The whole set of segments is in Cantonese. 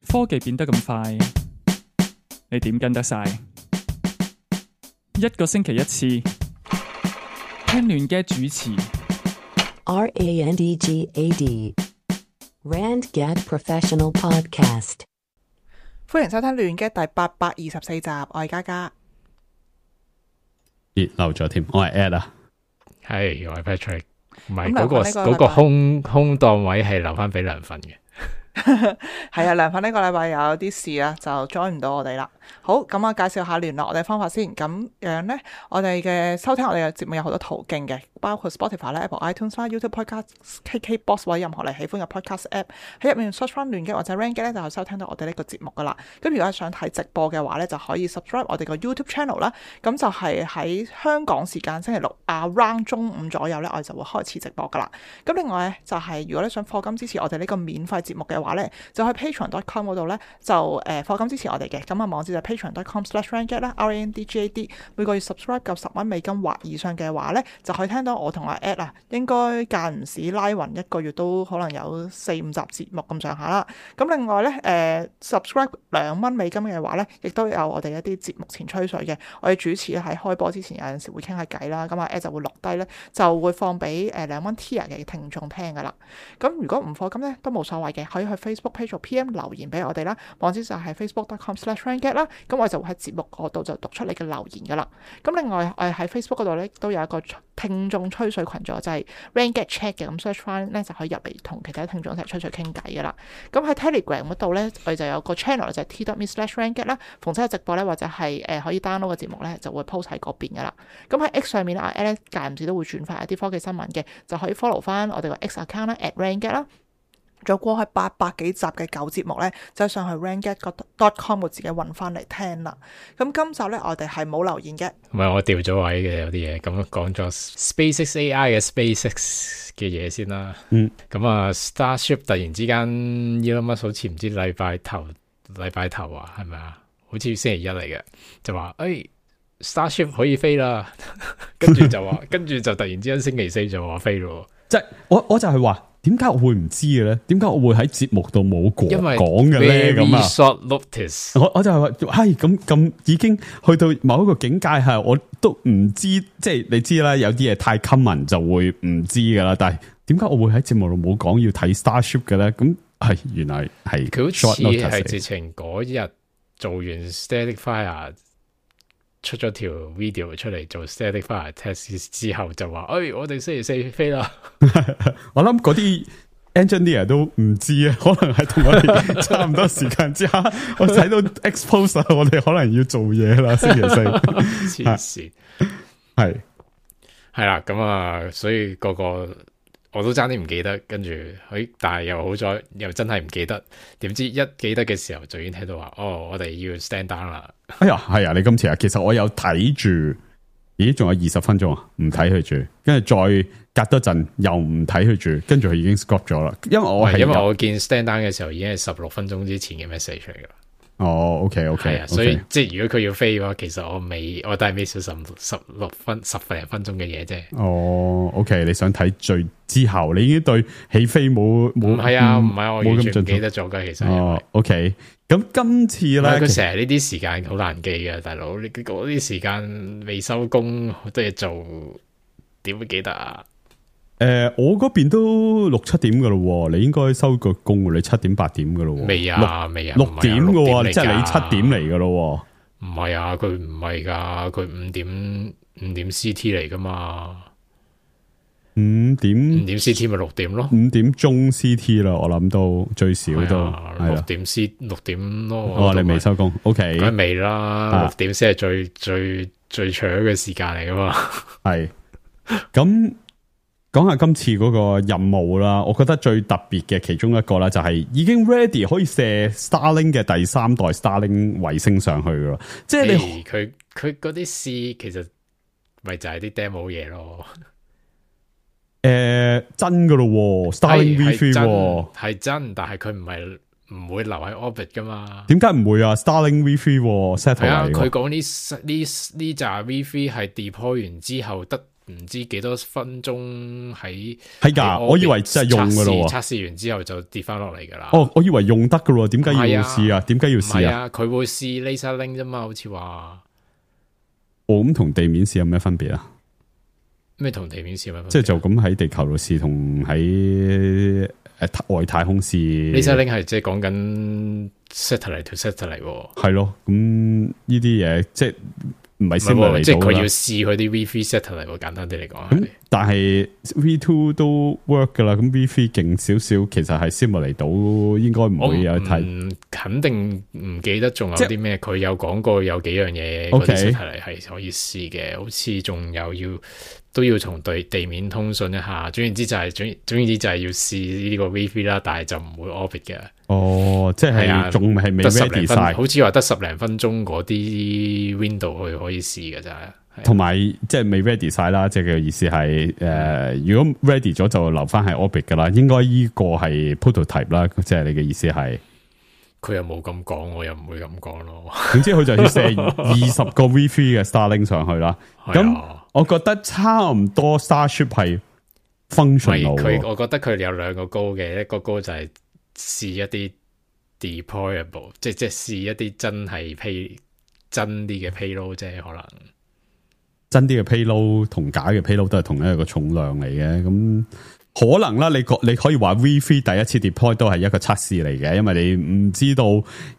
科技變得咁快，你點跟得晒？一個星期一次，聽亂嘅主持。RANDGAD RandGad Professional Podcast。歡迎收聽亂嘅第824集，我係嘉嘉。漏咗添，我係 Ed 啊，係我係 Patrick， 唔係咁嗰個空檔位係留翻俾梁粉嘅。係啊，梁粉呢個禮拜有啲事啊，就 join 唔到我哋啦。好，咁我介紹下聯絡我哋方法先。咁樣呢，我哋嘅收聽我哋嘅節目有好多途徑嘅，包括 Spotify 啦、Apple iTunes 啦、YouTube Podcast、KKBox 或者任何你喜歡嘅 Podcast App， 喺入面 search 翻亂嘅或者 RandGad 咧，就可以收聽到我哋呢個節目噶啦。咁如果係想睇直播嘅話呢，就可以 subscribe 我哋個 YouTube channel 啦。咁就係喺香港時間星期六around 中午左右呢，我哋就會開始直播噶啦。咁另外呢，就係如果你想課金支持我哋呢個免費節目嘅話呢，就喺 patreon.com 嗰度呢，就課金支持我哋嘅。咁啊網址就 patreon.com/randgad 啦 ，RANDGAD。每個月 subscribe 夠$10或以上嘅話呢，就可以聽到我同阿 Ed 啊，應該間唔時拉勻一個月都可能有4-5集節目咁上下啦。咁另外呢，subscribe $2嘅話呢，亦都有我哋一啲節目前吹水嘅。我哋主持咧喺開播之前有陣時會傾下偈啦，咁阿 Ed 就會錄低呢，就會放俾$2 tier 嘅聽眾聽噶啦。咁如果唔課金呢，都冇所謂嘅，可以去 Facebook page 做 PM 留言俾我哋啦，網址就係 facebook.com/randgad 啦。咁我就會喺節目嗰度就讀出你嘅留言噶啦。咁另外我哋喺 Facebook 嗰度咧都有一個聽眾吹水群組，就係 RandGad Chat 嘅，咁 search 翻咧就可以入嚟同其他聽眾一齊吹水傾偈噶啦。咁喺 Telegram 嗰度咧，我哋就有個 channel 就係 t.me/randgad 啦。逢親有直播咧或者係可以 download 嘅節目咧，就會 post 喺嗰邊噶啦。咁喺 X 上面阿 Alex 間唔時都會轉發一啲科技新聞嘅，就可以 follow 翻我哋個 X account 啦 @randgad 啦。仲有過去800幾集嘅舊節目呢，就上去 randgad.com 我自己揾翻嚟聽啦。咁今集呢，我哋係冇留言嘅。唔係我掉咗位嘅有啲嘢，咁講咗 SpaceX AI 嘅 SpaceX 嘅嘢先啦。咁啊 Starship 突然之間 Elon Musk 好似唔知禮拜頭啊，係咪啊？好似星期一嚟嘅，就話Starship 可以飛啦，跟住就突然之間星期四就話飛咯。即係我就係話，點解我會唔知嘅咧？點解我會喺節目度冇講嘅咧？咁啊 short notice， 我就係話，係咁已經去到某一個境界，係我都唔知，即係你知啦，有啲嘢太 common 就會唔知噶啦。但係點解我會喺節目度冇講要睇 Starship 嘅咧？咁係原來係佢好似係直情嗰日做完 Static Fire。出咗條 video 出嚟做 static fire test 之後就話，我哋星期四飛啦。我諗嗰啲 engineer 都唔知啊，可能係同我哋差唔多時間之下，我睇到 expose， 我哋可能要做嘢啦。星期四，黐線，係啦，咁啊，所以個我都爭啲唔記得，跟住但係又好彩，又真係唔記得。點知一記得嘅時候，就已經睇到話，我哋要 stand down 啦。哎呀，係啊！你今次啊，其實我有睇住，咦，仲有20分鐘啊，唔睇佢住，跟住再隔多陣又唔睇佢住，跟住佢已經 stop 咗啦。因為我見 stand down 嘅時候已經係16分鐘之前嘅 message 嚟噶啦。哦，OK，係啊，所以即係如果佢要飛嘅話，其實我都係 miss 咗10零分鐘嘅嘢啫。哦，OK，你想睇最之後，你已經對起飛冇唔係啊，唔係我完全唔記得咗噶，其實。哦，OK，咁今次咧，佢成日呢啲時間好難記嘅，大佬，你嗰啲時間未收工，好多嘢做，點會記得啊？我嗰邊都6-7點噶咯，你應該收個工，你7點8點噶咯。未啊，6點噶，即係你7點嚟噶咯。唔係啊，佢唔係噶，佢5點 CT 嚟噶嘛。5點 CT 咪6點咯，5點鐘 CT 啦，我諗到最少都6點咯。哦，你未收工 ，OK， 梗係未啦，6點先係最長嘅時間嚟噶嘛。係咁。講下今次嗰個任務啦，我覺得最特別嘅其中一個啦，就係已經 ready 可以射 Starlink 嘅第3代 Starlink 衛星上去噶啦。即係你佢嗰啲試其實咪就係啲 demo 嘢咯。真噶咯 ，Starlink V3 係真，但係佢唔會留喺 orbit 噶嘛？點解唔會啊 ？Starlink V3 set 係啊，佢講呢扎 V3 係 deploy 完之後得唔知幾多分鐘喺係㗎，我以為真係用㗎咯喎，測試完之後就跌翻落嚟㗎啦。哦，我以為用得㗎咯，點解要試啊？點解要試啊？佢會試 laser link 啫嘛，好似話。哦，咁同地面試有咩分別啊？咩同地面試有咩分別？即係就咁喺地球度試，同喺外太空試。laser link 係即係講緊 satellite to satellite 喎。係咯，咁呢啲嘢即係唔係 simulate 即係佢要試佢啲 V3 satellite 喎，簡單啲嚟講。但係 V2 都 work 噶啦，咁 V3 勁少少，其實係 simulate 到，應該唔會有睇。肯定唔記得仲有啲咩，佢有講過有幾樣嘢嗰啲 satellite 係可以試嘅，好似仲有都要同地面通訊一下。總言之就係要試呢個 V3 啦，但係就唔會 orbit 嘅。哦，即係仲係未 ready 晒，好似話得10零分鐘嗰啲 window 去可以試嘅咋。同埋即係未 ready 晒啦，即係嘅意思係如果 ready 咗就留翻係 orbit 噶啦，應該呢個係 prototype 啦，即係你嘅意思係。佢又冇咁講，我又唔會咁講咯。總之佢就要射20個 V3 嘅 Starlink 上去啦。咁我覺得差唔多 Starship 係 functional。我覺得佢有兩個高嘅，一個高就係試一啲 deployable， 即係試一啲真係真啲嘅 payload 啫，可能。真啲嘅 payload 同假嘅 payload 都係同一個重量嚟嘅，咁可能啦。你可以話 V3 第一次 deploy 都係一個測試嚟嘅，因為你唔知道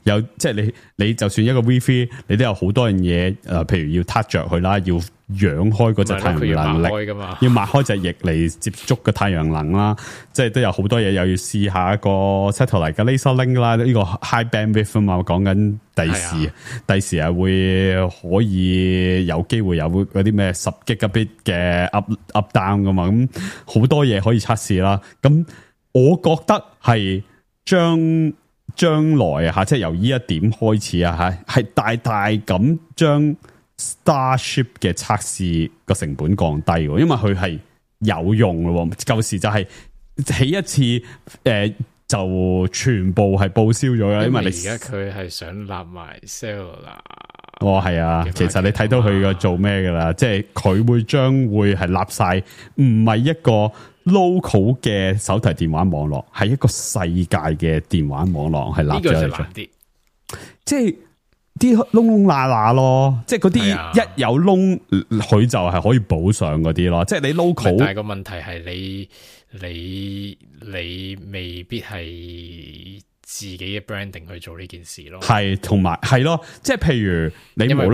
有即係你就算一個 V3，你都有好多樣嘢譬如要 touch 着佢啦，要揚開嗰隻太陽能力，要擘開隻翼嚟接觸個太陽能啦，即係都有好多嘢，又要試下一個 satellite 嘅 laser link 啦，呢個 high bandwidth 啊嘛，我講緊第時係會可以有機會有嗰啲咩10 gigabit 嘅 up down 噶嘛，咁好多嘢可以測試啦。咁我覺得係將來啊，即係由呢一點開始啊，係大大咁將 Starship 嘅測試個成本降低，因為佢係有用咯。舊時就係起一次就全部係報銷咗嘅，因為你而家佢係想立埋 cellular。哦，係啊，其實你睇到佢個做咩噶啦，即係佢將會係立晒，唔係一個 local 嘅手提電話網絡，係一個世界嘅電話網絡，係立咗嚟做。即係啲窿窿罅罅咯，即係嗰啲一有窿，佢就係可以補上嗰啲咯。即係你 local， 但係個問題係你未必係自己嘅 branding 去做呢件事咯。係，同埋係咯，即係譬如你因為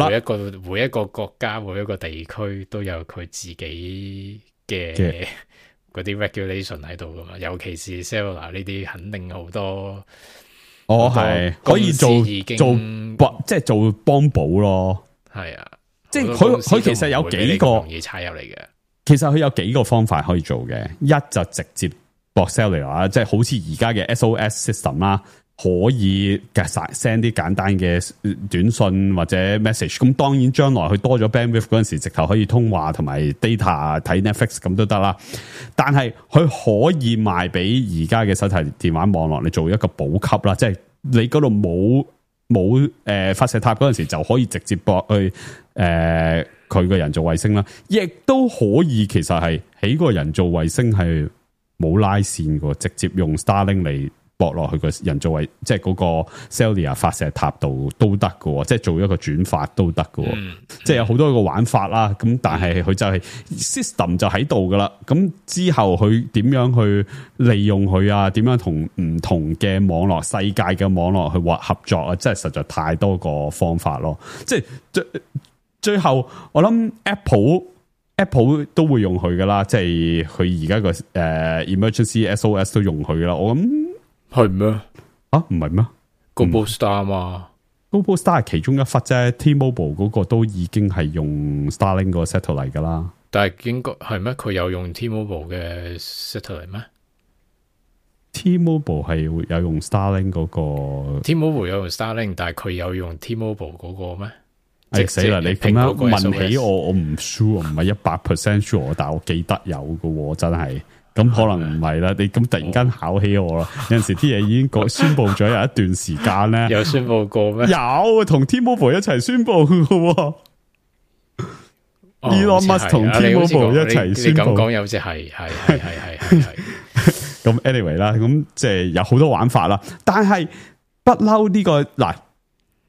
每一個國家每一個地區都有佢自己嘅嗰啲 regulation 喺度噶嘛，尤其是 cellular 呢啲肯定好多。我係可以做即係做幫補咯，係啊，即係佢其實有幾個容易踩入嚟嘅。其實佢有幾個方法可以做嘅，一就直接駁 cellular， 即係好似而家嘅 SOS system 啦，可以 send 啲簡單嘅短信或者 message。咁當然將來佢多咗 bandwidth 嗰陣時，直頭可以通話同埋 data 睇 Netflix 咁都得啦。但係佢可以賣俾而家嘅手提電話網絡，你做一個補給啦，即係你嗰度冇發射塔嗰陣時，就可以直接駁去佢個人造衛星啦。亦都可以其實係起個人造衛星係冇拉線嘅，直接用 Starlink 嚟駁落去個人造衛，即係嗰個 cellular 發射塔度都得嘅，即係做一個轉發都得嘅，即係有好多個玩法啦。咁但係佢就係 system 就喺度噶啦。咁之後佢點樣去利用佢啊？點樣同唔同嘅網絡、世界嘅網絡去合作啊？即係實在太多個方法咯。即係最後我諗 Apple 都會用佢噶啦，即係佢而家個emergency SOS 都用佢噶啦。我諗係咩？啊，唔係咩？Globalstar 嘛，Globalstar 係其中一忽啫。T-Mobile 嗰個都已經係用 Starlink 個 satellite 噶啦。但係應該係咩？佢有用 T-Mobile 嘅 satellite 咩？T-Mobile 係有用 Starlink 嗰個。T-Mobile 有用 Starlink， 但係佢有用 T-Mobile 嗰個咩？死啦！你咁樣問起我唔 sure， 唔係100% sure， 但係我記得有嘅，真係。咁可能唔係啦，你咁突然間考起我啦。有陣時啲嘢已經宣布咗有一段時間咧，有宣布過咩？有同 T-Mobile 一齊宣布嘅。Elon Musk 同 T-Mobile 一齊宣布。你咁講有隻係。咁 anyway 啦，咁即係有好多玩法啦。但係不嬲呢個嗱，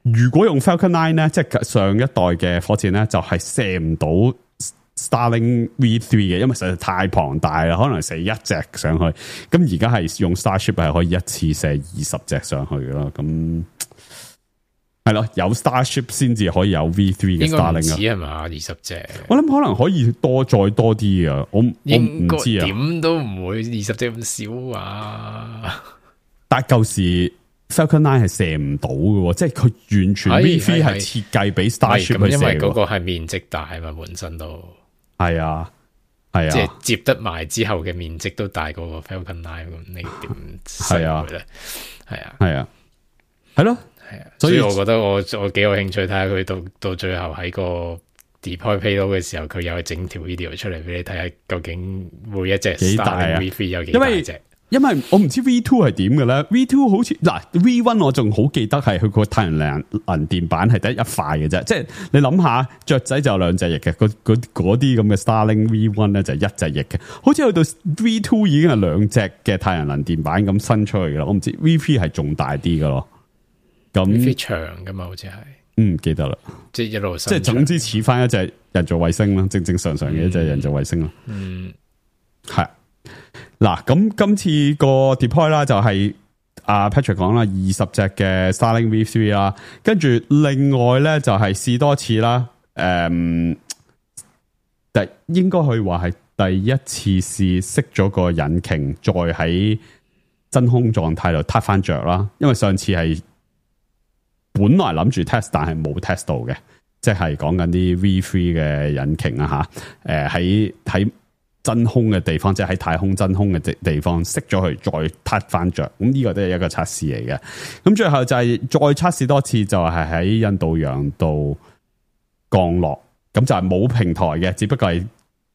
如果用 Falcon 9咧，即係上一代嘅火箭咧，就係射唔到 Starlink V3 嘅，因為實在太龐大啦，可能射一隻上去。咁而家係用 Starship 係可以一次射20隻上去嘅咯。咁係咯，有 Starship 先至可以有 V3 嘅 Starlink 啊。係嘛？20隻，我諗可能可以再多啲啊！我唔知啊，點都唔會20隻咁少啊！但係舊時 Falcon 9係射唔到嘅，即係佢完全 V3 係設計俾 Starship 去射。因為嗰個係面積大嘛，本身都係啊，即係接得埋之後嘅面積都大過個 Falcon 9，咁你點射佢咧？係啊，係咯。所以我覺得我幾有興趣睇下佢到最後喺個 deploy payload 嘅時候，佢又整條 video 出嚟俾你睇下，究竟每一隻 Starlink V3 有幾大隻？因為我唔知 V2 係點嘅咧 ，V2 好似嗱 V1 我仲好記得係佢個太陽能電板係得一塊嘅啫，即係你諗下雀仔就有2隻翼嘅，嗰啲咁嘅 Starlink V1 咧就係1隻翼嘅，好似去到 V2 已經係2隻嘅太陽能電板咁伸出去嘅啦，我唔知 V3 係仲大啲嘅咯。咁長噶嘛，好似係，記得啦，即係一路，即係總之似翻一隻人造衛星啦，正常嘅一隻人造衛星啦。係嗱，咁今次個 deploy 啦，就係阿 Patrick 講啦，20隻嘅 Starlink V3 啦，跟住另外咧就係試多次啦，應該可以話係第一次試熄咗個引擎，再喺真空狀態度撻翻着啦，因為上次係。本來諗住 test， 但係冇 test 到嘅，即係講緊啲 V3 嘅引擎啊吓，喺真空嘅地方，即係喺太空真空嘅地方熄咗佢，再撻翻着，咁呢個都係一個測試嚟嘅。咁最後就係再測試多次，就係喺印度洋度降落，咁就係冇平台嘅，只不過係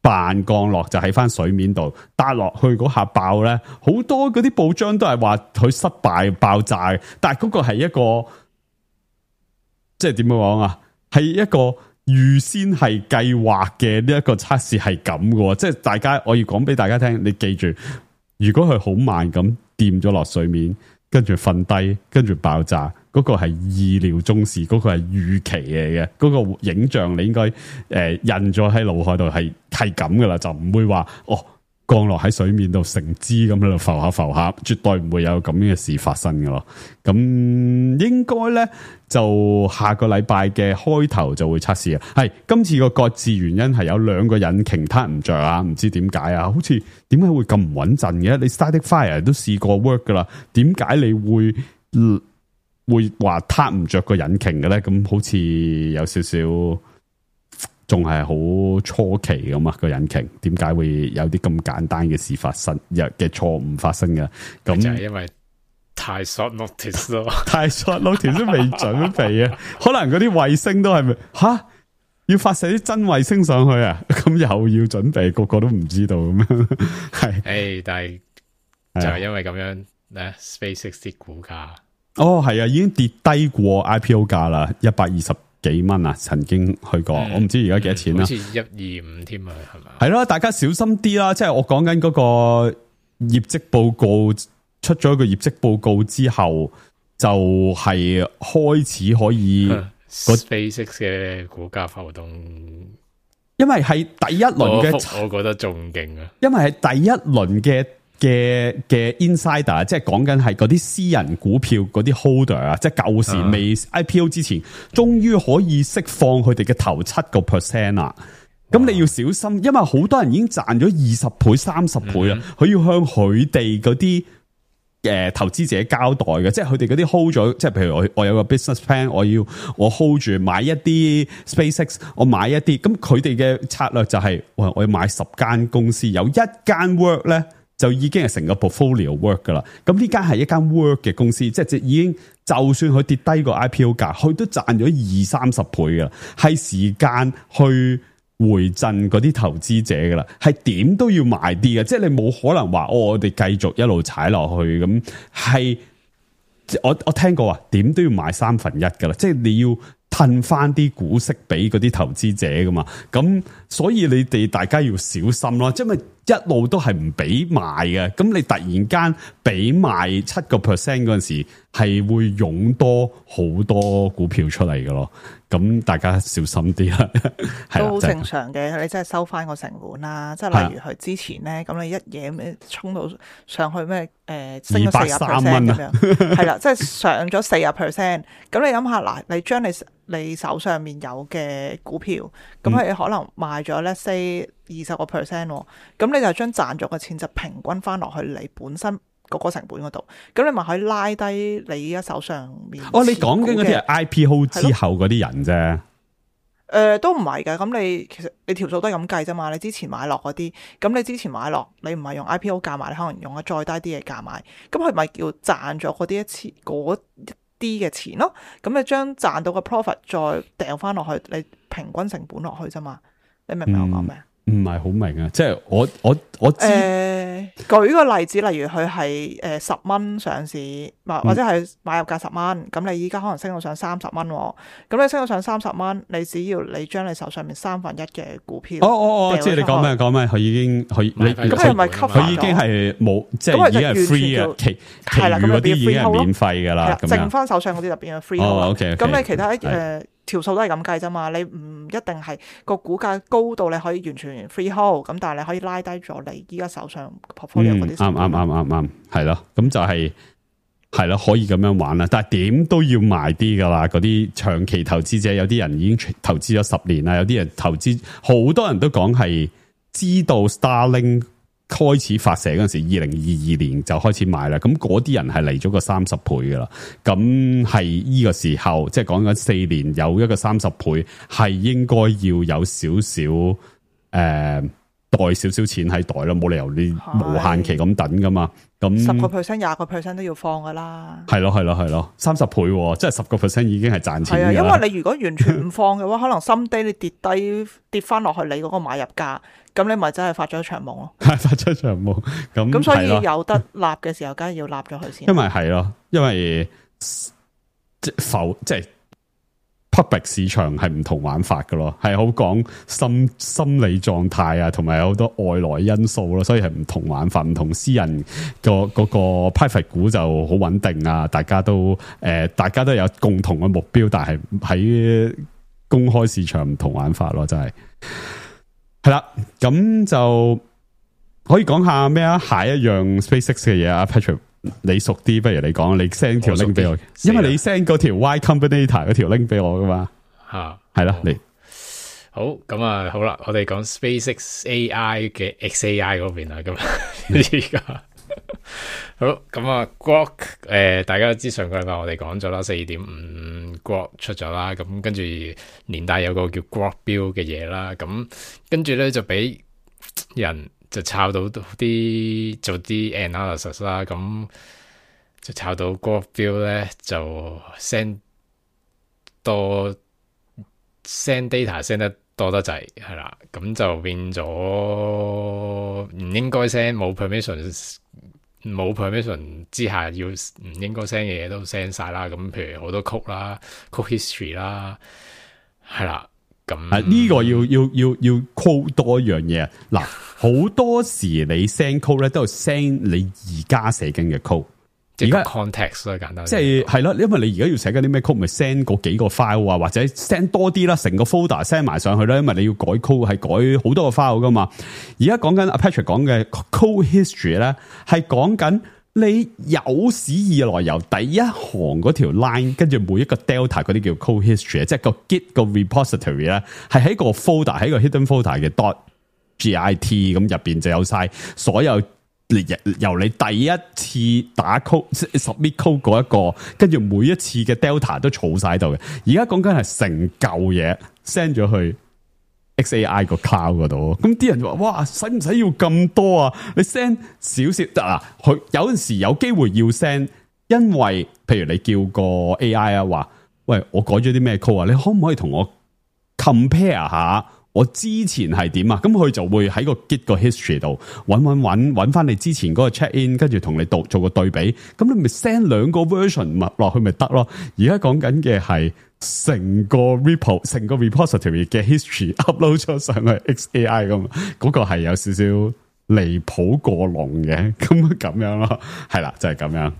扮降落，就喺翻水面度搭落去嗰下爆咧，好多嗰啲報章都係話佢失敗爆炸，但係嗰個係一個。即係點樣講啊？係一個預先係計劃嘅呢一個測試係咁嘅，即係大家我要講俾大家聽，你記住，如果佢好慢咁掂咗落水面，跟住瞓低，跟住爆炸，嗰個係意料中事，嗰個係預期嚟嘅，嗰個影像你應該印咗喺腦海度係咁噶啦，就唔會話降落喺水面度成支咁喺度浮下，絕對唔會有咁樣嘅事發生㗎咯。咁應該咧就下個禮拜嘅開頭就會測試啊。係今次個擱置原因係有2個引擎撻唔着啊，唔知點解啊？好似點解會咁唔穩陣嘅？你 Static Fire 都試過 work 噶啦，點解你會話撻唔着個引擎嘅咧？咁好似有少少。仲係好初期咁啊！個引擎點解會有啲咁簡單嘅事發生嘅錯誤發生嘅？咁就係因為太 short notice 咯，太 short notice 都未準備啊！可能嗰啲衛星都係咪要發射啲真衛星上去啊？咁又要準備，個個都唔知道咁樣。係，但係就係因為咁樣咧 ，SpaceX 啲股價係啊，已經跌低過 IPO 價啦，120幾蚊啊，曾經去過，我唔知而家幾多錢啦，好似125添啊，係咪？係咯，大家小心啲啦。即係我講緊嗰個業績報告出咗一個業績報告之後，就係開始可以 SpaceX 嘅股價浮動，因為係第一輪嘅，我覺得仲勁啊，因為係第一輪嘅 insider， 即係講緊係嗰啲私人股票嗰啲 holder 啊，即係舊時未 IPO 之前，終於可以釋放佢哋嘅頭7% 啦。咁你要小心，因為好多人已經賺咗20倍、30倍啦，佢要向佢哋嗰啲投資者交代嘅，即係佢哋嗰啲 hold 咗，即係譬如我有個 business plan，我 hold 住買一啲 SpaceX， 我買一啲，咁佢哋嘅策略就係，我要買10間公司，有一間 work 咧。就已經係成個 portfolio work 噶啦，咁呢間係一間 work 嘅公司，即係已經就算佢跌低個 IPO 價，佢都賺咗20-30倍噶啦，係時間去回贈嗰啲投資者噶啦，係點都要賣啲嘅，即係你冇可能話我哋繼續一路踩落去咁，係我聽過啊，點都要賣1/3噶啦，即係你要褪翻啲股息俾嗰啲投資者噶嘛，咁所以你哋大家要小心咯，因為一路都係唔俾賣嘅，咁你突然間俾賣7%嗰陣時，係會湧多好多股票出嚟嘅咯，咁大家小心啲啦，都好正常嘅，你真係收翻個成本啦，即係例如佢之前咧，咁你一嘢咩衝到上去咩升咗40%咁樣，係啦，即係上咗40%，咁你諗下嗱，你將你手上面有嘅股票，咁佢可能賣咗咧say 20%，咁你就將賺咗嘅錢就平均翻落去你本身嗰個成本嗰度，咁你咪可以拉低你依家手上面。哦，你講緊嗰啲係 IPO 之後嗰啲人啫。都唔係㗎，咁你其實你條數都係咁計啫嘛。你之前買落嗰啲，咁你之前買落，你唔係用 IPO 價買，你可能用咗再低啲嘅價買，咁佢咪叫賺咗嗰啲嘅錢咯。咁你將賺到嘅 profit 再掉翻落去，你平均成本落去啫嘛。你明唔明我講咩？唔係好明啊，即係我知。舉個例子，例如佢係10蚊上市，或者係買入價10蚊，咁你依家可能升到上30蚊，咁你升到上30蚊，你只要你將你手上面1/3嘅股票，即係你講咩？佢已經佢已經係冇，即係已經係 free 啊，其餘嗰啲已經係免費噶啦，剩翻手上嗰啲就變咗 free。OK，咁你其他條數都係咁計啫嘛，你唔一定係個股價高到你可以完全 free hold，咁但係你可以拉低咗你依家手上 portfolio 嗰啲。啱，係咯，咁就係咯，可以咁樣玩啦。但係點都要賣啲噶啦，嗰啲長期投資者，有啲人已經投資咗10年啦，有啲人投資，好多人都講係知道 Starlink 開始發射嗰陣時，2022年就開始買啦。咁嗰啲人係嚟咗個30倍噶啦。咁係呢個時候，即係講緊4年有一個30倍，係應該要有少少袋少少錢喺袋咯，冇理由你無限期咁等噶嘛。咁10%、20%都要放噶啦。係咯，30倍，即係10%已經係賺錢。係啊，因為你如果完全唔放嘅話，可能someday你跌翻落去你嗰個買入價，咁你咪真係發咗一場夢咯。係發咗一場夢。咁所以有得立嘅時候，梗係要立咗佢先。因為係咯，因為即係。public 市場係唔同玩法㗎咯，係好講心理狀態啊，同埋有好多外來因素咯，所以係唔同玩法，唔同私人嗰個 private 股就好穩定啊，大家都有共同嘅目標，但係喺公開市場唔同玩法咯，真係係啦，咁就可以講下咩啊？下一樣 SpaceX 嘅嘢啊 ，Patrick。你熟啲，不如你講，你 send 條 link 俾我，因為你 send 嗰條 Y Combinator 嗰條 link 俾我噶嘛，係啦，你好咁啊，好啦，我哋講 SpaceX AI 嘅 XAI 嗰邊啦，咁而家好咁啊 Grok 大家都知上個禮拜我哋講咗啦，4.5 Grok 出咗啦，咁跟住連帶有個叫 Grok Build 嘅嘢啦，咁跟住咧就俾人。就抄到啲做啲 analysis 啦，咁就抄到 Grok Build 咧就 send data send 得多得滯，係啦，咁就變咗唔應該 send 冇 permission 之下要唔應該 send 嘅嘢都 send 晒啦，咁譬如好多 code 啦 code history 啦，係啦。咁呢個要 quote 多一樣嘢嗱，好多時你 send code 咧都係 send 你而家寫緊嘅 code， 而家 context 咯，簡單即係咯，因為你而家要寫緊啲咩 code，咪 send 嗰幾個 file 啊，或者 send 多啲啦，成個 folder send 埋上去啦，因為你要改 code 係改好多個 file 噶嘛。而家講緊阿 Patrick 講嘅 code history 咧，係講緊。你有史以來由第一行嗰條 line， 跟住每一個 delta 嗰啲叫 code history， 即係個 git 個 repository 咧，係喺個 folder 喺個 hidden folder 嘅 .git 咁入邊就有晒所有由你第一次打 code submit code 嗰一個，跟住每一次嘅 delta 都儲晒喺度嘅。而家講緊係成嚿嘢 send 咗去。XAI 個 cloud 嗰度，咁啲人就話：哇，使唔使要咁多啊？你 send 少少得啦。佢有陣時有機會要 send，因為譬如你叫個 AI 啊，話：喂，我改咗啲咩 code 啊？你可唔可以同我 compare 下我之前係點啊？咁佢就會喺個 Git 個 history 度揾翻你之前嗰個 check in， 跟住同你做個對比。咁你咪 send 兩個 version 落去咪得咯？而家講緊嘅係成個 repository 嘅 history upload 咗上去 XAI 咁，嗰個係有少少離譜過龍嘅，咁樣咯，係啦，就係咁樣。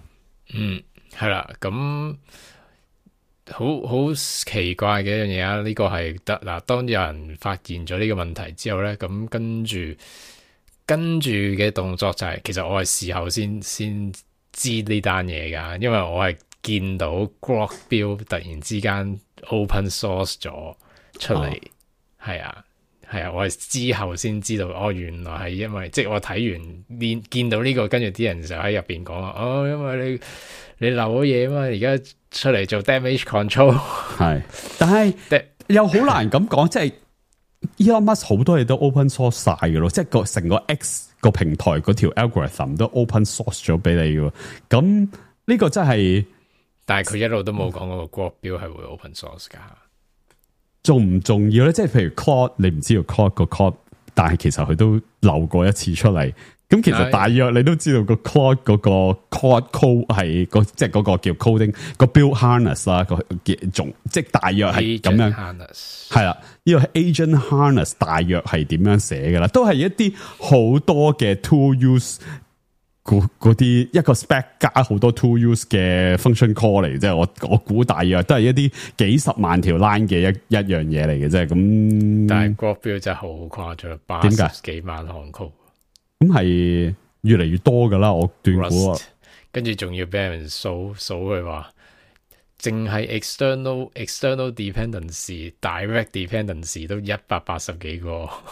係啦，咁好奇怪嘅一樣嘢啊！呢個係得嗱，當有人發現咗呢個問題之後咧，咁跟住嘅動作就係，其實我係事後先知呢單嘢噶，因為我係見到 Grok Build 突然之間 open source 咗出嚟，係啊，我係之後先知道，原來係因為即係我睇完見到呢個，跟住啲人就喺入邊講啊，因為你漏咗嘢啊嘛，而家出嚟做 damage control 係，但係又好難咁講，即係 Elon Musk 好多嘢都 open source 晒嘅咯，即係成個 X 個平台嗰條 algorithm 都 open source 咗俾你嘅，咁呢個真係，但係佢一路都冇講嗰個 Grok Build 係會 open source 噶，重唔重要咧？即係譬如 Claude，你唔知道 Claude 個 code， 但係其實佢都漏過一次出嚟。咁其實大約你都知道個 Claude 嗰個 Claude code 係即係嗰個叫 coding 個 build harness 啦，個即係大約係咁樣，係啦，呢個 agent harness 大約係點樣寫噶啦，都係一啲好多嘅 tool use 嗰啲一個 spec 加好多 tool use 嘅 function call 嚟，即係我估大約都係一啲幾十萬條 line 嘅一樣嘢嚟嘅啫。咁但係 Grok Build 真係好誇張，80幾萬行 code。咁係越嚟越多噶啦，我斷估，跟住仲要俾人數佢話，淨係 external dependency、direct dependency 都180幾個。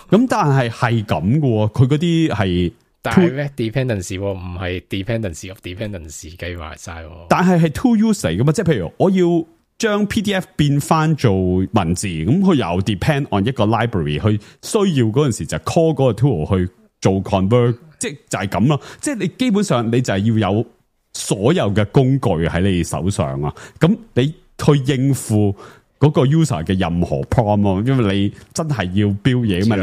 咁但係咁嘅喎，佢嗰啲係 direct dependency 唔係 dependency of dependency 計埋晒。但係 tool use 嚟噶嘛，即係譬如我要將 PDF 變翻做文字，咁佢又 depend on 一個 library， 去需要嗰陣時就 call 嗰個 tool 去做 convert， 即係就係咁咯。即係你基本上你就係要有所有嘅工具喺你手上啊。咁你去應付嗰個 user 嘅任何 prompt， 因為你真係要標嘢嘛。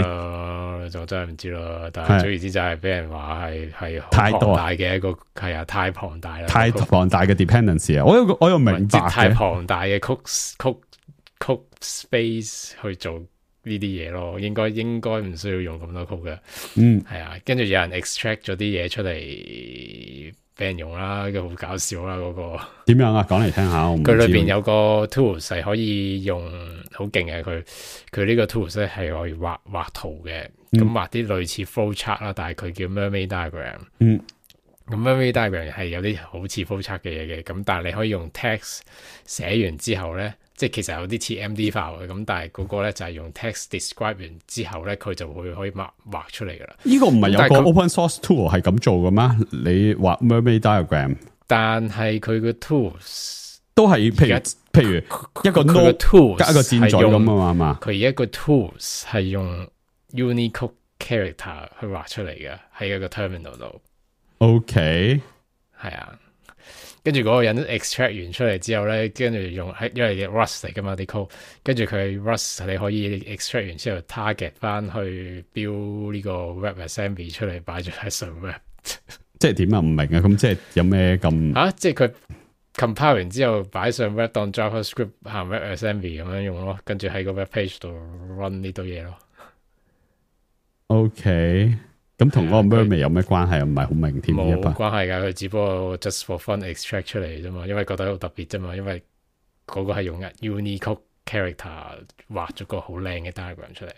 你就真係唔知啦。但係總言之就係俾人話係太龐大嘅一個，係啊，太龐大啦，太龐大嘅 dependency 啊。我又明白嘅，太龐大嘅 code space 去做呢啲嘢咯，應該唔需要用咁多 code 嘅。係啊，跟住有人 extract 咗啲嘢出嚟俾人用啦，好搞笑啦嗰個。點樣啊？講嚟聽下。佢裏邊有個 tools 係可以用，好勁嘅。佢呢個 tools 咧係可以畫圖嘅，咁畫啲類似 flow chart 啦，但係佢叫 mermaid diagram。咁 mermaid diagram 係有啲好似 flow chart 嘅嘢嘅，咁但係你可以用 text 寫完之後咧。即係其實有啲似 MD file 嘅，咁但係嗰個咧就係用 text describe 完之後咧，佢就會可以畫出嚟噶啦。呢個唔係有個 open source tool 係咁做嘅咩？你畫 mermaid diagram， 但係佢個 tools 都係譬如一個 node tool 加一個箭嘴咁啊嘛。佢一個 tools 係用 Unicode character 去畫出嚟嘅，喺一個 terminal 度。OK， 係啊。跟住嗰個人 extract 完出嚟之後咧，跟住用因為 Rust 嚟噶嘛啲 code， 跟住佢 Rust 你可以 extract 完之後 target 翻去 build 呢個 WebAssembly 出嚟擺咗喺上 web。即係點啊？唔明啊！咁即係有咩咁？即係佢 compile 完之後擺上 web 當 JavaScript 行 WebAssembly 咁樣用咯，跟住喺個 web page 度 run 呢堆嘢咯。OK。咁同嗰個 mermaid 有咩關係？唔係好明添。冇關係噶，佢只不過 just for fun extract 出嚟啫嘛，因為覺得好特別啫嘛，因為嗰個係用 Unicode character 畫咗個好靚嘅 diagram 出嚟。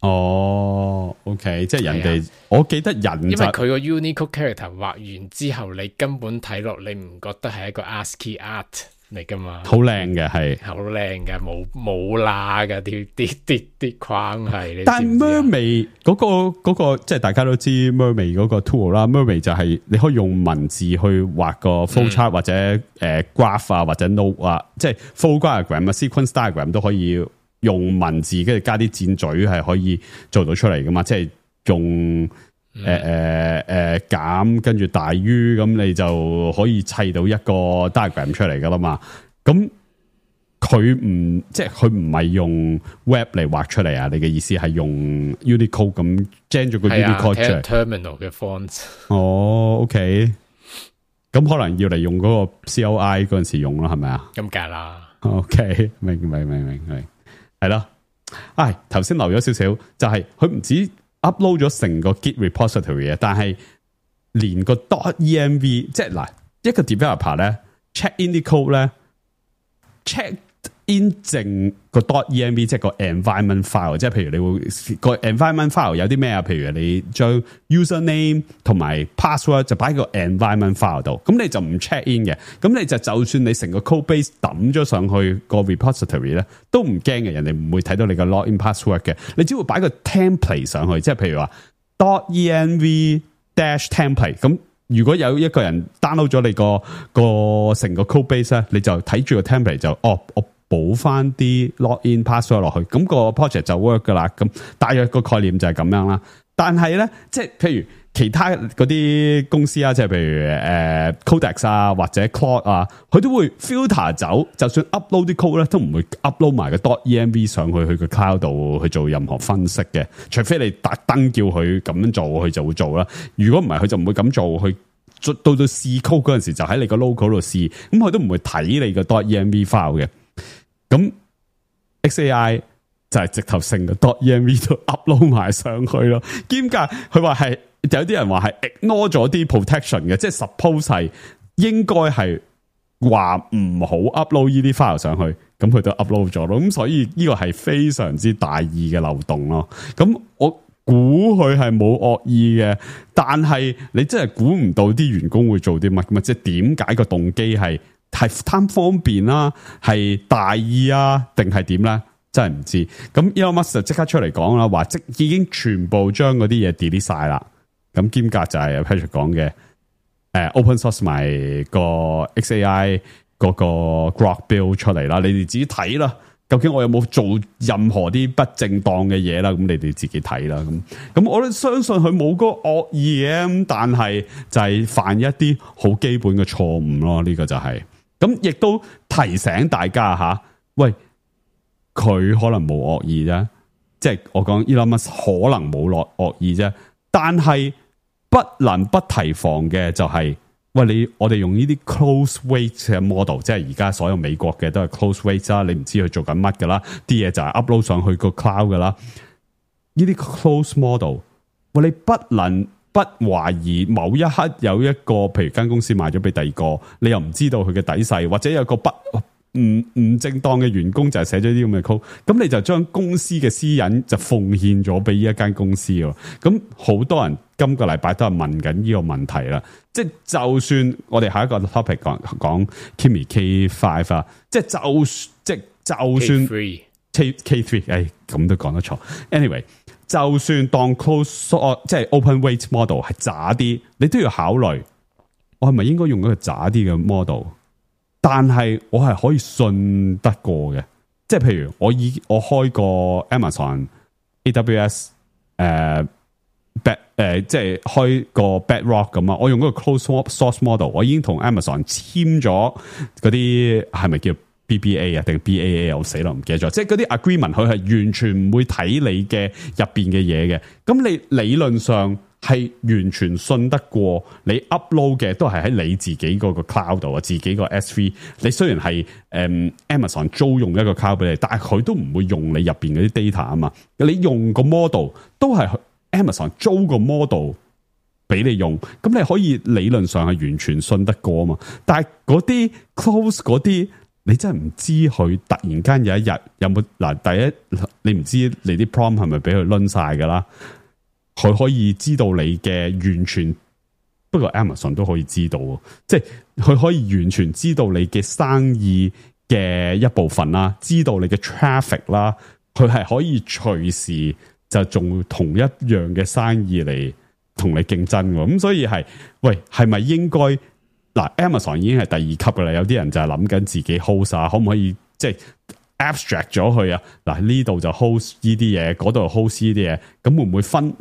哦 ，OK， 即係人哋，我記得人因為佢個 Unicode character 畫完之後，你根本睇落你唔覺得係一個 ASCII art 嚟噶嘛？好靚嘅係，好靚嘅，冇罅嘅啲框係。但係 mermaid 嗰個即係大家都知 mermaid 嗰個 tool 啦 ，mermaid 就係你可以用文字去畫個 flow chart 或者graph 啊或者 node 啊，即係 flow diagram 啊 sequence diagram 都可以用文字跟住加啲箭嘴係可以做到出嚟噶嘛，即係用。減跟住大於咁，你就可以砌到一個 diagram 出嚟噶啦嘛。咁佢唔係用 Web 嚟畫出嚟啊？你嘅意思係用 Unicode 咁 gen 咗個 Unicode 出嚟 terminal 嘅 font。哦 ，OK， 咁可能要嚟用嗰個 CLI 嗰陣時用啦，係咪啊？咁梗啦。OK， 明，係咯。頭先留咗少少，就係佢唔止 upload 咗成個 Git repository 啊，但係連個 .env， 即係嗱一個 developer 咧 check in 啲 code 咧 check in 淨個 .env 即係個 environment file， 即係譬如你會個 environment file 有啲咩啊？譬如你將 username 同埋 password 就擺喺個 environment file 度，咁你就唔 check in 嘅，咁你就算你成個 code base 抌咗上去個 repository 咧，都唔驚嘅，人哋唔會睇到你個 login password 嘅，你只會擺個 template 上去，即係譬如話 .env dash template 咁。如果有一個人 download 咗你個成個 code base 咧，你就睇住個 template 就我補翻啲 login password 落去，咁個 project 就 work 噶啦。咁大約個概念就係咁樣啦。但係咧，即係譬如其他嗰啲公司啊，即係譬如Codex 啊或者 Claude 啊，佢都會 filter 走，就算 upload 啲 code 咧，都唔會 upload 埋個 .env 上去個 cloud 度去做任何分析嘅。除非你特登叫佢咁樣做，佢就會做啦。如果唔係，佢就唔會咁做。佢到試 code 嗰陣時，就喺你個 local 度試，咁佢都唔會睇你個 .env file 嘅。咁 XAI 就係直頭成個 .env 都 upload 埋上去咯，兼夾佢話係有啲人話係 ignore 咗啲 protection 嘅，即係 suppose 係應該係話唔好 upload 呢啲 file 上去，咁佢都 upload 咗咯，咁所以呢個係非常之大意嘅漏洞咯。咁我估佢係冇惡意嘅，但係你真係估唔到啲員工會做啲乜嘅嘛？即係點解個動機係貪方便啦，係大意啊，定係點咧？真係唔知。咁 Elon Musk 就即刻出嚟講啦，話已經全部將嗰啲嘢 delete 晒啦。咁兼夾就係 Patrick 講嘅，open source 埋個 XAI 嗰個 Grok build 出嚟啦。你哋自己睇啦，究竟我有冇做任何啲不正當嘅嘢啦？咁你哋自己睇啦。咁我都相信佢冇嗰個惡意嘅，咁但係就係犯一啲好基本嘅錯誤咯。呢個就係。咁亦都提醒大家吓，喂，佢可能冇惡意啫，即係我講 Elon Musk 可能冇落惡意啫，但係不能不提防嘅就係，喂，我哋用呢啲 close weight 嘅 model， 即係而家所有美國嘅都係 close weight 啦，你唔知佢做緊乜噶啦，啲嘢就係 upload 上去個 cloud 噶啦，呢啲 close model， 喂，你不能不懷疑某一刻有一個，譬如間公司賣咗俾第二個，你又唔知道佢嘅底細，或者有個唔正當嘅員工就係寫咗啲咁嘅 code， 咁你就將公司嘅私隱就奉獻咗俾呢一間公司喎。咁好多人今個禮拜都係問緊呢個問題啦。即係就算我哋下一個 topic 講 Kimi K5 啊，即係就算 K3， 咁都講得錯。Anyway。就算當 close 即係 open weight model 係渣啲，你都要考慮，我係咪應該用一個渣啲嘅 model？ 但係我係可以信得過嘅，即係譬如我開個 Amazon AWS 即係開個 Bedrock 咁啊，我用嗰個 close source model， 我已經同 Amazon 簽咗嗰啲係咪叫BBA 啊定 BAA 我死啦唔記得咗，即係嗰啲 agreement 佢係完全唔會睇你嘅入邊嘅嘢嘅，咁你理論上係完全信得過你 upload 嘅都係喺你自己嗰個 cloud 度啊，自己個 S3， 你雖然係Amazon 租用一個 cloud 俾你，但係佢都唔會用你入邊嗰啲 data 啊嘛，你用個 model 都係 Amazon 租個 model 俾你用，咁你可以理論上係完全信得過啊嘛，但係嗰啲 close 嗰啲。你真係唔知佢突然間有一日有冇嗱，第一你唔知你啲 prompt 係咪俾佢掄晒噶啦？佢可以知道你嘅完全，不過 Amazon 都可以知道，即係佢可以完全知道你嘅生意嘅一部分啦，知道你嘅 traffic 啦，佢係可以隨時就做同一樣嘅生意嚟同你競爭喎。咁所以係咪應該？嗱 ，Amazon 已經係第二級噶啦，有啲人就係諗緊自己 host 啊，可唔可以即係 abstract 咗佢啊？嗱，呢度就 host 呢啲嘢，嗰度 host 呢啲嘢，咁會唔會分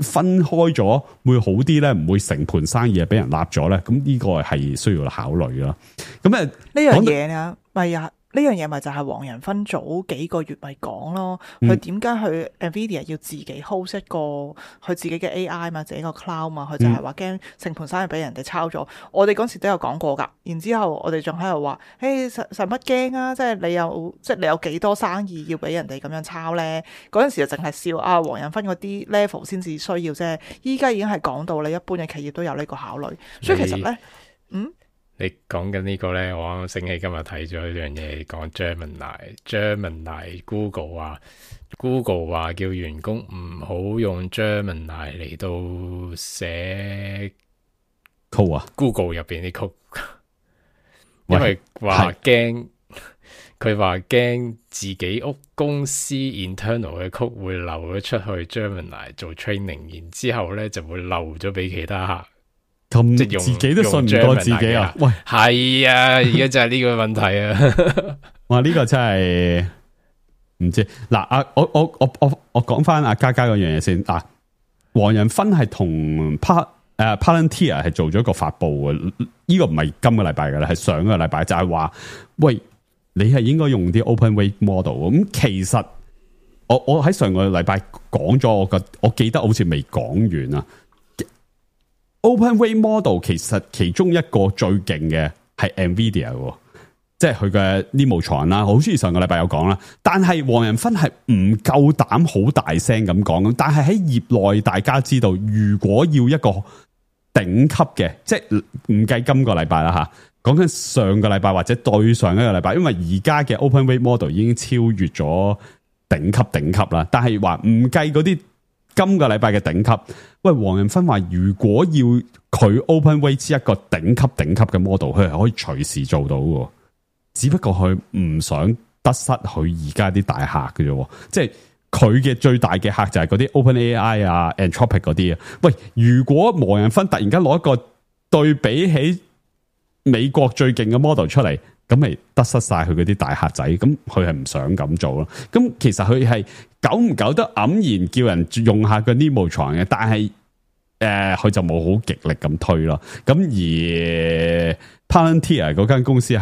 開咗會好啲咧？唔會成盤生意俾人立咗咧？咁呢個係需要考慮啦。咁呢樣嘢啊，咪呢樣嘢咪就係黃仁勳早幾個月咪講咯，佢點解佢 Nvidia 要自己 host 一個佢自己嘅 AI 嘛，自己個 cloud 嘛，佢就係話驚成盤生意俾人哋抄咗。我哋嗰時都有講過㗎，然之後我哋仲喺度話，使乜驚啊？即係你有幾多生意要俾人哋咁樣抄咧？嗰陣時就淨係笑啊，黃仁勳嗰啲 level 先至需要啫。依家已經係講到你一般嘅企業都有呢個考慮，所以其實咧，你講緊呢個咧，我啱啱醒起今日睇咗呢樣嘢，講 Gemini Google 話叫員工唔好用 Gemini 嚟到寫 code 啊 ，Google 入邊啲 code， 因為話驚佢話驚自己屋公司 internal 嘅 code 會漏咗出去 Gemini 做 training， 然之後咧就會漏咗俾其他客。咁即係自己都信唔過自己啊！喂，係啊，而家就係呢個問題啊！哇，呢個真係唔知嗱。我講翻阿嘉嘉嗰樣嘢先嗱。黃仁勳係同Palantir 係做咗一個發布嘅，呢個唔係今個禮拜噶啦，係上個禮拜就係話，喂，你係應該用啲 open weight model。咁其實我喺上個禮拜講咗，我記得好似未講完啊。Open weight model 其實其中一個最勁嘅係 Nvidia， 即係佢嘅 Nemotron 啦，好似上個禮拜有講啦。但係黃仁勳係唔夠膽好大聲咁講，但係喺業內大家知道，如果要一個頂級嘅，即係唔計今個禮拜啦吓，講緊上個禮拜或者對上一個禮拜，因為而家嘅 Open weight model 已經超越咗頂級啦。但係話唔計嗰啲今個禮拜嘅頂級。喂，黃仁勳話如果要佢 Open weight 一個頂級嘅 model， 佢係可以隨時做到嘅，只不過佢唔想得失佢而家啲大客嘅啫，即係佢嘅最大嘅客就係嗰啲 OpenAI 啊、Anthropic 嗰啲啊。喂，如果黃仁勳突然間攞一個對比起美國最勁嘅 model 出嚟，咁咪得失晒佢嗰啲大客仔，咁佢係唔想咁做咯。咁其實佢係久唔久都黯然叫人用下個 Nemotron 嘅，但係佢就冇好極力咁推咯。咁而 Palantir 嗰間公司又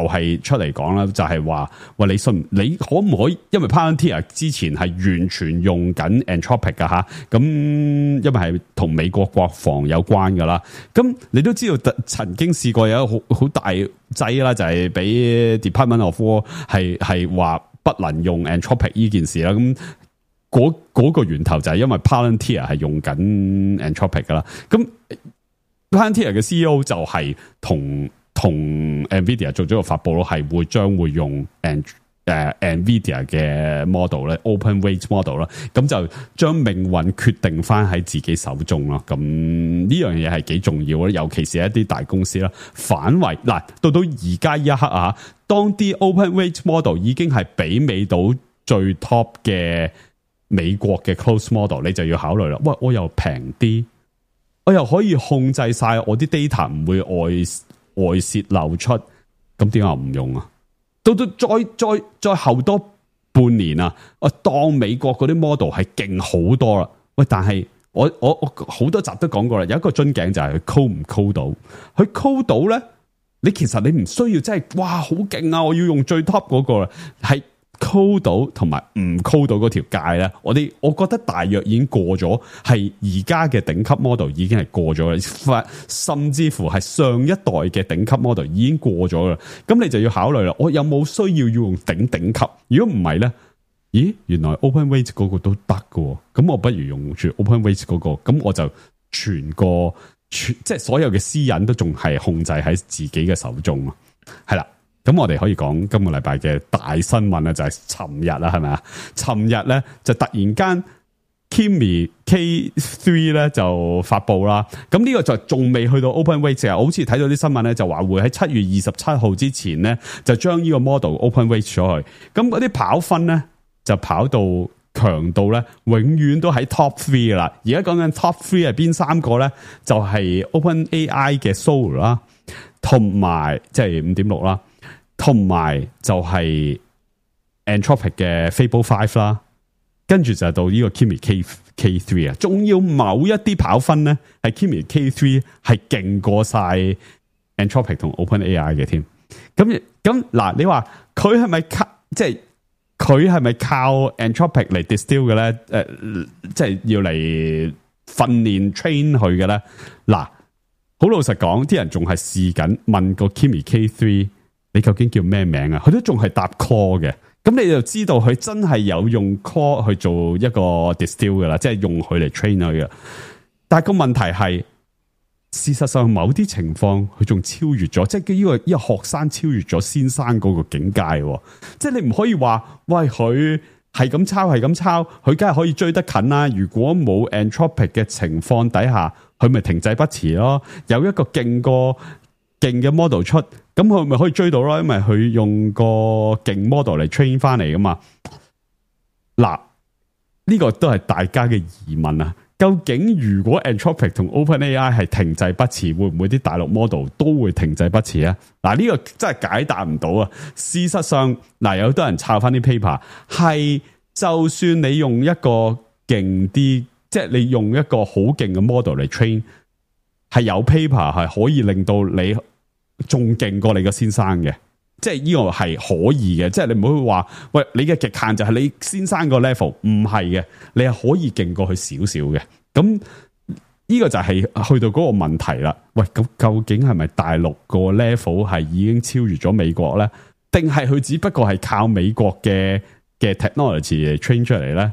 係出嚟講啦，就係話喂，你可唔可以？因為 Palantir 之前係完全用緊 Anthropic 噶吓，咁因為係同美國國防有關噶啦。咁你都知道曾經試過有好大劑啦，就係俾 Department of War 係話不能用 Anthropic 呢件事啦。咁嗰個源頭就係因為 Palantir 係用緊 Anthropic 噶啦。咁Palantir 嘅 CEO 就係同 Nvidia 做咗個發布咯，係將會用Nvidia 嘅 model 咧 ，open weight model 啦，咁就將命運決定翻喺自己手中咯。咁呢樣嘢係幾重要咧，尤其是一啲大公司啦。反為嗱，到而家呢一刻啊，當啲 open weight model 已經係媲美到最 top 嘅美國嘅 close model， 你就要考慮啦。喂，我又平啲。我又可以控制晒我啲 data 唔會外泄漏出，咁點解我唔用啊？到再後多半年啊，我當美國嗰啲 model 係勁好多啦。喂，但係我好多集都講過啦，有一個樽頸就係佢 code 唔 code 到，佢 code 到咧，你其實你唔需要真係哇好勁啊！我要用最 top 嗰個啦，係。code 到同埋唔 code 到嗰條界咧，我覺得大約已經過咗，係而家嘅頂級 model 已經係過咗啦，甚至乎係上一代嘅頂級 model 已經過咗啦。咁你就要考慮啦，我有冇需要用頂級？如果唔係咧，咦，原來 open weight 嗰個都得嘅，咁我不如用住 open weight 嗰個，咁我就即係所有嘅私隱都仲係控制喺自己嘅手中咯，係啦。咁我哋可以講今個禮拜嘅大新聞咧，就係尋日啦，係咪啊？尋日咧就突然間 Kimi K3 咧就發布啦。咁呢個就仲未去到 Open Weight 啊，好似睇到啲新聞咧就話會喺7月27號之前咧就將呢個 model Open Weight 咗去。咁嗰啲跑分咧就跑到強度咧永遠都喺 Top 3噶啦。而家講緊 Top 3係邊三個咧？就係 OpenAI 嘅 Sora 啦，同埋即係 5.6 啦。同埋就係 Anthropic 嘅 Fable 5啦，跟住就到呢個 Kimi K3 啊，仲要某一啲跑分咧，係 Kimi K3 係勁過晒 Anthropic 同 OpenAI 嘅添。咁嗱，你話佢佢係咪即係佢係咪靠 Anthropic 嚟 distill 嘅咧？即係要嚟訓練 train 佢嘅咧？嗱，好老實講，啲人仲係試緊問個 Kimi K3，你究竟叫咩名啊？佢都仲係答 call 嘅。咁你就知道佢真係有用 call 去做一個 distill 噶啦，即係用佢嚟 train 佢嘅。但係個問題係，事實上某啲情況佢仲超越咗，即係呢個學生超越咗先生嗰個境界。即係你唔可以話，喂，佢係咁抄，佢梗係可以追得近啦。如果冇 Anthropic 嘅情況底下，佢咪停滯不前咯。有一個勁嘅 model 出，咁佢咪可以追到咯？因為佢用個勁 model 嚟 train 翻嚟噶嘛。嗱，呢個都係大家嘅疑問啊！究竟如果 Anthropic 同 OpenAI 係停滯不前，會唔會啲大陸 model 都會停滯不前啊？嗱，呢個真係解答唔到啊！事實上，嗱，有好多人抄翻啲 paper， 係就算你用一個勁啲，即係你用一個好勁嘅 model 嚟 train， 係有 paper 係可以令到你仲勁過你個先生嘅，即係呢個係可以嘅，即係你唔好話，喂，你嘅極限就係你先生個 level， 唔係嘅，你係可以勁過佢少少嘅。咁呢個就係去到嗰個問題啦。喂，咁究竟係咪大陸個 level 係已經超越咗美國咧？定係佢只不過係靠美國嘅 technology 嚟 train 出嚟咧？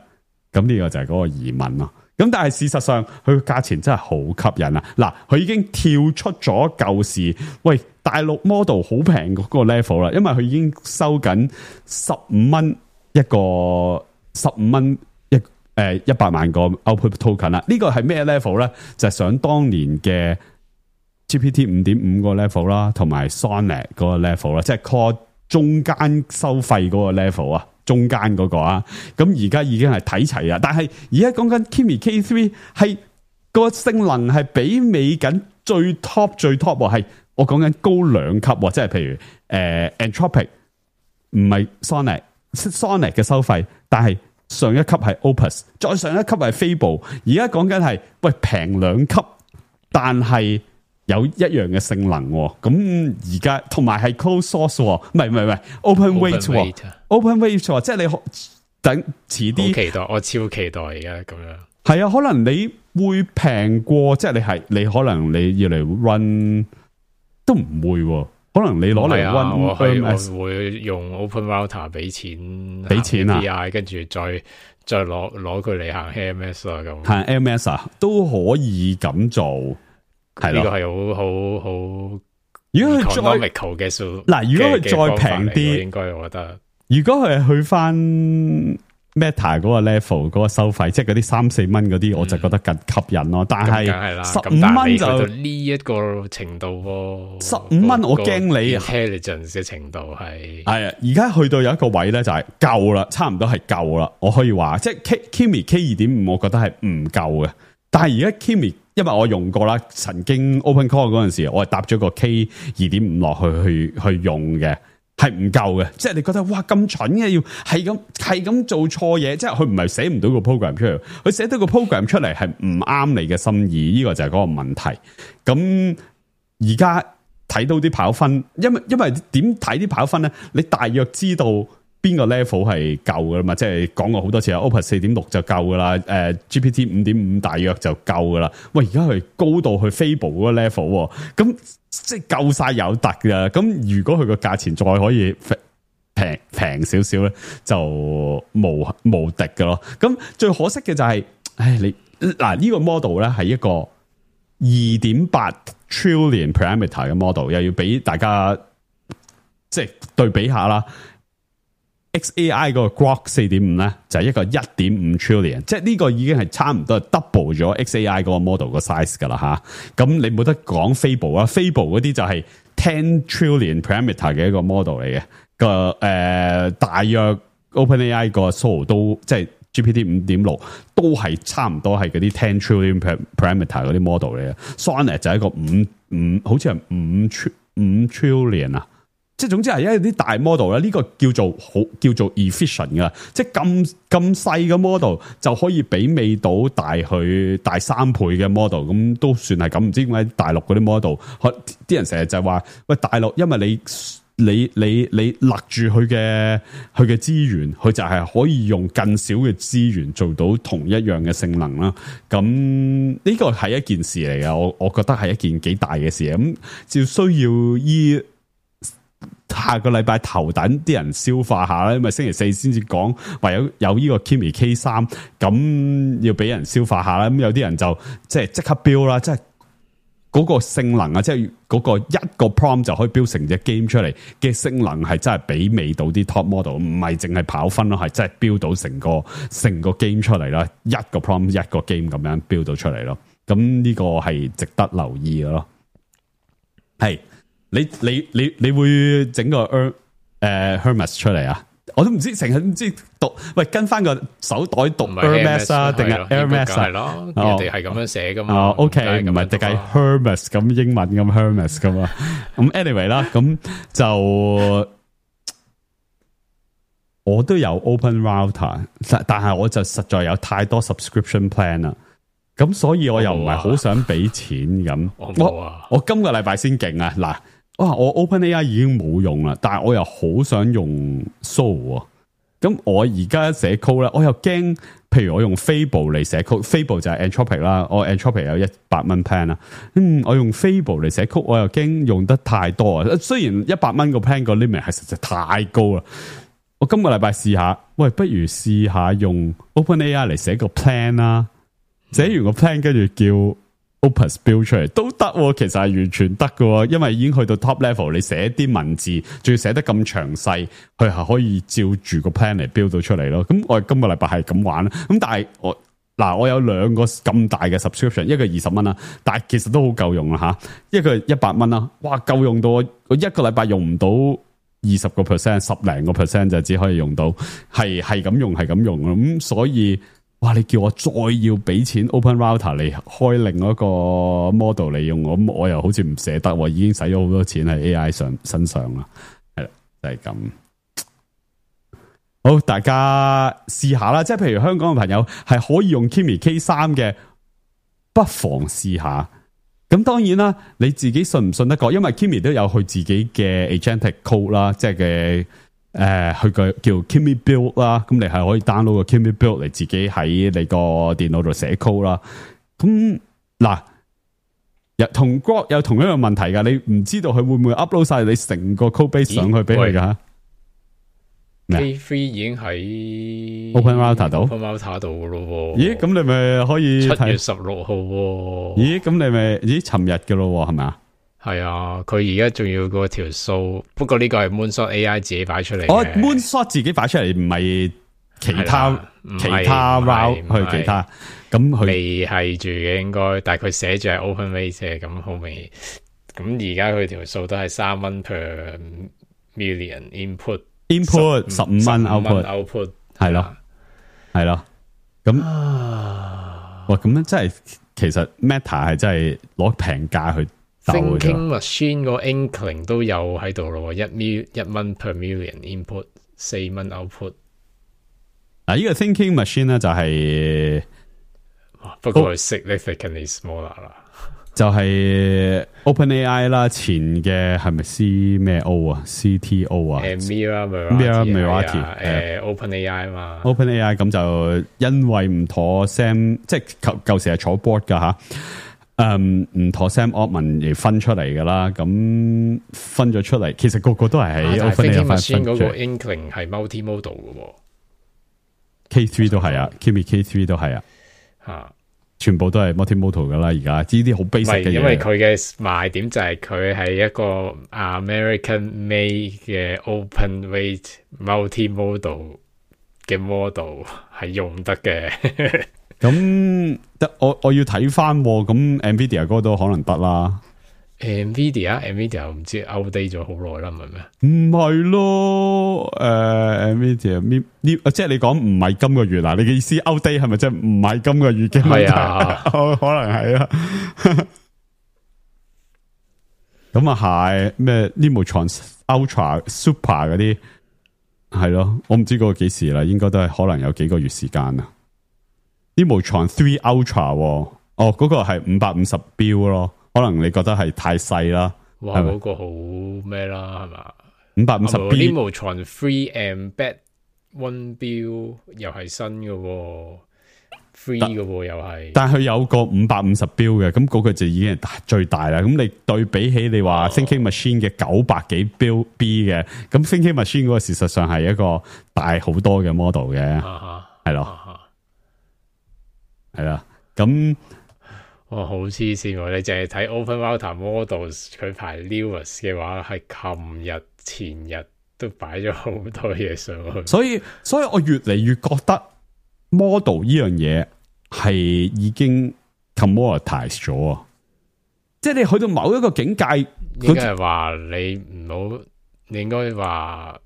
咁呢個就係嗰個疑問咯。咁但係事實上佢個價錢真係好吸引啊！嗱，佢已經跳出咗舊時，喂，大陸 model 好平嗰個 level 啦，因為佢已經收緊15蚊一個，15蚊100萬個 output token 啦。呢個係咩 level 咧？就係想當年嘅 GPT 5.5 個 level 啦，同埋 Sonnet 嗰個 level 啦，即係 call 中間收費嗰個 level 啊。中間嗰個啊，咁而家已經係睇齊啦。但係而家講緊 Kimi K3 係個性能係比美緊最 top 係我講緊高2級，即係譬如Anthropic 唔係 Sonnet 嘅收費，但係上一級係 Opus， 再上一級係 Fable。而家講緊係喂平2級，但係有一樣嘅性能，咁而家同埋係 closed source， 唔係 open weight，即係你等遲啲。期待，我超期待而家咁樣。係啊，可能你會平過，即係你可能你要嚟 run 都唔會，可能你攞嚟 run， 我會用 open router 俾錢啊，跟住再攞佢嚟行 AMS 啊，咁行 AMS 啊都可以咁做。係呢個係好，如果佢再 economical 嘅數，嗱，如果佢再平啲，應該我覺得，如果佢係去翻 Meta 嗰個 level 嗰個收費，即係嗰啲3-4蚊嗰啲，我就覺得更吸引咯。但係15蚊就呢一個程度喎，15蚊我驚你 intelligence 嘅程度係啊，而家去到有一個位咧，就係夠啦，差唔多係夠啦。我可以話，即係 Kimi K2.5， 我覺得係唔夠嘅。但係而家 Kimi， 因為我用過啦，曾經 OpenCore 嗰陣時，我係搭咗個 K2.5 落去用嘅，係唔夠嘅。即係你覺得哇咁蠢嘅，要係咁做錯嘢，即係佢唔係寫唔到個 program 出嚟，佢寫到個 program 出嚟係唔啱你嘅心意，呢個就係嗰個問題。咁而家睇到啲跑分，因為點睇啲跑分咧？你大約知道邊個 level 係夠噶啦嘛？即係講過好多次啊 ，Opus 4.6 就夠噶啦，GPT 5.5 大約就夠噶啦。喂，而家佢高到去 Fable 嗰個 level，咁即係夠晒有突噶。咁如果佢個價錢再可以平少少咧，就無敵噶咯。咁最可惜嘅就係，你嗱呢個 model 咧係一個2.8 trillion parameter 嘅 model， 又要俾大家即係對比下啦。XAI 嗰個 Grok 4.5 咧就係一個 1.5 trillion， 即係呢個已經係差唔多 double 咗 XAI 嗰個 model 個 size 噶啦吓。咁你冇得講 Fable 啦 ，Fable 嗰啲就係10 trillion parameter 嘅一個 model 嚟嘅。大約 OpenAI 個 Solo 都即係 GPT 5.6 都係差唔多係嗰啲10 trillion parameter 嗰啲 model 嚟嘅。Sonnet 就係一個好似係5 trillion 啊。即係總之係因為啲大 model 咧，呢個叫做 efficient 噶，即係咁細嘅 model 就可以媲美到大3倍嘅 model， 咁都算係咁。唔知點解大陸嗰啲 model，啲人成日就話喂大陸，因為你勒住佢嘅資源，佢就係可以用更少嘅資源做到同一樣嘅性能啦。咁呢個係一件事嚟嘅，我覺得係一件幾大嘅事。咁就需要依下個禮拜頭等啲人消化下啦，因為星期四先至講話有呢個 Kimi K3，咁要俾人消化下啦。咁有啲人就即刻標啦，即係嗰個性能啊，即係嗰個一個 prompt 就可以標成隻 game 出嚟嘅性能係真係媲美到啲 top model，唔係淨係跑分咯，係真係標到成個 game 出嚟啦，一個 prompt 一個 game 咁樣標到出嚟咯。咁呢個係值得留意嘅咯。係你會整個Hermes 出嚟啊？我都唔知，成日唔知讀，喂，跟翻個手袋讀 Hermes 啊，定係 Hermes 係咯？人哋係咁樣寫噶嘛。OK， 唔係定係 Hermes 咁英文咁 Hermes 噶嘛？咁 anyway 啦，咁就我都有 Open Router， 但係我就實在有太多 subscription plan 啦。咁所以我又唔係好想俾錢咁。我今個禮拜先勁啊！嗱。我 OpenAI 已經冇用啦，但係我又好想用 Soul。咁我而家寫 code 咧，我又驚，譬如我用 Fable 嚟寫 code，Fable 就係 Anthropic 啦，我 Anthropic 有$100 plan 啦。我用 Fable 嚟寫 code，我又驚用得太多啊。雖然$100個 plan 個 limit 係實在太高啦。我今個禮拜試下，喂，不如試下用 OpenAI 嚟寫個 plan 啦。寫完個 plan 跟住叫Opus build 出嚟都得，其實係完全得嘅，因為已經去到 top level，你寫啲文字，仲要寫得咁詳細，佢係可以照住個 plan 嚟 build 到出嚟咯。咁我今個禮拜係咁玩啦。咁但係我有兩個咁大嘅 subscription， 一個$20啦，但係其實都好夠用啦吓，一個$100啦，哇，夠用到我一個禮拜用唔到20%，10零個%就只可以用到，係咁用咁，所以。哇！你叫我再要俾錢 Open Router 嚟開另一個 model 嚟用，我又好似唔捨得，已經使咗好多錢喺 AI 身上啦，係啦，就係咁。好，大家試下啦，即係譬如香港嘅朋友係可以用 Kimi K3 嘅，不妨試下。咁當然啦，你自己信唔信得過？因為 Kimi 都有佢自己嘅 agentic code 啦，即係嘅。佢個叫 Kimi Build 啦，咁你係可以 download 個 Kimi Build 嚟自己喺你個電腦度寫 code 啦。咁嗱，同 Grok 有同一樣問題噶，你唔知道佢會唔會 upload 晒你成個 code base 上去俾佢噶？K3 已經喺 Open Router 度，Open Router 度咯。咦，咁你咪可以7月16號。咦，咁你咪尋日嘅咯，係咪啊？係啊，佢而家仲要個條數，不過呢個係 Moonshot AI 自己擺出嚟。Moonshot 自己擺出嚟，唔係其他 route 去其他。咁佢未係住嘅應該，但係佢寫住係 open rate 咁好未？咁而家佢條數都係$3 per million input $15 output 係咯。咁哇，咁樣真係其實 Meta 係真係攞平價去。Thinking Machine 個 Inkling 都有喺度咯，$1 per million input，$4 output。嗱，呢個 Thinking Machine 咧就係，不過 significantly smaller 啦，就係 OpenAI 啦，前嘅係咪 C 咩 O 啊 CTO 啊 Mira OpenAI 嘛 ，OpenAI 咁就因為唔妥 Sam， 即係舊時係坐 board 噶吓。唔妥 Sam Altman 而分出嚟噶啦，咁分咗出嚟，其實個個都係喺 OpenAI 分出嚟。嗰個 Inkling 係 multimodal 嘅，K3 都係啊 ，Kimi K3 都係啊，全部都係 multimodal 噶啦，而家呢啲好 basic 嘅嘢。因為佢嘅賣點就係佢係一個 American made 嘅 open weight multimodal 嘅 model 係用得嘅。咁我要睇翻，咁 Nvidia 嗰都可能得啦。Nvidia 唔知 outdate 咗好耐啦，唔係咩？唔係咯，Nvidia 即係你講唔係今個月嗱，你嘅意思 outdate 係咪即係唔係今個月嘅？係啊，可能係啊。咁啊係咩 Nemotron Ultra Super 嗰啲係咯，我唔知嗰個幾時啦，應該都係可能有幾個月時間啊。Nemotron 3 Ultra 嗰個係550標咯，可能你覺得係太細啦。哇，嗰個好咩啦，係嘛 550B Nemotron 3 Embed One Build 又係新嘅喎，free 嘅喎又係。但佢有個550 build 嘅，咁嗰個就已經係最大啦。咁你對比起你話 Thinking Machine 嘅900幾 build B 嘅，咁 Thinking Machine 嗰個事實上係一個大好多嘅 model 嘅，係咯，係啦，咁。好黐線喎！你淨係睇 OpenRouter Models 佢排 Lewis 嘅話，係琴日前日都擺咗好多嘢上去。所以我越嚟越覺得 model 呢樣嘢係已經 commoditize 咗啊！即係你去到某一個境界，應該係話你唔好，你應該話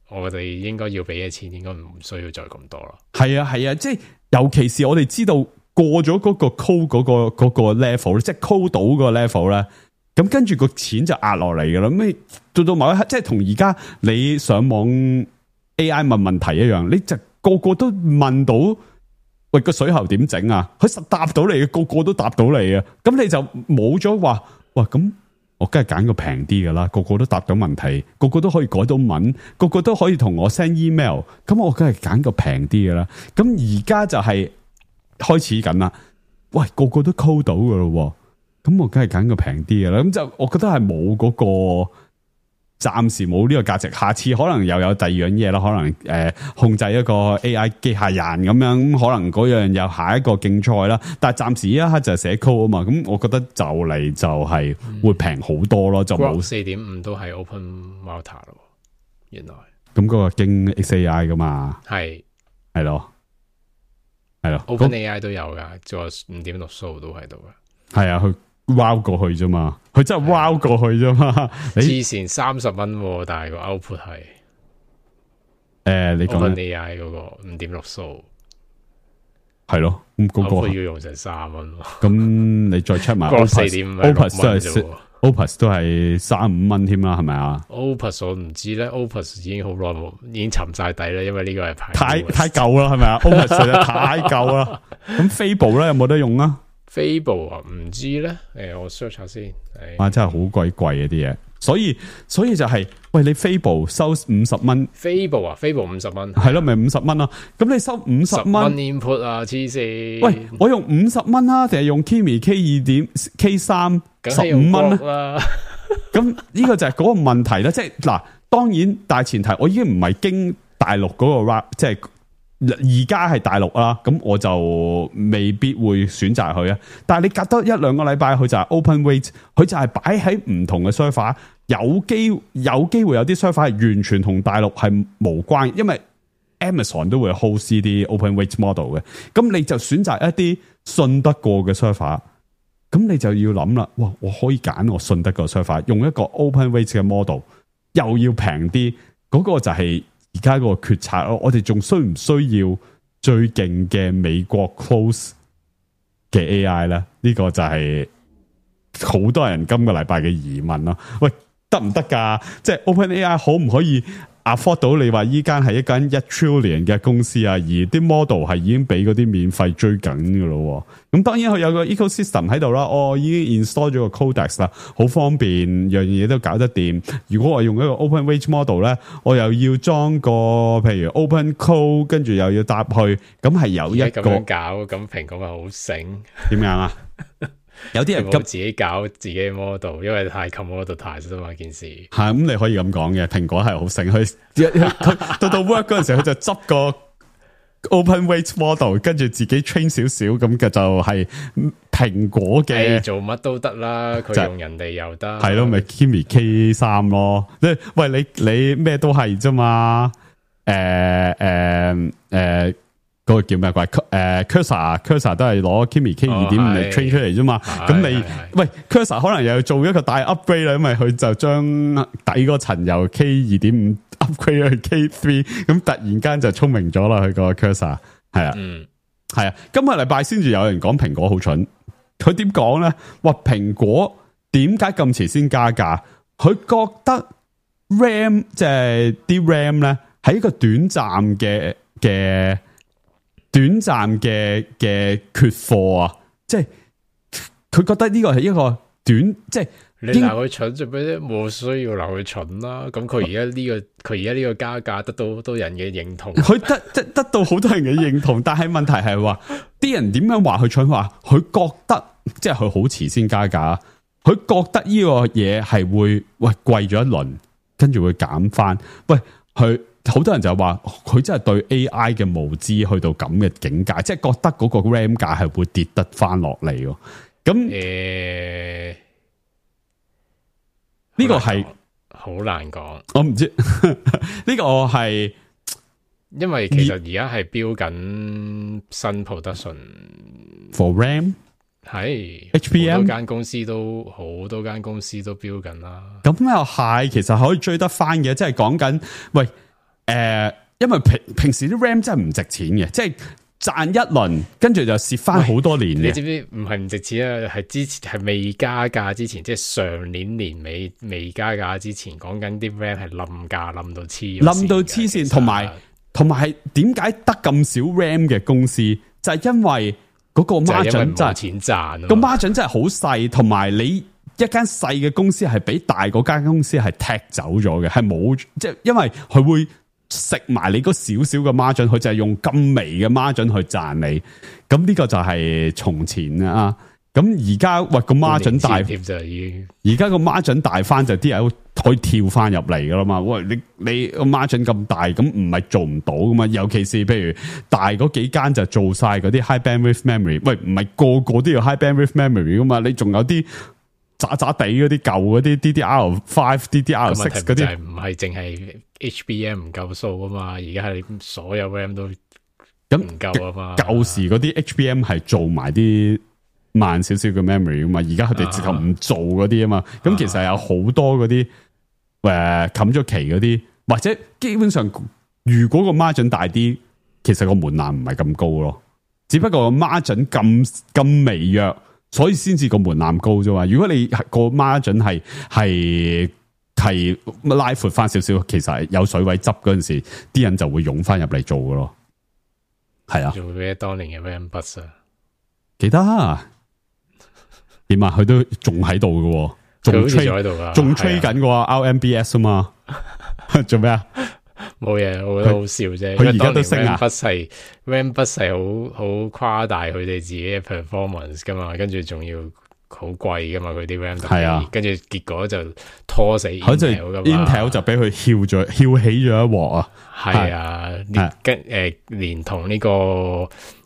我哋應該要俾嘅錢，應該唔需要再咁多啦。係啊，即係尤其是我哋知道。過咗嗰個 code 嗰個 level 即係 code 到個 level 咧，咁跟住個錢就壓落嚟噶啦。咁到某一刻，即係同而家你上網 AI 問問題一樣，你就個個都問到，喂個水喉點整啊？佢實答到你嘅，個個都答到你啊。咁你就冇咗話，哇咁我梗係揀個平啲噶啦，個個都答到問題，個個都可以改到文，個個都可以同我 send email，咁我梗係揀個平啲噶啦。咁而家就係。開始緊啦，喂，個個都 code 到噶咯，咁我梗係揀個平啲嘅啦。咁就我覺得係冇嗰個，暫時冇呢個價值。下次可能又有第二樣嘢啦，可能控制一個 AI 機械人咁樣，咁可能嗰樣又下一個競賽啦。但係暫時呢一刻就係寫 code 啊嘛，咁我覺得就嚟就係會平好多咯，就冇 4.5 都係 OpenRouter 咯，原來咁嗰個經 XAI 噶嘛，係咯。係咯 ，OpenAI 都有噶，做5.6數都喺度噶。係啊，佢 wow 過去啫嘛，佢真係 wow 過去啫嘛。之前30蚊，但係個 output 係你講 OpenAI 嗰個5.6數係咯，咁嗰個要用成30蚊。咁你再 check 埋 Opus 都係35蚊添啦，係咪啊 ？Opus 我唔知咧 ，Opus 已經好耐冇，已經沉晒底啦，因為呢個係太舊啦，係咪啊 ？Opus 實在太舊啦。咁 Fable 咧有冇得用啊 ？Fable 啊，唔知咧。我 search 下先。哇，真係好鬼貴啊啲嘢。所以就係、喂，你 Fable 收50蚊 ，Fable 啊 ，Fable 50蚊，係咯，咪50蚊咯。咁你收50蚊 input 啊，黐線。喂，我用50蚊啊，定係用 Kimi K2.K3 15蚊啦。咁呢個就係嗰個問題啦。即係嗱，當然大前提，我已經唔係經大陸嗰個 rap， 即係而家係大陸啦。咁我就未必會選擇佢啊。但係你隔多1-2個禮拜，佢就係 open weight， 佢就係擺喺唔同嘅 server， 有機會有啲 server 係完全同大陸係無關，因為 Amazon 都會 host 啲 open weight model 嘅。咁你就選擇一啲信得過嘅 server， 咁你就要諗啦。哇，我可以揀我信得過 server， 用一個 open weight 嘅 model， 又要平啲，嗰個就係而家個決策咯。我哋仲需唔需要最勁嘅美國 close 嘅 AI 咧？呢個就係好多人今個禮拜嘅疑問咯。喂，得唔得噶？即係 OpenAI 可唔可以 afford 到你話依間係一間1 trillion 嘅公司啊？而啲 model 係已經俾嗰啲免費追緊噶咯。咁當然佢有個 ecosystem 喺度啦。我已經 install 咗個 Codex 啦，好方便，樣嘢都搞得掂。如果我用一個 open weight model 咧，我又要裝個譬如 open code， 跟住又要搭去，咁係有一個咁樣搞，咁蘋果咪好醒？點樣啊？有啲人急自己搞自己嘅 model， 因為太 commoditize 嘛件事。係咁，你可以咁講嘅。蘋果係好醒，佢到 work 嗰陣時，佢就執個 open weight model， 跟住自己 train 少少，咁嘅就係蘋果嘅。做乜都得啦，佢用人哋又得。係咯，咪 Kimi K3 咯。喂，你咩都係啫嘛。嗰個叫咩鬼？Cursor 都係攞 Kimi K2.5 嚟 train 出嚟啫嘛。咁你喂 Cursor 可能又要做一個大 upgrade 啦，因為佢就將底嗰層由 K2.5 upgrade 去 K3， 咁突然間就聰明咗啦。佢個 Cursor 係啊，係啊。今個禮拜先至有人講蘋果好蠢，佢點講咧？話蘋果點解咁遲先加價？佢覺得 RAM 即係啲 RAM 咧係一個短暫嘅缺貨啊！即係佢覺得呢個係一個短，即係你鬧佢蠢做咩啫？冇需要鬧佢蠢啦。咁佢而家呢個加價得到好多人嘅認同，佢得到好多人嘅認同，但係問題係話啲人點樣話佢蠢？話佢覺得即係佢好遲先加價，佢覺得呢個嘢係會貴咗一輪，跟住會減翻。喂，佢好多人就話佢真係對 AI 嘅無知去到咁嘅境界，即係覺得嗰個 RAM 價係會跌得翻落嚟。咁呢個係好難講，我唔知呢個係因為其實而家係標緊新 production for RAM 係 HBM 好多間公司都標緊啦。咁又係，其實可以追得翻嘅，即係講緊喂因為平時啲 RAM 真係唔值錢嘅，即係賺一輪，跟住就蝕翻好多年嘅。你知唔知唔係唔值錢啊？係之前係未加價之前，即係上年年尾未加價之前，講緊啲 RAM 係冧價冧到黐線，同埋點解得咁少 RAM 嘅公司，就係因為嗰個 margin 真係冇錢賺，個 margin 真係好細，同埋你一間細嘅公司係俾大嗰間公司係踢走咗嘅，係冇即係因為佢會食埋你嗰少少嘅 margin，佢就係用咁微嘅 margin 去賺你。咁呢個就係從前啊。咁而家個 margin 大，而家個 margin 大翻就啲人可以跳翻入嚟噶啦嘛。喂，你個 margin 咁大，咁唔係做唔到噶嘛？尤其是譬如大嗰幾間就做晒嗰啲 high bandwidth memory。喂，唔係個個都要 high bandwidth memory 噶嘛？你仲有啲渣渣地嗰啲舊嗰啲 DDR5、DDR6 嗰啲，唔係淨係 HBM 唔夠數啊嘛？而家係所有 RAM 都咁唔夠啊嘛。舊時嗰啲 HBM 係做埋啲慢少少嘅 memory 啊嘛，而家佢哋直頭唔做嗰啲啊嘛。咁其實有好多嗰啲冚咗期嗰啲，或者基本上如果個 margin 大啲，其實個門檻唔係咁高咯。只不過個 margin 咁微弱，所以先至個門檻高啫嘛。如果你個 margin 係拉闊翻少少，其實係有水位執嗰陣時，啲人就會湧翻入嚟做噶咯。係啊，做咩當年嘅 RAM bus 啊？記得點啊？佢都仲喺度嘅，仲吹喺度噶，仲吹緊個 RMBS 啊嘛。做咩啊？冇嘢，我覺得好笑啫。佢而家都升啊！RAM bus 係好誇大佢哋自己嘅 performance 噶嘛，跟住仲要好貴噶嘛，佢啲 RAM 係啊，跟住結果就拖死 Intel 噶嘛。Intel 就俾佢翹起咗一鑊啊！係啊，連同呢個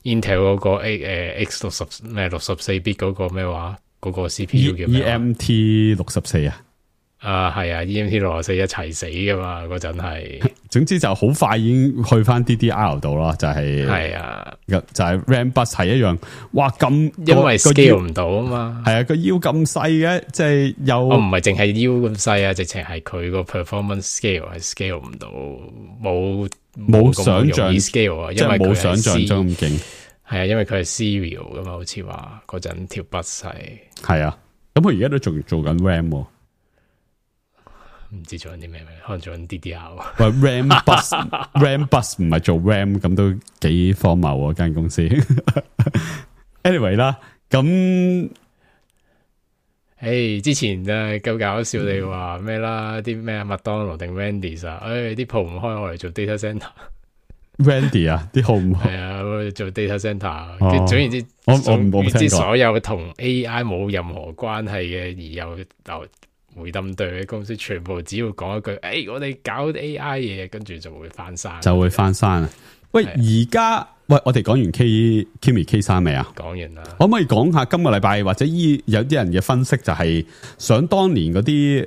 Intel 嗰個64bit 嗰個咩話，嗰個 CPU 叫咩？EMT 64啊！係啊 ，EMT 64一齊死噶嘛，嗰陣係。總之就好快已經去翻 DDR 度啦，就係啊，就係 RAM bus 係一樣，哇咁，因為 scale 唔到啊嘛，係啊，個腰咁細嘅，即係又唔係淨係腰咁細啊，直情係佢個 performance scale 係 scale 唔到，冇想象 scale 啊，因為冇想象中咁勁，係啊，因為佢係 serial 噶嘛，好似話嗰陣條 bus 係啊，咁佢而家都仲做緊 RAM。唔知做緊啲咩，可能做緊 DDR。喂，RAM bus 唔係做 RAM， 咁都幾荒謬啊！間公司。anyway 啦，咁，之前夠搞笑你話咩啦？啲咩麥當勞定 Wendy's 啊？啲鋪唔開，我嚟做 data center。Wendy 啊，啲鋪唔開，係啊，做 data center。總言之，我唔知所有同 AI 冇任何關係嘅，而又回冧對嘅公司，全部只要講一句，我哋搞 AI 嘢，跟住就會翻山，啊！喂，而家我哋講完 Kimi K3未啊？講完啦，可唔可以講下今個禮拜或者有啲人嘅分析，就係想當年嗰啲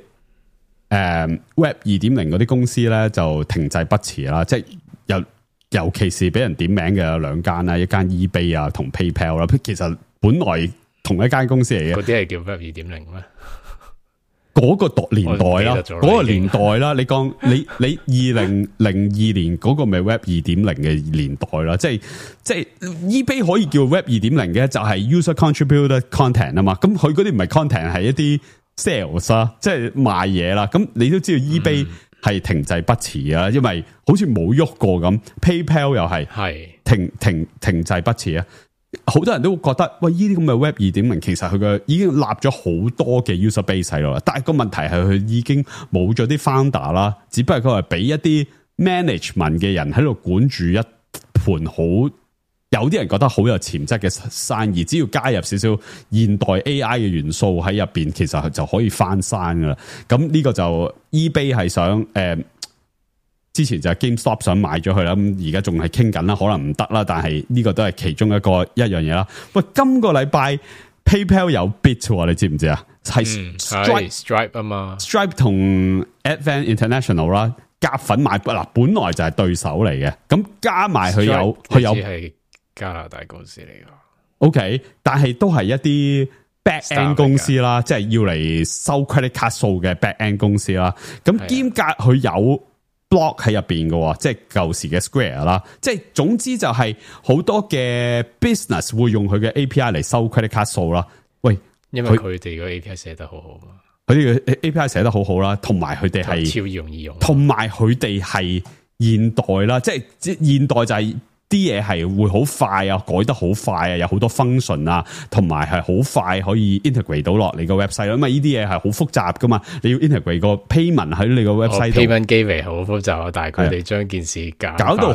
Web 2.0嗰啲公司咧，就停滯不前啦，即係尤其是俾人點名嘅有兩間啦，一間 eBay 啊同 PayPal 啦，其實本來同一間公司嚟嘅，嗰啲係叫 Web 2.0咩？嗰個年代啦，嗰個年代啦，你講你2002年嗰個咪 Web 2.0嘅年代啦，即係 eBay 可以叫 Web 2.0嘅，就係 user contributed content 啊嘛，咁佢嗰啲唔係 content 係一啲 sales 啊，即係賣嘢啦，咁你都知道 eBay 係停滯不前啊，因為好似冇喐過咁，PayPal 又係停滯不前啊。好多人都會覺得，喂，呢啲咁嘅 Web 2.0其實佢嘅已經立咗好多嘅 user base 喺度啦，但係個問題係佢已經冇咗啲 founder 啦，只不過佢係俾一啲 management 嘅人喺度管住一盤好，有啲人覺得好有潛質嘅生意，只要加入少少現代 AI 嘅元素喺入邊，其實就可以翻生噶啦。咁呢個就 eBay 係想之前就係 GameStop 想買咗佢啦，咁而家仲係傾緊啦，可能唔得啦，但係呢個都係其中一樣嘢啦。喂，今個禮拜 PayPal 有 bid 喎，你知唔知啊？係 Stripe 啊嘛 ，Stripe 同 Advent International 啦，夾份買嗱，本來就係對手嚟嘅，咁加埋佢有係加拿大公司嚟㗎。OK， 但係都係一啲 back end 公司啦，即係要嚟收 credit card 數嘅 back end 公司啦。咁兼夾佢有 block 喺入邊嘅，即係舊時嘅 Square 啦。即係總之就係好多嘅 business 會用佢嘅 API 嚟收 credit card 數啦。喂，因為佢哋個 API 寫得好好嘛，佢哋嘅 API 寫得好好啦，同埋佢哋係超容易用，同埋佢哋係現代啦，即係現代就係啲嘢係會好快啊，改得好快啊，有好多 function 啊，同埋係好快可以 integrate 到落你個 website，因為呢啲嘢係好複雜噶嘛，你要 integrate 個 payment 喺你個 website 度。payment gateway 好複雜啊，但係佢哋將件事搞到好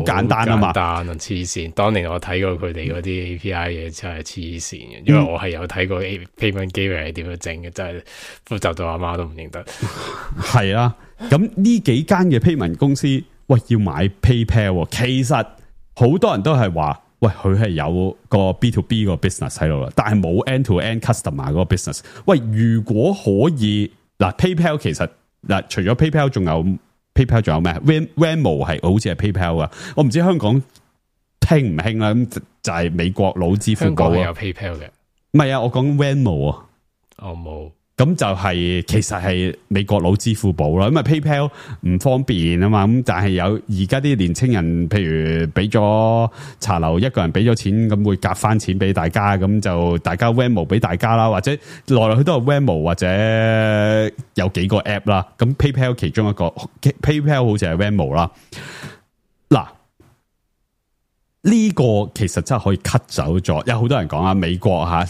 簡單啊嘛，簡單啊，黐線！當年我睇過佢哋嗰啲 API 嘢真係黐線嘅，因為我係有睇過 payment gateway 係點樣整嘅，真係複雜到阿媽都唔認得。係啊，咁呢幾間嘅 payment 公司，喂，要買 PayPal， 其實好多人都係話，喂，佢係有個 B2B 個 business 喺度啦，但係冇 end-to-end customer 嗰個 business。喂，如果可以嗱 PayPal 其實嗱，除咗 PayPal 仲有 PayPal 仲有咩 Venmo 係好似係 PayPal 啊，我唔知香港興唔興啦。咁就係美國佬支付寶啊，有 PayPal 嘅，唔係啊，我講 Venmo 啊，我冇。咁就係其實係美國佬支付寶啦，因為 PayPal 唔方便啊嘛，咁但係有而家啲年青人，譬如俾咗茶樓一個人俾咗錢，咁會夾翻錢俾大家，咁就大家 Venmo 俾大家啦，或者來來去都係 Venmo 或者有幾個 app 啦，咁 PayPal 其中一個 PayPal 好似係 Venmo 啦。嗱，呢個其實真係可以 cut 走咗，有好多人講啊，美國吓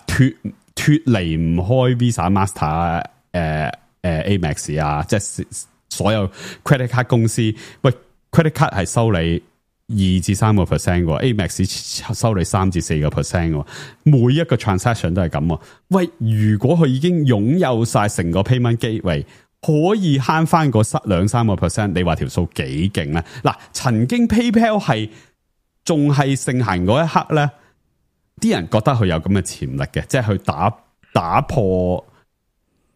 脫離唔開 Visa、Master、Amex 啊，即係所有 credit card 公司。喂 ，credit card 係收你2至3%嘅 ，Amex 收你3至4%嘅，每一個 transaction 都係咁。喂，如果佢已經擁有晒成個 payment gateway，可以慳翻個2-3%，你話條數幾勁咧？嗱，曾經 PayPal 係仲係盛行嗰一刻咧。啲人覺得佢有咁嘅潛力嘅，即係去打破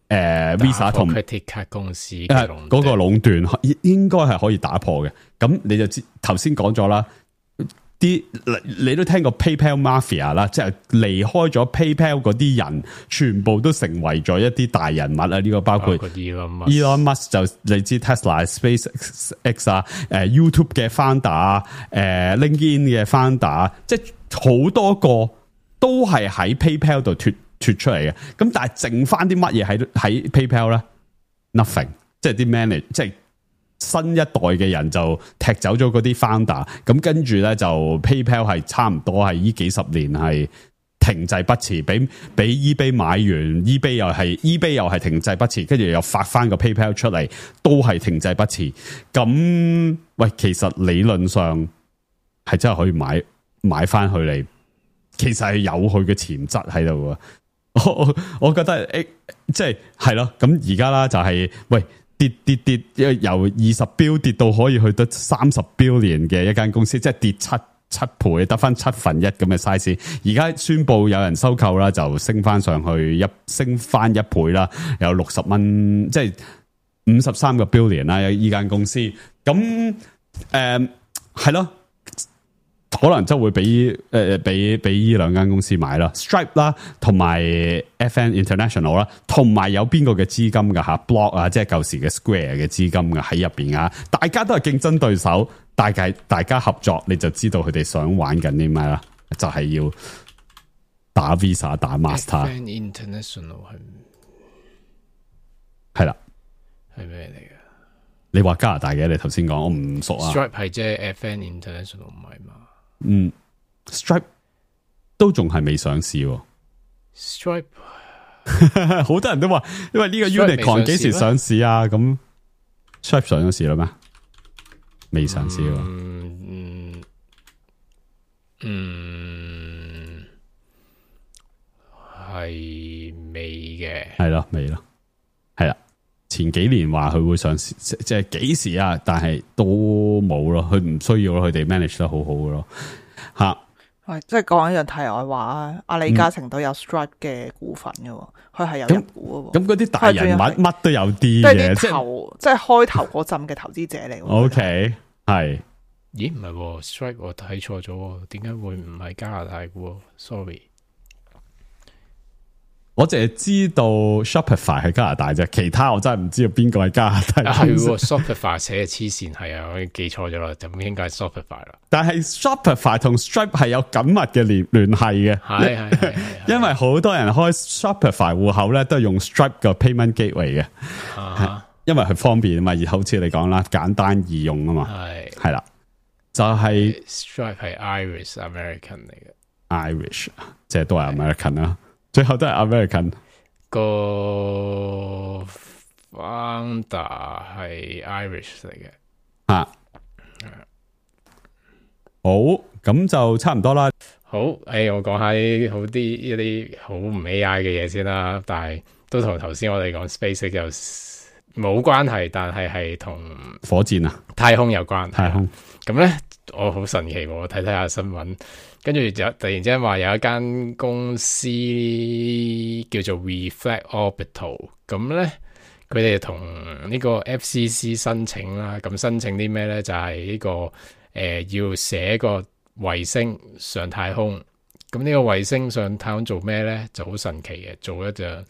Visa 同 credit card 公司嗰個壟斷，應該係可以打破嘅。咁你就知頭先講咗啦，你都聽過 PayPal Mafia 啦，即係離開咗 PayPal 嗰啲人，全部都成為咗一啲大人物啊！呢個包括 Elon Musk 就你知 Tesla、SpaceX 啊，YouTube 嘅 founder LinkedIn 嘅 founder， 即係好多個都係喺 PayPal 度脫出嚟嘅。咁但係剩翻啲乜嘢喺 PayPal 咧 ？Nothing， 即係啲 manage， 即係新一代嘅人就踢走咗嗰啲 founder， 咁跟住咧就 PayPal 係差唔多係呢幾十年係停滯不前，俾 eBay 買完 ，eBay 又係停滯不前，跟住又發翻個 PayPal 出嚟，都係停滯不前。咁喂，其實理論上係真係可以買翻佢嚟，其實係有佢嘅潛質喺度啊！我覺得即係咯，咁而家啦就係喂。跌，由20 billion 跌到可以去到30 billion嘅一間公司，即係跌七倍，得翻1/7咁嘅 size。而家宣布有人收購啦，就升翻上去升翻1倍啦，有60蚊，即係53個 billion 啦。依間公司咁係咯。可能就會俾呢兩間公司買啦 ，Stripe 啦，同埋 FN International 啦，同埋有邊個嘅資金噶吓 ，Block 啊，即係舊時嘅 Square 嘅資金噶喺入邊啊，大家都係競爭對手，大家合作，你就知道佢哋想玩緊啲咩啦，就係要打 Visa 打 Master。FN International 係啦，係咩嚟嘅？你話加拿大嘅，你頭先講我唔熟啊。Stripe 係即係 FN International 唔係嘛？Stripe 都仲係未上市喎。Stripe 好多人都話，因為呢個 Unicorn 幾時上市啊？咁 Stripe 上咗市啦咩？未上市喎。係未嘅，係咯，未咯，係啦。前幾年話佢會上市，即係幾時啊？但係都冇咯，佢唔需要咯，佢哋 manage 得好好嘅咯，吓。喂，即係講一樣題外話啊！阿李嘉誠都有 Stripe 嘅股份嘅，佢係有入股嘅。咁嗰啲大人物乜都有啲嘅，即係開頭嗰陣嘅投資者嚟。OK， 係。咦？唔係 Stripe 我睇錯咗，點解會唔係加拿大嘅 ？Sorry。我淨係知道 Shopify 係加拿大啫，其他我真係唔知道邊個係加拿大。係 Shopify 寫嘅黐線，係啊，我記錯咗啦，就應該係 Shopify 啦。但係 Shopify 同 Stripe 係有緊密嘅聯繫嘅，係因為好多人開 Shopify 戶口咧，都係用 Stripe 嘅 payment gateway 嘅，因為佢方便啊嘛，而好似你講啦，簡單易用啊嘛，係啦，就係 Stripe 係 Irish American 嚟嘅 ，Irish 即係都係 American 啦。最後都係 American 個 founder 係 Irish 嚟嘅啊，好，咁就差唔多啦。好，我講下一啲好唔 AI 嘅嘢先啦，但係都同頭先我哋講 SpaceX 又冇關係，但係同火箭啊太空有關。太空咁咧，我好神奇喎！我睇下新聞。跟住就突然之間話有一間公司叫做 Reflect Orbital， 咁咧佢哋同呢個 FCC 申請啦，咁申請啲咩咧？就係呢個要寫個衛星上太空，咁呢個衛星上太空做咩咧？就好神奇嘅，做一隻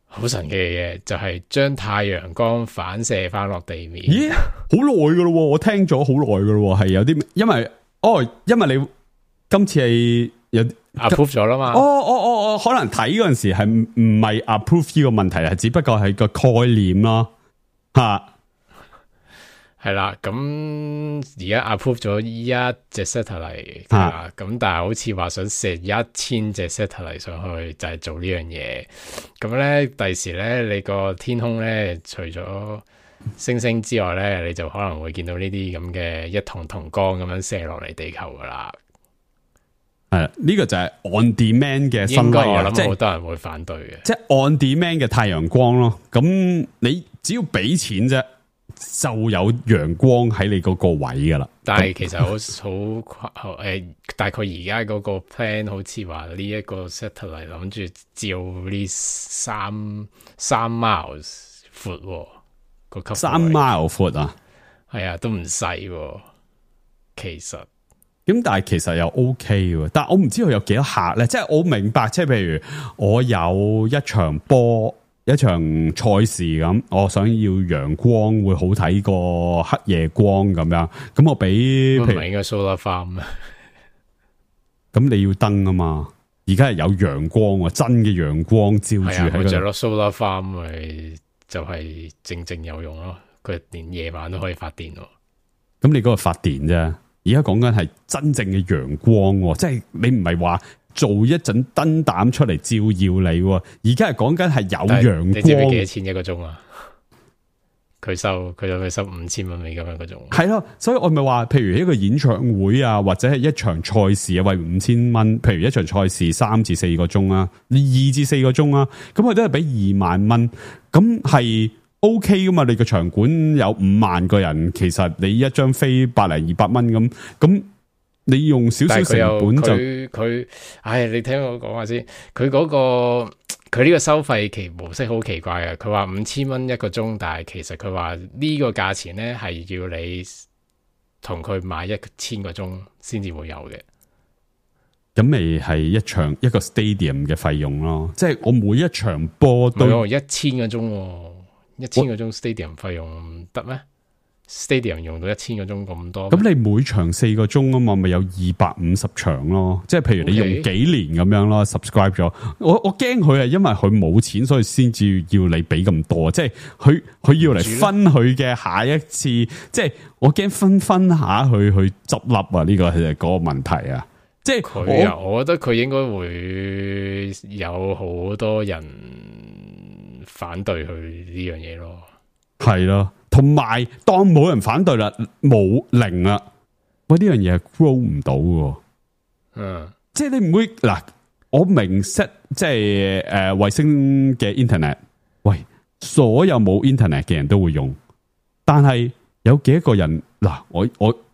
好神奇嘅嘢，就係將太陽光反射翻落地面。咦，好耐噶咯，我聽咗好耐噶咯，係有啲因為你。今次係有 approve 咗啦嘛？我可能睇嗰陣時係唔係 approve 呢個問題，係只不過係個概念咯，吓係啦。咁而家 approve 咗一隻 satellite 咁但係好似話想射1000隻 satellite 上去，就係做呢樣嘢。咁咧，第時咧，你個天空咧，除咗星星之外咧，你就可能會見到呢啲咁嘅一筒筒光咁樣射落嚟地球噶啦。係呢個就係 on demand 嘅新應該例啊，我諗好多人會反對嘅，即係 on demand 嘅太陽光咯。咁你只要俾錢啫，就有陽光喺你嗰個位噶啦。但係其實好大概而家嗰個 plan 好似話呢一個 satellite 諗住照呢三 miles 闊個級3 mile 闊啊，係啊，都唔細其實。咁但係其實又 OK 喎，但係我唔知佢有幾多客咧，即係我明白，即係譬如我有一場波、一場賽事咁，我想要陽光會好睇過黑夜光咁樣，咁我俾唔係應該 solar farm 啊？咁你要燈啊嘛，而家係有陽光，真嘅陽光照住喺度。就落 solar farm 咪就係正有用咯，佢連夜晚都可以發電咯。咁你嗰個發電啫。而家講緊係真正嘅陽光，即係你唔係話做一陣燈膽出嚟照耀你，而家係講緊係有陽光。你知唔知幾多錢一個鐘啊？佢收5000蚊美金一個鐘。係咯，所以我咪話，譬如一個演唱會啊，或者係一場賽事啊，為5000蚊。譬如一場賽事3至4個鐘啊，你2至4個鐘啊，咁佢都係俾2萬蚊，咁係。OK 噶嘛？你個場館有5萬個人，其實你一張飛100-200蚊咁你用少少成本就佢，你聽我講下先。佢呢個收費模式好奇怪嘅。佢話5000蚊一個鐘，但係其實佢話呢個價錢咧係要你同佢買1000個鐘先至會有嘅。咁咪係一個 stadium 嘅費用咯，即係我每一場波都1000個鐘。1000個鐘 stadium 費用得咩 ？stadium 用到1000個鐘咁多，咁你每場4個鐘啊嘛，咪有250場咯。即係譬如你用幾年咁樣咯 ，subscribe 咗。我驚佢係因為佢冇錢，所以先至要你俾咁多。即係佢要嚟分佢嘅下一次，即係我驚分下去執笠啊！呢個係嗰個問題啊。即即係佢啊，我覺得佢應該會有好多人反對佢呢樣嘢咯。係咯，同埋當冇人反對啦，冇零啦，喂呢樣嘢係 grow 唔到嘅。即係你唔會嗱，我明 set 即係衛星嘅 internet， 喂，所有冇 internet 嘅人都會用，但係有幾多個人嗱？我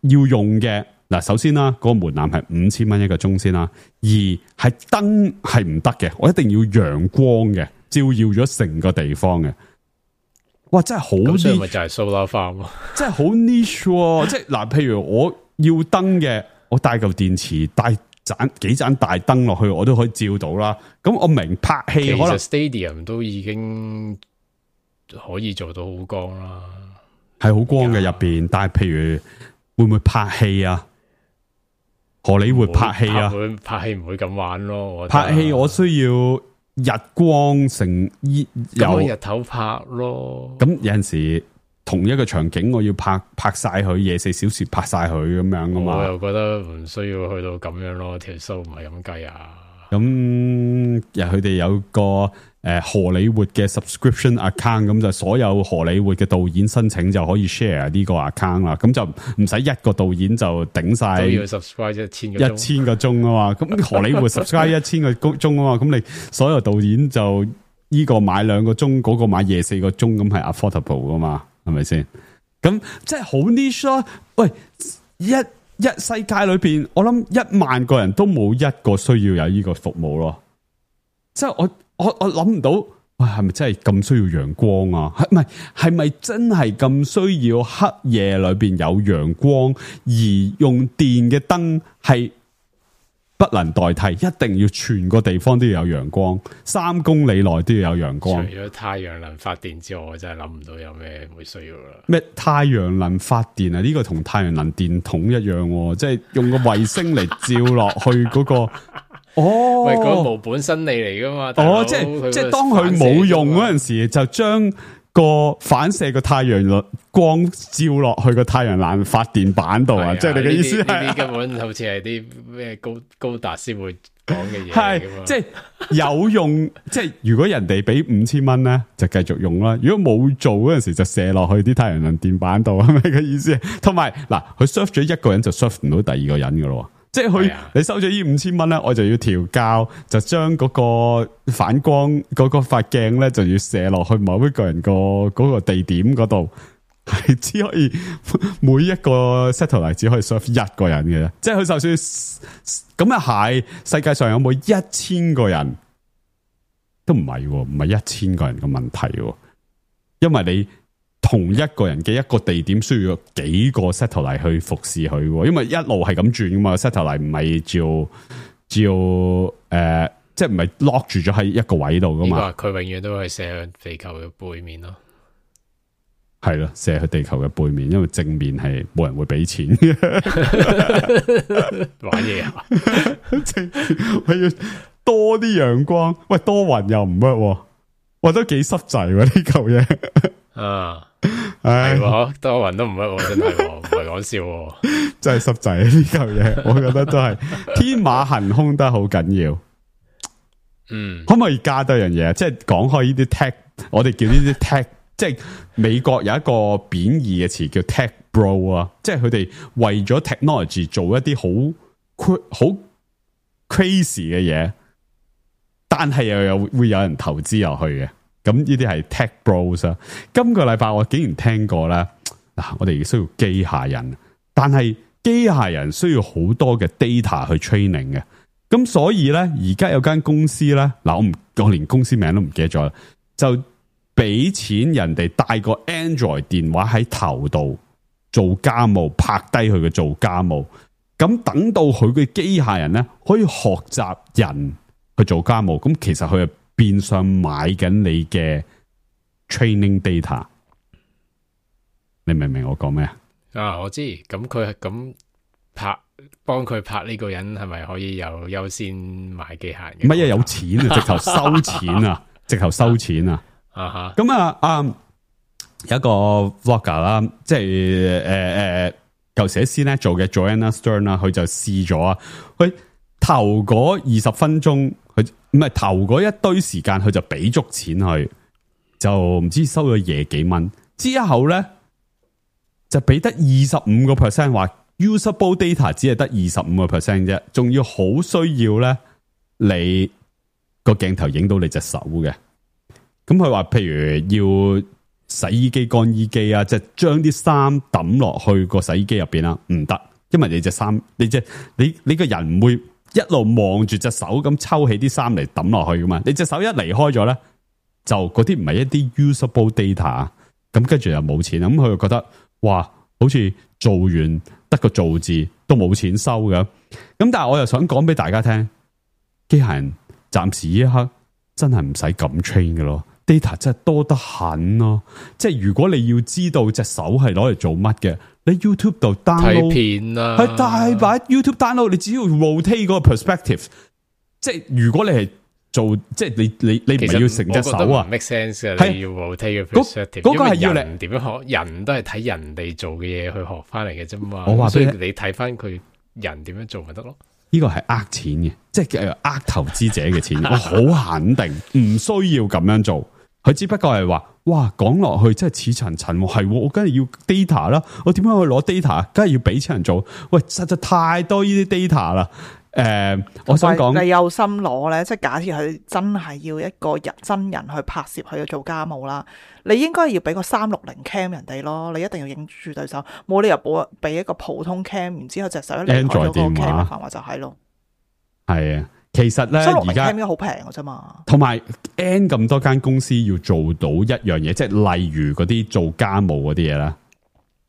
要用嘅嗱，首先啦，嗰個門檻係5000蚊一個鐘先啦，而係燈係唔得嘅，我一定要陽光嘅，照耀咗成個地方嘅。哇，真係好 niche， 所以咪就係 solar farm 咯，真係好 niche，即係嗱，譬如我要燈嘅，我帶嚿電池，帶幾盞大燈落去，我都可以照到啦。咁我明拍戲，其可能實 Stadium 都已經可以做到好光啦，係好光嘅入邊。但係譬如會唔會拍戲啊？荷里活拍戲啊？拍戲唔會咁玩咯。拍戲我需要日光成有日頭拍咯。咁有陣時同一個場景我要拍晒佢24小時拍晒佢咁樣噶嘛？我又覺得唔需要去到咁樣咯，條數唔係咁計啊。咁佢哋有個荷里活嘅 subscription account， 咁就所有荷里活嘅導演申請就可以 share 呢個 account 啦。咁就唔使一個導演就頂晒都要 subscribe 1000個鐘啊嘛。咁荷里活 subscribe 1000個鐘啊嘛。咁你所有導演就呢個買2個鐘，嗰個買24個鐘，咁係 affordable 噶嘛？係咪先？咁即係好 niche 咯。喂，一世界裏邊，我諗1萬個人都冇一個需要有呢個服務咯。即係我諗唔到，喂，係咪真係咁需要陽光啊？係咪真係咁需要黑夜裏邊有陽光，而用電嘅燈係不能代替，一定要全個地方都要有陽光，3公里內都要有陽光。除咗太陽能發電之外，我真係諗唔到有咩會需要啦。咩太陽能發電啊？呢個同太陽能電筒一樣，即係用個衛星嚟照落去嗰個。哦，喂，嗰個無本生利嚟噶嘛？即係當佢冇用嗰陣時，就將個反射個太陽光照落去個太陽能發電板度啊！即係你嘅意思係呢啲根本好似係啲咩高達先會講嘅嘢，係即係有用。即係如果人哋俾5000蚊咧，就繼續用啦。如果冇做嗰陣時，就射落去啲太陽能電板度，係咪嘅意思？同埋嗱，佢 serve 咗一個人就 serve 唔到第二個人噶咯。即係佢，你收咗呢5000蚊咧，我就要調校，就將嗰個反光嗰個塊鏡咧，就要射落去某一個人嗰個地點嗰度，係只可以每一個 satellite 只可以 serve 一個人嘅啫。即係佢就算咁啊，係世界上有冇1000個人都唔係，唔係1000個人嘅問題，因為你同一個人嘅一個地點需要幾個 satellite 去服侍佢，因為一路係咁轉噶嘛 ，satellite 唔係照即係唔係 lock 住咗喺一個位度噶嘛。佢永遠都係射向地球嘅背面咯，係咯，射去地球嘅背面，因為正面係冇人會俾錢嘅。玩嘢啊！我要多啲陽光，喂，多雲又唔得，喂，都幾濕滯呢嚿嘢。啊，係多雲都唔得，真係唔係講笑，真係濕滯呢嚿嘢，我覺得都係天馬行空得好緊要。可唔可以加多樣嘢？即係講開呢啲 tech， 我哋叫呢啲 tech， 即係美國有一個貶義嘅詞叫 tech bro 啊，即係佢哋為咗 technology 做一啲好 crazy 嘅嘢，但係又會有人投資入去嘅。咁呢啲係 tech bros 啊！今個禮拜我竟然聽過啦，嗱，我哋需要機械人，但係機械人需要好多嘅 data 去 training 嘅，咁所以咧，而家有間公司咧，嗱，我連公司名都唔記得咗啦，就俾錢人哋帶個 Android 電話喺頭度做家務，拍低佢嘅做家務，咁等到佢嘅機械人咧可以學習人去做家務，咁其實佢係變相買緊你嘅 training data， 你明唔明我講咩啊？我知，咁佢係咁幫佢拍呢個人係咪可以有優先買機械人？唔係啊，有錢啊，直頭收錢啊，直頭收錢啊！咁有一個 vlogger 啦，即係舊時喺 CNET 做嘅 Joanna Stern 啦，佢就試咗啊，佢頭嗰20分鐘，佢唔係頭嗰一堆時間，佢就俾足錢去，就唔知收咗嘢幾蚊。之後咧就俾得25%，話 usable data 只係得25% 啫，仲要好需要咧你個鏡頭影到你隻手嘅。咁佢話譬如要洗衣機、乾衣機啊，即係將啲衫抌落去個洗衣機入邊啦，唔得，因為你隻衫，你個人唔會一路望住隻手咁抽起啲衫嚟抌落去噶嘛，你隻手一離開咗咧，就嗰啲唔係一啲 usable data， 咁跟住又冇錢，咁佢就覺得哇，好似做完得個做字都冇錢收嘅，咁但係我又想講俾大家聽，機械人暫時呢一刻真係唔使咁 train 嘅咯。data 真係多得很咯，即係如果你要知道隻手係攞嚟做乜嘅，你 YouTube 度 download 睇片啦，係大把 YouTube download， 你只要 rotate 嗰個 perspective， 即係如果你係做，即係你唔係要成隻手啊 ，make sense 嘅，你要 rotate 個 perspective，嗰個係要人點樣學，人都係睇人哋做嘅嘢去學翻嚟嘅啫嘛。我話所以你睇翻佢人點樣做咪得咯。呢個係呃錢嘅，即係呃投資者嘅錢，我好肯定唔需要咁樣做。佢只不過係話，哇，講落去真係似層層，係我梗係要 data 啦，我點樣去攞 data？梗係要俾錢人做。喂，實在太多呢啲 data 啦。我想講你有心攞咧，即係假設佢真係要一個真人去拍攝佢做家務啦，你應該要俾個360 cam 人哋咯，你一定要影住對手，冇理由俾一個普通 cam， 然之後隻手一離開咗個 cam 嘅範圍就係咯。係啊。其實咧，而家應該好平嘅啫嘛。同埋 N 咁多間公司要做到一樣嘢，即係例如嗰啲做家務嗰啲嘢啦，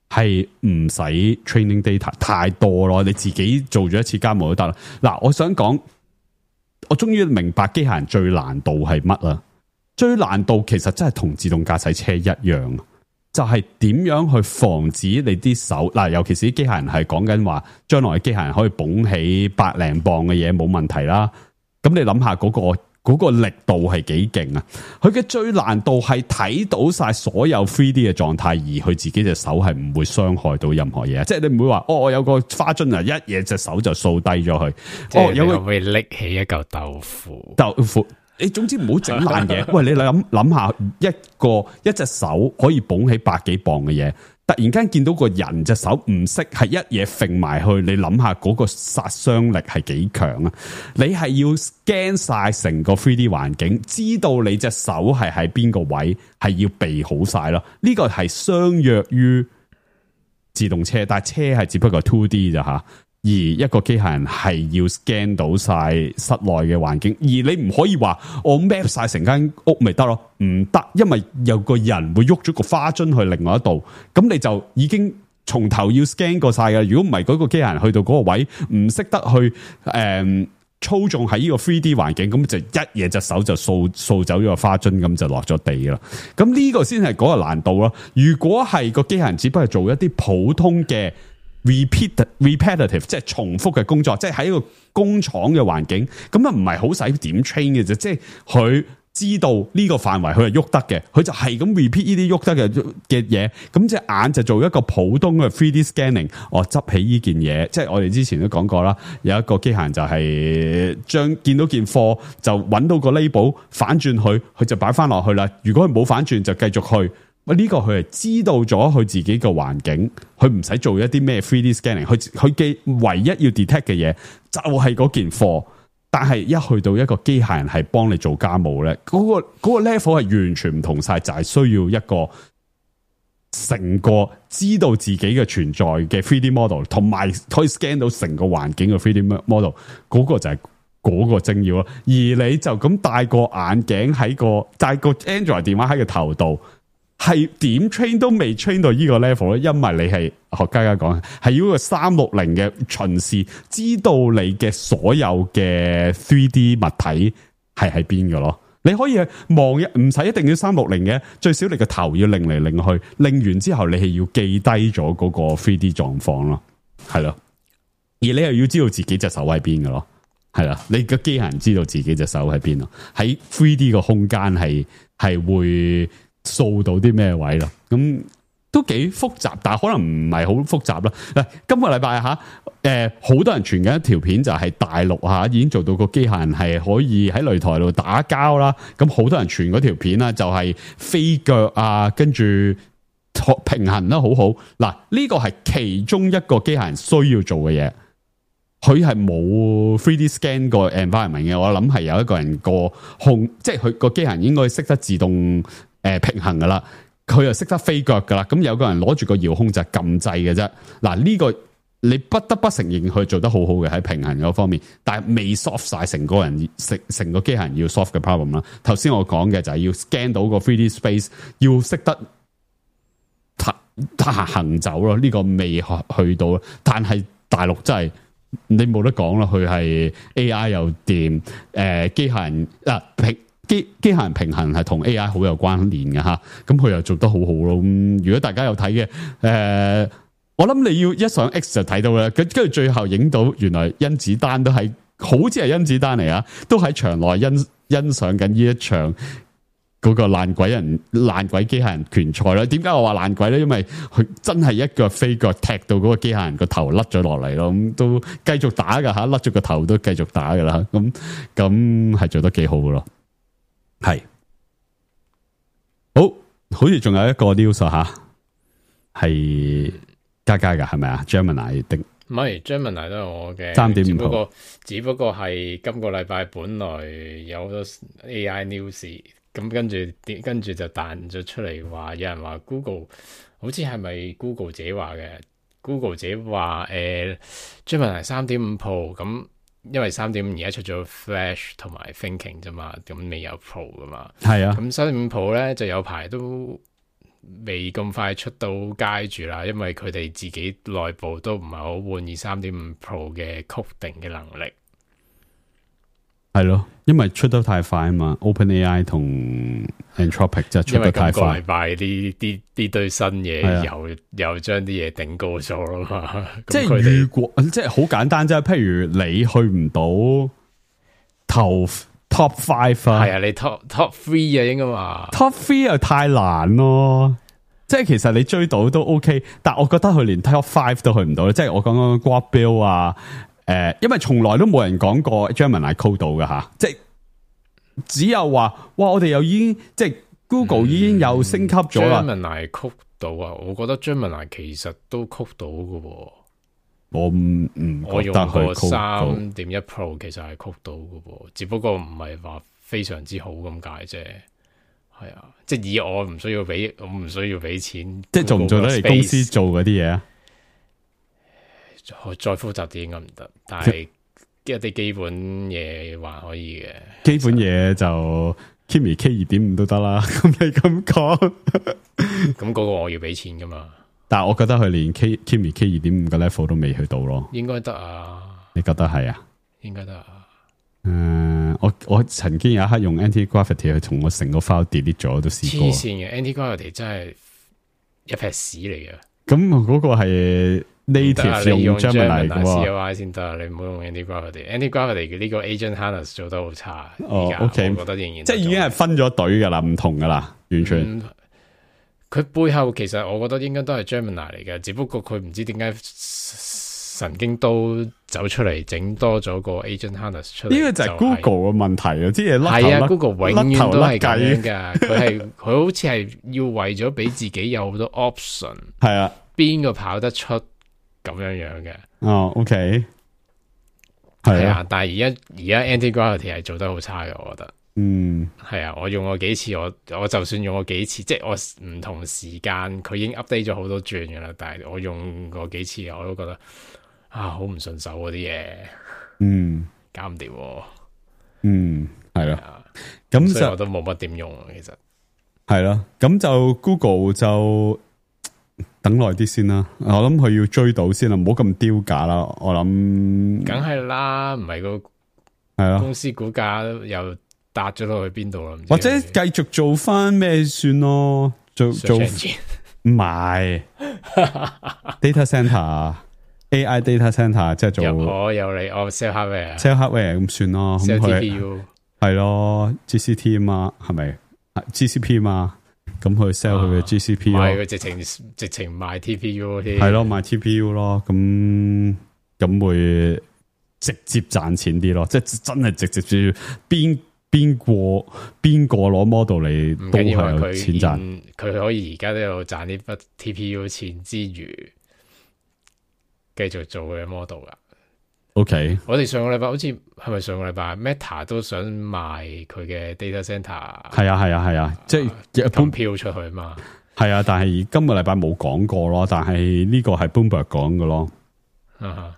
係唔使 training data 太多咯。你自己做咗一次家務都得啦。嗱，我想講，我終於明白機械人最難度係乜啦。最難度其實真係同自動駕駛車一樣，就係點樣去防止你啲手嗱，尤其是啲機械人係講緊話，將來嘅機械人可以捧起100零磅嘅嘢冇問題啦。咁你諗下嗰個力度係幾勁啊？佢嘅最難度係睇到晒所有 3D 嘅狀態，而佢自己隻手係唔會傷害到任何嘢。即係你唔會話我有個花樽啊，一嘢隻手就掃低咗佢。有個會拎起一嚿豆腐。你總之唔好整爛嘢。喂，你諗下一隻手可以捧起100幾磅嘅嘢，突然間見到個人隻手唔識，係一嘢揈埋去，你諗下嗰個殺傷力係幾強啊？你係要 scan 晒成個 3D 環境，知道你隻手係喺邊個位，係要備好晒咯。呢個係相約於自動車，但係車係只不過 2D 咋吓。而一個機械人係要 scan 到晒室內嘅環境，而你唔可以話我 map 晒成間屋咪得咯，唔得，因為有個人會喐咗個花樽去另外一度，咁你就已經從頭要 scan 過晒嘅。如果唔係嗰個機械人去到嗰個位唔識得去操縱喺呢個 3D 環境，咁就一嘢隻手就掃走咗個花樽，咁就落咗地啦。咁呢個先係嗰個難度咯。如果係個機械人只不過做一啲普通嘅repetitive 即係重複嘅工作，即係喺一個工廠嘅環境，咁啊唔係好使點 train 嘅啫，即係佢知道呢個範圍佢係喐得嘅，佢就係咁 repeat 呢啲喐得嘅嘢，咁隻眼就做一個普通嘅 3D scanning， 我執起呢件嘢，即係我哋之前都講過啦，有一個機械人就係見到件貨就揾到個 label 反轉佢就擺翻落去啦，如果佢冇反轉就繼續去。呢個佢係知道咗佢自己個環境，佢唔使做一啲咩 3D scanning， 佢嘅唯一要 detect 嘅嘢就係嗰件貨。但係一去到一個機械人係幫你做家務咧，嗰個 level 係完全唔同晒，就係需要一個成個知道自己嘅存在嘅 3D model， 同埋可以 scan 到成個環境嘅 3D model， 嗰個就係嗰個精要咯。而你就咁戴個眼鏡戴個 Android 電話喺個頭度。係點 train 都未 train 到呢個 level 咧，因為你係學家講係要個360嘅巡視，知道你嘅所有嘅 3D 物體係喺邊嘅咯。你可以望唔使一定要360嘅，最少你個頭要擰嚟擰去，擰完之後你係要記低咗嗰個 3D 狀況咯，係咯。而你又要知道自己隻手喺邊嘅咯，係啦。你個機械人知道自己隻手喺邊咯，喺 3D 個空間係會掃到啲咩位咯？咁都幾複雜，但係可能唔係好複雜啦。嗱，今個禮拜好多人傳緊一條片，就係大陸已經做到個機械人係可以喺擂台度打交啦。咁好多人傳嗰條片啦，就係飛腳啊，跟住平衡得好好。嗱，呢個係其中一個機械人需要做嘅嘢。佢係冇 3D scan 個 environment 嘅，我諗係有一個人個即係佢個機械人應該識得自動平衡噶啦，佢又識得飛腳噶啦，咁有個人攞住個遙控就撳掣嘅啫。嗱，呢個你不得不承認佢做得好好嘅喺平衡嗰方面，但係未 solve 晒成個機械人要 solve 嘅 problem 啦。頭先我講嘅就係要 scan 到個 3D space， 要識得行走咯，呢個未去到，但係大陸真係。你冇得講啦，佢係 AI 又掂，機械人機械人平衡係同 AI 好有關聯嘅吓，咁佢又做得好好咯。咁如果大家有睇嘅，我諗你要一上 X 就睇到啦。跟住最後影到原來甄子丹都係，好似係甄子丹嚟啊，都喺場內欣賞緊呢一場。嗰個爛鬼機械人拳賽啦，點解我話爛鬼咧？因為佢真係一腳飛腳踢到嗰個機械人個頭甩咗落嚟咯，咁都繼續打噶吓，甩咗個頭都繼續打噶啦，咁係做得幾好噶咯，係好似仲有一個 news 吓，係加噶係咪啊 ？Gemini 定唔係 Gemini 都係我嘅3.5，只不過係今個禮拜本來有好多 AI news。咁跟住就彈咗出嚟話，有人話 Google 好似係咪 Google 自己話嘅 ？Google 自己話Gemini 3.5 Pro 咁，因為3.5而家出咗 Flash 同埋 Thinking 啫嘛，咁未有 Pro 噶嘛。係啊，咁3.5 Pro 咧就有排都未咁快出到街住啦，因為佢哋自己內部都唔係好滿意3.5 Pro 嘅 coding 嘅能力。係咯，因為出得太快啊嘛 ，OpenAI 同 Anthropic 就出得太快。因為今個禮拜呢堆新嘢又將啲嘢頂高咗咯嘛。即係如果即係好簡單啫，譬如你去唔到頭 Top 5啊，係啊，你 Top 3啊應該嘛。Top 3又太難咯，即係其實你追到都 OK， 但我覺得佢連 Top 5都去唔到，即係我講緊 Grok Bill 啊。因為從來都冇人講過 Gemini code 到嘅吓，即係只有話，哇！我哋又已經即係 Google 已經又升級咗啦。Gemini code 到啊，我覺得 Gemini 其實都 code 到嘅喎。我用過3.1 Pro 其實係 code 到嘅喎，只不過唔係話非常之好咁解啫。係啊，即係以我唔需要俾錢，即係做唔做得你公司做嗰啲嘢啊？再複雜啲應該唔得，但係一啲基本嘢還可以嘅。基本嘢就 Kimi K 2.5都得啦。咁你咁講，咁嗰個我要俾錢噶嘛？但係我覺得佢連 Kimi K 2.5嘅 level 都未去到咯。應該得啊？你覺得係啊？應該得啊？我曾經有一刻用 Anti-Gravity 去同我成個 file delete 咗，都試過。黐線嘅 Anti-Gravity 真係一撇屎嚟嘅。咁嗰個係。native 用 Gemini 嘅 CLI 先得，你唔好用 Anti-Gravity 嘅呢個 Agent Harness 做得好差。OK， 我覺得仍然即係已經係分咗隊噶啦，唔同噶啦，完全。佢背後其實我覺得應該都係 Gemini 嚟嘅，只不過佢唔知點解神經都走出嚟整多咗個 Agent Harness 出嚟。呢個就係 Google 嘅問題啊！啲嘢係啊 ，Google 永遠都係咁樣噶。佢好似係要為咗俾自己有好多 option。係啊，邊個跑得出？咁樣嘅OK， 係啊，但係而家 Anti-Gravity 係做得好差嘅，我覺得，係啊，我用過幾次，我就算用過幾次，即係我唔同時間，佢已經 update 咗好多轉噶啦，但係我用過幾次，我都覺得好唔順手嗰啲嘢，搞唔掂，係咯，咁所以我都冇乜點用，其實係咯，咁就 Google 就。等耐啲先啦，我諗佢要追到先啦，唔好咁丟價啦。我諗，梗係啦，唔係個係咯，公司股價又搭咗落去邊度啦？或者繼續做翻咩算咯？做唔係 data center AI data center 即係做有你sell hardware sell hardware 咁算咯。sell TPU 係咯 GCT 啊嘛，係咪 GCP 啊嘛？咁去 sell 佢嘅 GCP 咯，佢直情賣 TPU 添，係咯，賣 TPU 咯，咁會直接賺錢啲咯，即係真係直接邊個攞 model 嚟都係有錢賺，佢可以而家都有賺呢筆 TPU 錢之餘，繼續做佢嘅 model 噶。OK，我哋上個禮拜好似係咪上個禮拜 Meta 都想賣佢嘅 data center，係啊，即係一般飄出去嘛。係啊，但係今個禮拜冇講過咯，但係呢個係 Bloomberg 講嘅咯，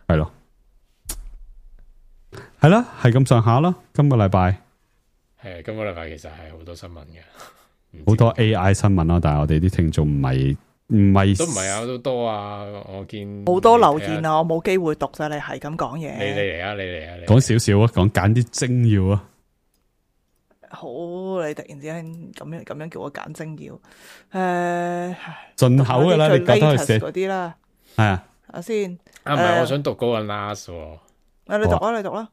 係咯，係啦，係咁上下啦。今個禮拜係今個禮拜其實係好多新聞嘅，好多 AI 新聞啦，但係我哋啲聽眾唔係都唔係啊，都多啊，我見好多留言啊，我冇機會讀啫，你係咁講嘢。你嚟啊，你嚟啊，講少少啊，揀啲精要啊。好，你突然之間咁樣叫我揀精要，進口嘅啦，你覺得佢寫嗰啲啦，係啊，睇先。唔係，我想讀嗰個 NAS 喎。你讀啊，你讀啦。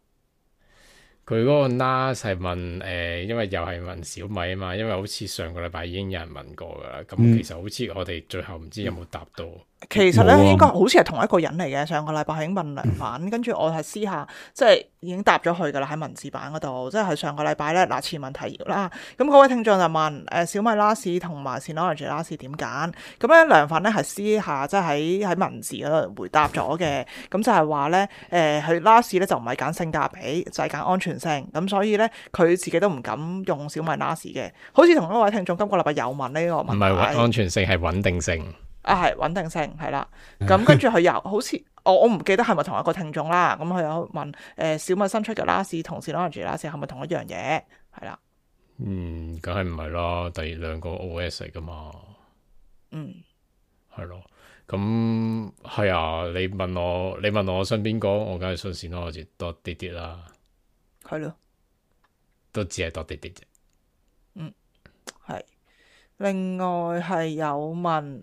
佢嗰個 NAS 係問因為又係問小米啊嘛，因為好似上個禮拜已經有人問過噶啦，咁其實好似我哋最後唔知有冇答到。其實咧應該好似係同一個人嚟嘅，上個禮拜已經問梁反，跟住我係私下即係已經答咗佢噶啦喺文字版嗰度，即係上個禮拜咧前文提要啦。咁嗰位聽眾就問小米 NAS 同埋 Synology NAS 點揀？咁咧梁反咧係私下即係喺文字嗰度回答咗嘅，咁就係話咧佢 NAS 咧就唔係揀性價比，就係揀安全性，咁所以咧佢自己都唔敢用小米 NAS 嘅。好似同一位聽眾今個禮拜有問呢個問題，唔係安全性係穩定性。係穩定性係啦，咁跟住佢又好似我唔記得係咪同一個聽眾啦，咁佢有問小米新出嘅 NAS 同 Synology NAS 係咪同一樣嘢？係啦，梗係唔係啦，第兩個 OS 嚟噶嘛，係咯，咁係啊，你問我信邊個，我梗係信 Synology 多啲啦，係咯，都只係多啲啫，係。另外係有問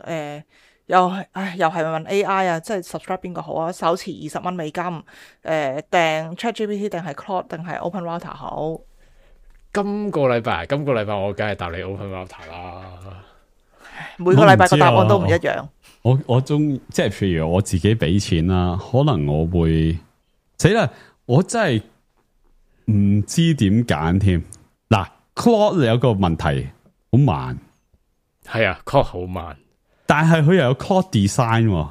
又係問 AI 啊，即係 subscribe 邊個好啊？手持20蚊美金，訂 ChatGPT 定係 Claude 定係 Open Router 好？今個禮拜我梗係答你 Open Router 啦。每個禮拜個答案都唔一樣。我中即係譬如我自己俾錢啦，可能我會死啦，我真係唔知點揀添。嗱 ，Claude 有個問題，好慢。係啊 ，Claude 好慢，但係佢又有 Claude design，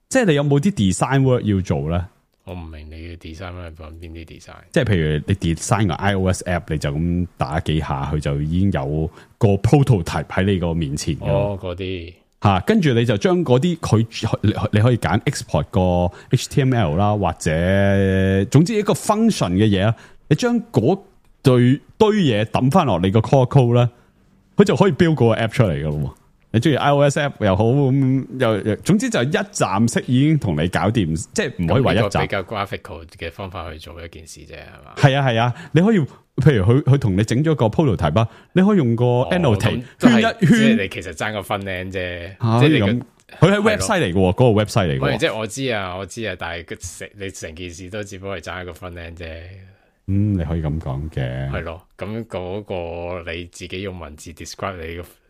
即係你有冇啲 design work 要做咧？我唔明你嘅 design 係講邊啲 design，即係譬如你 design 個 iOS app，你就咁打幾下，佢就已經有個 prototype 喺你個面前。嗰啲吓，跟住你就將嗰啲你可以揀 export 個 HTML 啦，或者總之一個 function 嘅嘢啦，你將嗰堆嘢抌翻落你個 core code 咧。佢就可以 build 嗰個 app 出嚟噶咯，你中意 iOS app 又好咁，又總之就一站式已經同你搞掂，即係唔可以話一站。比較 graphical 嘅方法去做一件事啫，係嘛？係啊，你可以譬如佢同你整咗個 prototype 啊，你可以用個 annotate 圈一圈，即係你其實爭個分靚啫，即係你咁。佢係 website 嚟嘅，嗰個 website 嚟嘅。即係我知啊，但係你成件事都只不過係爭一個分靚啫。你可以咁講嘅，係咯，咁嗰個你自己用文字 describe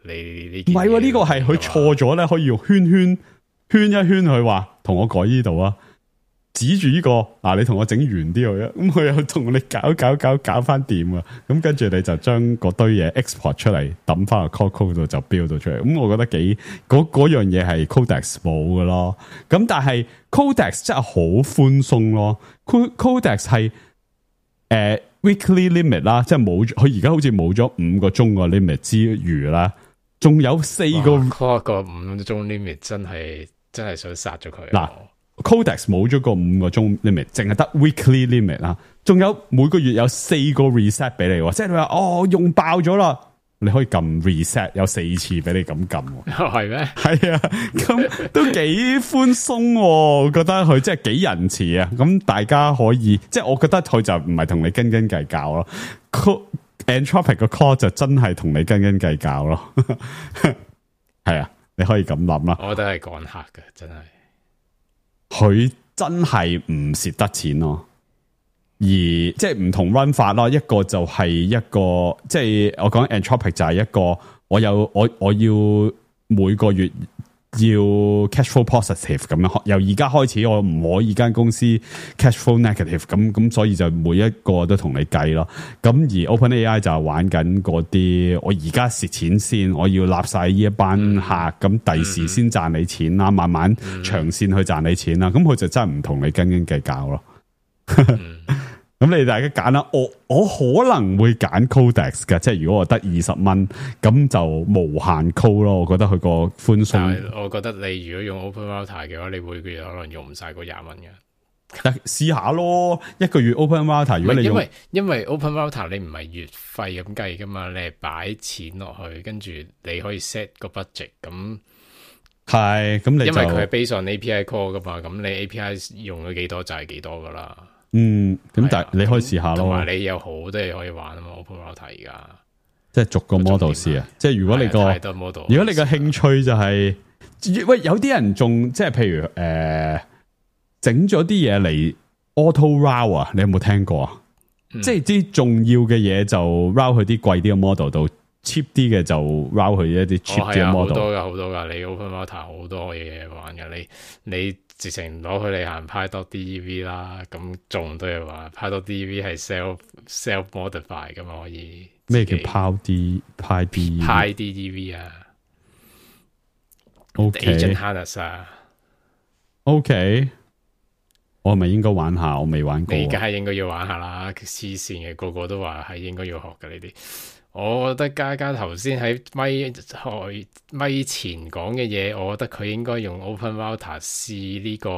你呢件，唔係呢個係佢錯咗咧，可以用圈一圈佢話同我改呢度啊，指住呢個你同我整圓啲佢啊，咁佢又同你搞翻掂啊，咁跟住你就將嗰堆嘢 export 出嚟抌翻個 code 度就 build 到出嚟，咁我覺得嗰樣嘢係 Codex 冇嘅咯，咁但係 Codex 真係好寬鬆咯 ，Codex 係。weekly limit 啦，即係冇佢而家好似冇咗5個鐘個 limit 之餘啦，仲有4個。嗰個5個鐘 limit 真係想殺咗佢。嗱 ，Codex 冇咗個5個鐘 limit，淨係得 weekly limit 啦，仲有每個月有4個 reset 俾你，即係你話用爆咗啦。你可以撳 reset 有4次俾你咁撳，係咩？係啊，咁都幾寬鬆，我覺得佢即係幾仁慈啊！咁大家可以，即係我覺得佢就唔係同你斤斤計較咯。Anthropic 個 call 就真係同你斤斤計較咯。係啊，你可以咁諗啦。我覺得係趕客嘅，真係。佢真係唔蝕得錢咯。而即係唔同 run 法咯，一個就係一個即係我講 Anthropic 就係一個我要每個月要 cash flow positive 咁樣，由而家開始我唔可以間公司 cash flow negative 咁所以就每一個都同你計咯。咁而 OpenAI 就係玩緊嗰啲，我而家蝕錢先，我要立晒呢一班客，咁第時先賺你錢啦，慢慢長線去賺你錢啦。咁佢就真係唔同你斤斤計較咯。咁你大家揀啦，我可能會揀 Codex 嘅，即係如果我得20蚊，咁就無限 code 咯。我覺得佢個寬鬆。我覺得你如果用 Open Router 嘅話，你每個月可能用唔晒嗰20蚊嘅。但試下咯，一個月 Open Router， 如果你用因為 Open Router 你唔係月費咁計噶嘛，你係擺錢落去，跟住你可以 set 個 budget 咁。係咁，你因為佢係 based on API call 噶嘛，咁你 API 用咗幾多就係幾多噶啦。咁但係你可以試下咯，同埋你有好多嘢可以玩啊嘛。Open Router 而家即係逐個 model 試啊，即係如果你個太多 model， 如果你個興趣就係、喂，有啲人仲即係譬如整咗啲嘢嚟 auto route 啊，你有冇聽過啊？即係啲重要嘅嘢就 route 去啲貴啲嘅 model 度，cheap 啲嘅就 route 去一啲 cheap 啲嘅 model。好多噶，你 Open Router 好多嘢玩噶，你直情攞佢嚟行 Py.dev 啦，咁仲都係話 Py.dev 係 self modify 噶嘛，可以咩叫 Py.dev 啊 ？OK Agent Harness 啊 ，OK， 我係咪應該玩下？我未玩過，你梗係應該要玩下啦，黐線嘅，個個都話係應該要學嘅呢啲。我覺得嘉嘉頭先喺咪前講嘅嘢，我覺得佢應該用 Open Router 試呢個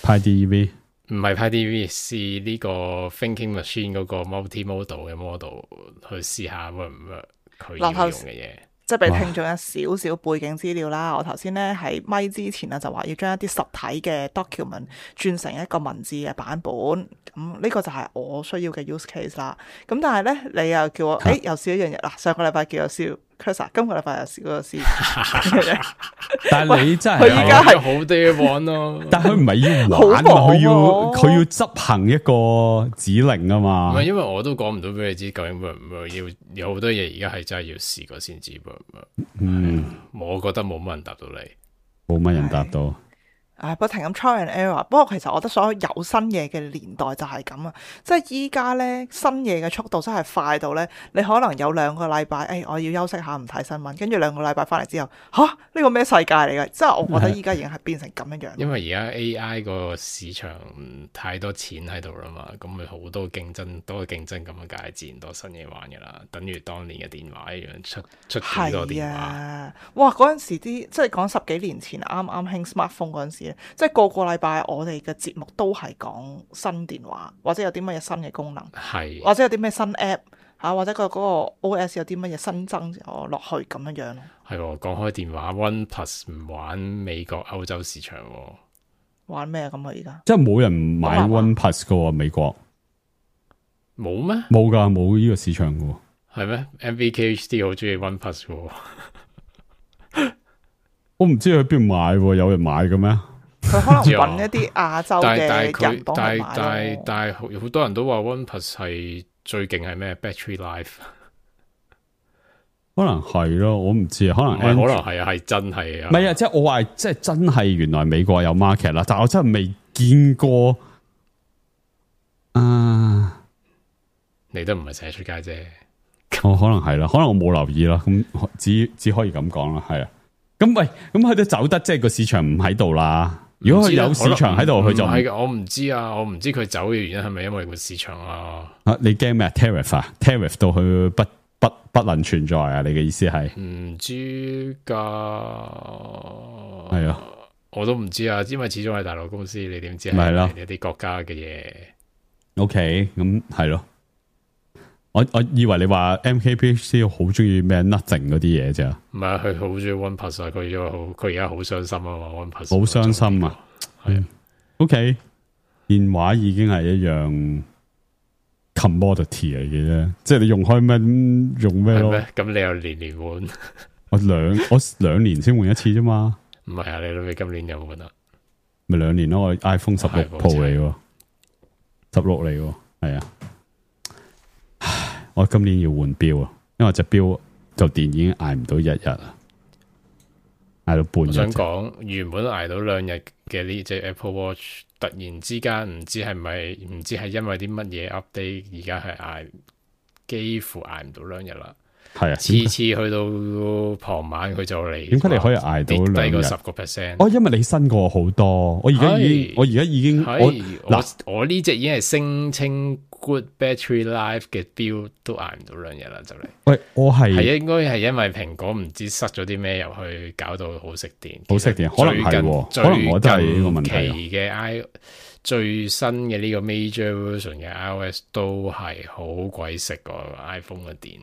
Py.dev， 唔係 Py.dev 試呢個 Thinking Machine 嗰個 multimodal 嘅 model 去試下會唔會佢要用嘅嘢。即係俾聽眾有少少背景資料啦。我頭先咧喺咪之前啊，就話要將一啲實體嘅 document 轉成一個文字嘅版本。咁呢個就係我需要嘅 use case 啦。咁但係咧，你又叫我又試一樣嘢啦。上個禮拜叫我試 Cursor， 今個禮拜又試嗰個試。但係你真係佢依家係好多嘢玩咯。但係佢唔係要玩啊，佢要執行一個指令啊嘛。唔係，因為我都講唔到俾你知究竟會唔會要有好多嘢，而家係真係要試過先知。我覺得冇乜人答到你，冇乜人答到。不停咁 try and error。不過其實我覺得所有有新嘢嘅年代就係咁啊，即係依家咧新嘢嘅速度真係快到咧，你可能有2個禮拜，我要休息下唔睇新聞，跟住2個禮拜翻嚟之後，呢個咩世界嚟嘅？即係我覺得依家已經係變成咁樣樣。因為而家 AI 個市場太多錢喺度啦嘛，咁咪好多競爭，多競爭咁樣，梗係自然多新嘢玩噶啦。等於當年嘅電話一樣，出幾多電話。哇！嗰陣時啲即係講10幾年前啱啱興 smartphone 嗰陣時。即係個禮拜我哋嘅節目都係講新電話，或者有啲乜嘢新嘅功能，係或者有啲咩新 app 或者嗰個 OS 有啲乜嘢新增落去咁樣樣咯。係講開電話 OnePlus 唔玩美國歐洲市場，玩咩咁啊？而家即係冇人買 OnePlus 噶喎，美國冇咩？冇噶，冇呢個市場噶。係咩 ？MVKHD 好中意 OnePlus 喎。我唔知佢邊度買，有人買嘅咩？佢可能揾一啲亞洲嘅人幫佢買。但係好多人都話 OnePlus 係最勁係咩 ？Battery life 可能係咯，我唔知啊。可能係啊，係真係啊。唔係啊，即係我話，即係真係原來美國有 market 啦，但係我真係未見過。你都唔係成日出街啫。可能係啦，可能我冇留意啦。咁只可以咁講啦，係啊。咁喂，咁佢都走得，即係個市場唔喺度啦。如果佢有市場喺度，佢就唔係。我唔知啊，我唔知佢走嘅原因係咪因為個市場啊？你驚咩 ？tariff 啊 ？tariff 到佢不能存在啊？你嘅意思係？唔知噶，係啊，我都唔知啊，因為始終係大陸公司，你點知係咯？一啲國家嘅嘢。OK，咁係咯。我以為你話 MKBHD 好中意咩 nothing 嗰啲嘢啫，唔係佢好中意 OnePlus 啊，佢而家好傷心啊嘛 ，OnePlus 好傷心啊，係 OK， 電話已經係一樣 commodity 嚟嘅啫，即係你用開咩用咩咯，咁你又年換，我兩年先換一次啫嘛，唔係啊，你諗你今年有冇換啊？咪2年咯，我 iPhone 16 Pro 嚟喎，16嚟喎，係啊。我今年要換錶啊，因為隻錶就電已經捱唔到一日啦，捱到半日。我想講原本捱到2日嘅呢隻 Apple Watch，突然之間唔知係因為啲乜嘢 update， 而家係幾乎捱唔到2日啦。係啊，次次去到傍晚佢就嚟。點解你可以捱到2日？低過10%？哦，因為你新過好多。我而家已經我呢隻已經係聲稱 good battery life 嘅標都捱唔到2日啦，就嚟。喂，我係應該係因為蘋果唔知塞咗啲咩入去，搞到好食電。好食電，可能係，可能我都係呢個問題。期嘅最新嘅呢個 major version 嘅 iOS 都係好鬼食個 iPhone 嘅電。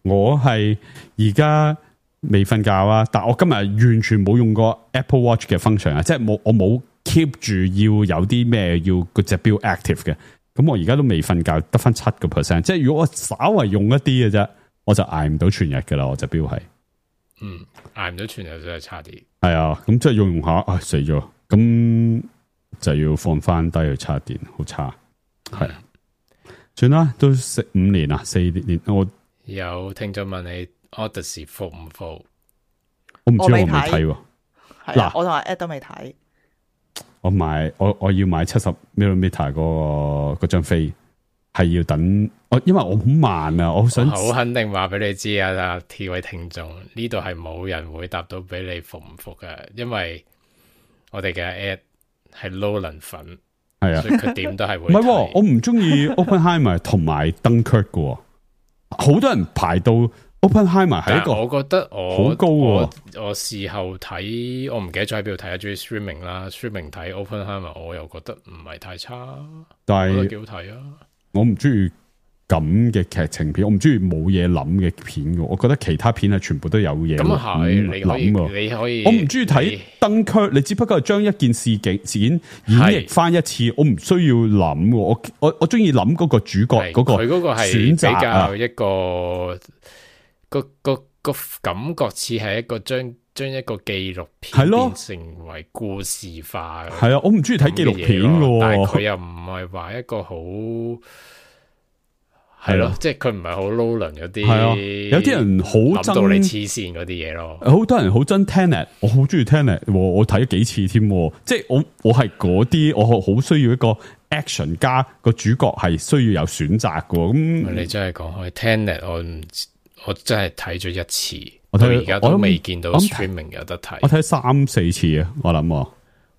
我係而家未瞓覺啊，但我今日完全冇用過 Apple Watch 嘅 function 啊，即係我冇 keep 住要有啲咩要嗰隻錶 active 嘅，咁我而家都未瞓覺，得翻7%，即係如果我稍為用一啲嘅啫，我就捱唔到全日噶啦，我隻錶係，捱唔到全日真係差啲，係啊，咁即係用下，死咗，咁就要放翻低去插電，好差，係。算啦，都4年啦，4年我有聽眾問你 Odyssey 服唔服？我唔知我未睇喎。嗱，我同阿 Ed 都未睇。我要買70mm 嗰張飛，係要等因為我好慢啊，我想好肯定話俾你知啊，T 位聽眾呢度係冇人會答到俾你服唔服㗎，因為我哋嘅 Ed 係 Nolan 粉。係啊，所以佢點都係會。唔係，我唔中意 Oppenheimer 同埋 Dunkirk 嘅，好多人排到 Oppenheimer 係一個，我覺得好高。我事後睇，我唔記得咗喺邊度睇啊，中意 streaming 啦 ，streaming 睇 Oppenheimer，我又覺得唔係太差，但係幾好睇啊。我唔中意咁嘅劇情片，我唔中意冇嘢諗嘅片嘅，我覺得其他片係全部都有嘢。咁係，你可以，我唔中意睇登區，你只不過係將一件事件演繹翻一次，我唔需要諗。我中意諗嗰個主角嗰個，佢嗰個係比較一個個感覺似係一個將一個紀錄片變成為故事化。係啊，我唔中意睇紀錄片嘅，但係佢又唔係話一個好。係咯，即係佢唔係好 Nolan 嗰啲，有啲人好憎到你黐線嗰啲嘢咯。好多人好憎 Tenet， 我好中意 Tenet， 我睇咗幾次添。即係我係嗰啲，我好需要一個 action 加個主角係需要有選擇嘅。咁你真係講開 Tenet， 我真係睇咗一次，我到而家都未見到 streaming 有得睇。我睇3-4次啊，我諗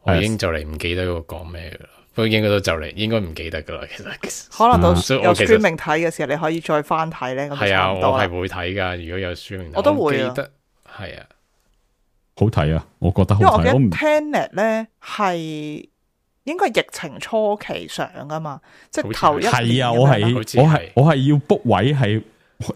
我已經就嚟唔記得嗰個講咩噶啦。不過應該都就嚟，應該唔記得噶啦。其實可能到有 streaming 睇嘅時候，你可以再翻睇咧。係啊，我係會睇噶。如果有 streaming，我都會記得係啊，好睇啊！我覺得好睇。因為我記得 Tenet 咧係應該疫情初期上噶嘛，即係頭一年。係啊，我係要 book 位係。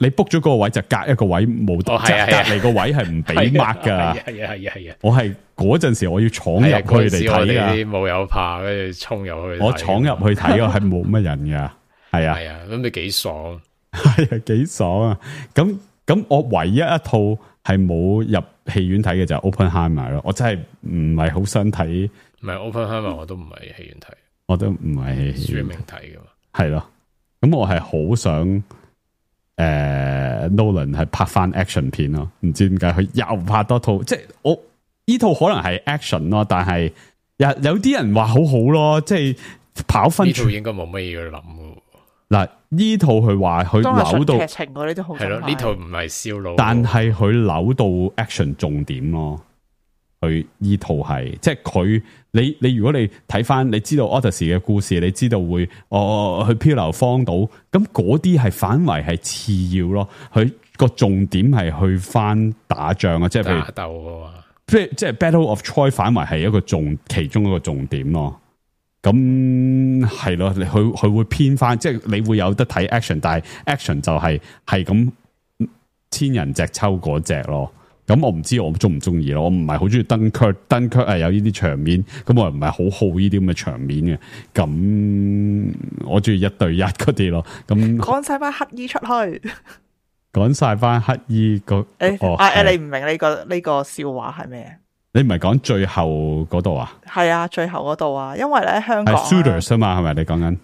你 book 咗嗰個位就隔一個位冇，即係隔籬個位係唔俾 mark 噶。係啊！我係嗰陣時我要闖入去嚟睇噶。啲冇友怕，跟住衝入去。我闖入去睇啊，係冇乜人噶。係啊，係啊，咁你幾爽？係啊，幾爽啊！咁我唯一一套係冇入戲院睇嘅就係 Oppenheimer 咯。我真係唔係好想睇。唔係 Oppenheimer，我都唔係戲院睇，我都唔係戲院睇噶嘛。係咯，咁我係好想。Nolan 係拍翻 action 片咯，唔知點解佢又拍多套，即係我呢套可能係 action 咯，但係有啲人話好好咯，即係跑分。呢套應該冇乜嘢要諗嘅。嗱，呢套佢話佢扭到劇情嗰啲都好係咯，呢套唔係燒腦，但係佢扭到 action 重點咯。佢呢套係即係佢你如果你睇翻，你知道 Odyssey 嘅故事，你知道會去漂流荒島，咁嗰啲係反為係次要咯。佢個重點係去翻打仗啊，即係譬如打鬥啊，即係 Battle of Troy 反為係一個其中一個重點咯。咁係咯，佢會偏翻，即係你會有得睇 action， 但係 action 就係咁千人隻抽嗰隻咯。咁我唔知我中唔中意咯，我唔係好中意登區係有呢啲場面，咁我又唔係好好呢啲咁嘅場面嘅，咁我中意1對1嗰啲咯。咁趕晒班乞衣出去，趕晒班乞衣個你唔明呢個笑話係咩？你唔係講最後嗰度啊？係啊，最後嗰度啊，因為咧香港 Shooters 啊嘛，係咪你講緊？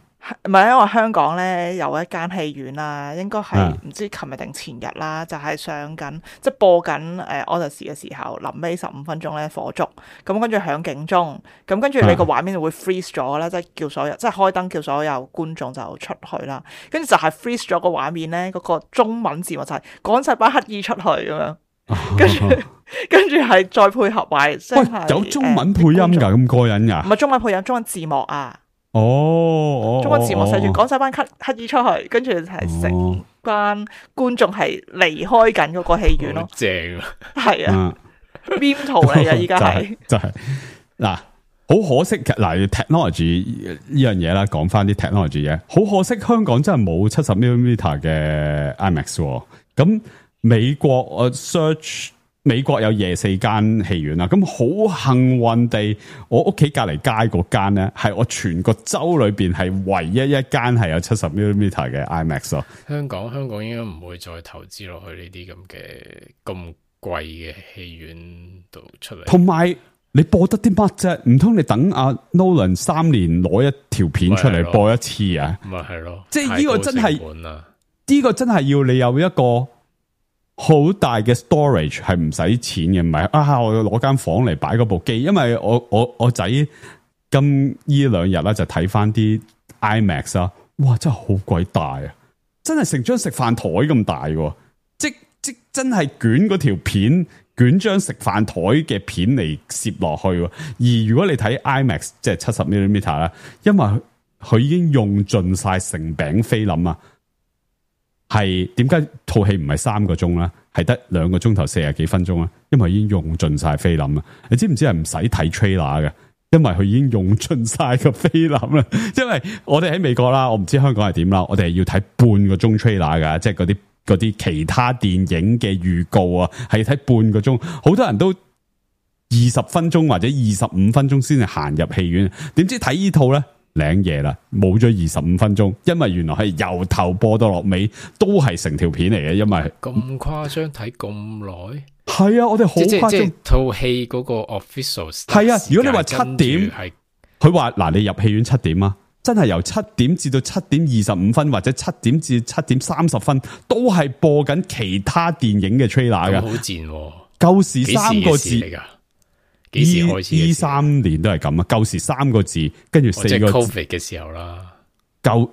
唔係因為香港咧有一間戲院啦，應該係唔知琴日定前日啦，就係上緊即係播緊Odyssey 嘅時候，臨尾15分鐘咧火燭，咁跟住響警鐘，咁跟住你個畫面就會 freeze 咗啦，即係叫所有即係開燈叫所有觀眾就出去啦，跟住就係 freeze 咗個畫面咧，嗰個中文字幕就係趕晒班乞兒出去咁樣，跟住係再配合埋，即係有中文配音㗎，咁過癮㗎？唔係中文配音，中文字幕啊！中文字幕寫住趕晒班乞兒出去，跟住係成班觀眾係離開緊嗰個戲院咯，正啊，係啊 ，meme 圖嚟嘅依家係，就係嗱，好可惜嗱 technology 呢樣嘢啦，講翻啲 technology 嘢，好可惜香港真係冇70mm 嘅 IMAX，咁美國我 search。美國有24間戲院啦，咁好幸運地，我屋企隔離街嗰間咧，係我全個州裏邊係唯一一間係有70mm嘅 IMAX 咯。香港應該唔會再投資落去呢啲咁貴嘅戲院度出嚟。同埋你播得啲乜啫？唔通你等阿 Nolan 3年攞一條片出嚟播一次啊？咪係咯，即係呢個真係呢個真係要你有一個好大嘅 storage 係唔使錢嘅，唔係我要攞間房嚟擺嗰部機，因為我仔今呢2日啦就睇翻啲 IMAX 啊，哇真係好鬼大啊，真係成張食飯台咁大嘅，即真係捲嗰條片，捲張食飯台嘅片嚟攝落去。而如果你睇 IMAX 即係70mm 啦，因為佢已經用盡晒成餅菲林啊。係點解套戲唔係3個鐘啦？係得2個鐘頭40幾分鐘啦？因為已經用盡晒菲林啦。你知唔知係唔使睇 trailer 嘅？因為佢已經用盡晒個菲林啦。因為我哋喺美國啦，我唔知香港係點啦。我哋係要睇半個鐘 trailer 噶，即係嗰啲其他電影嘅預告啊，係睇半個鐘。好多人都20分鐘或者25分鐘先至行入戲院，點知睇呢套咧？領嘢啦，冇咗25分鐘，因為原來係由頭播到落尾都係成條片嚟嘅，因為咁誇張睇咁耐，係啊，我哋好誇張。即套戲嗰個 official 係啊，如果你話7點，佢話嗱你入戲院7點啊，真係由7點至到7點25分或者7點至7點30分都係播緊其他電影嘅 trailer 嘅，好賤，舊時3個字嚟噶。幾時開始？23年都係咁啊！舊時3個字，跟住4個字。即係 Covid 嘅時候啦。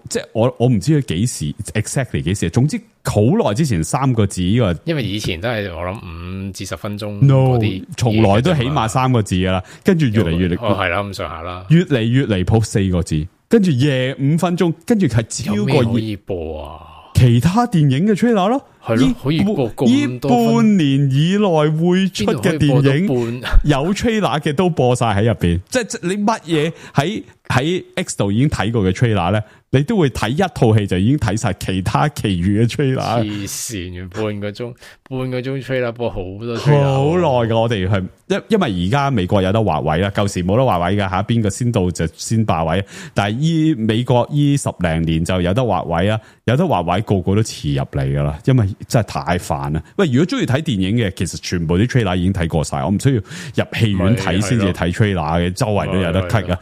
即係我唔知佢幾時 exactly 幾時，總之好耐之前3個字呢個。因為以前都係我諗5至10分鐘。No， 從來都起碼3個字噶啦，跟住越嚟越離譜。係啦，咁上下啦。越嚟越離譜4個字，跟住夜5分鐘，跟住係超過有咩可以播啊？其他電影嘅 trailer 咯，係咯，可以播咁多分。半年以內會出嘅電影，有 trailer 嘅都播晒喺入邊。即係你乜嘢喺 X 度已經睇過嘅 trailer 咧，你都會睇一套戲就已經睇晒其他其餘嘅 trailer。黐線，半個鐘 trailer 播好多 trailer，好耐噶。我哋係因為而家美國有得劃位啦，舊時冇得劃位噶吓，邊個先到就先霸位。但係美國10零年就有得劃位啊，有得劃位個個都遲入嚟噶啦，因為真係太煩啦。喂，如果中意睇電影嘅，其實全部啲 trailer 已經睇過晒，我唔需要入戲院睇先至睇 trailer 嘅，周圍都有得睇噶。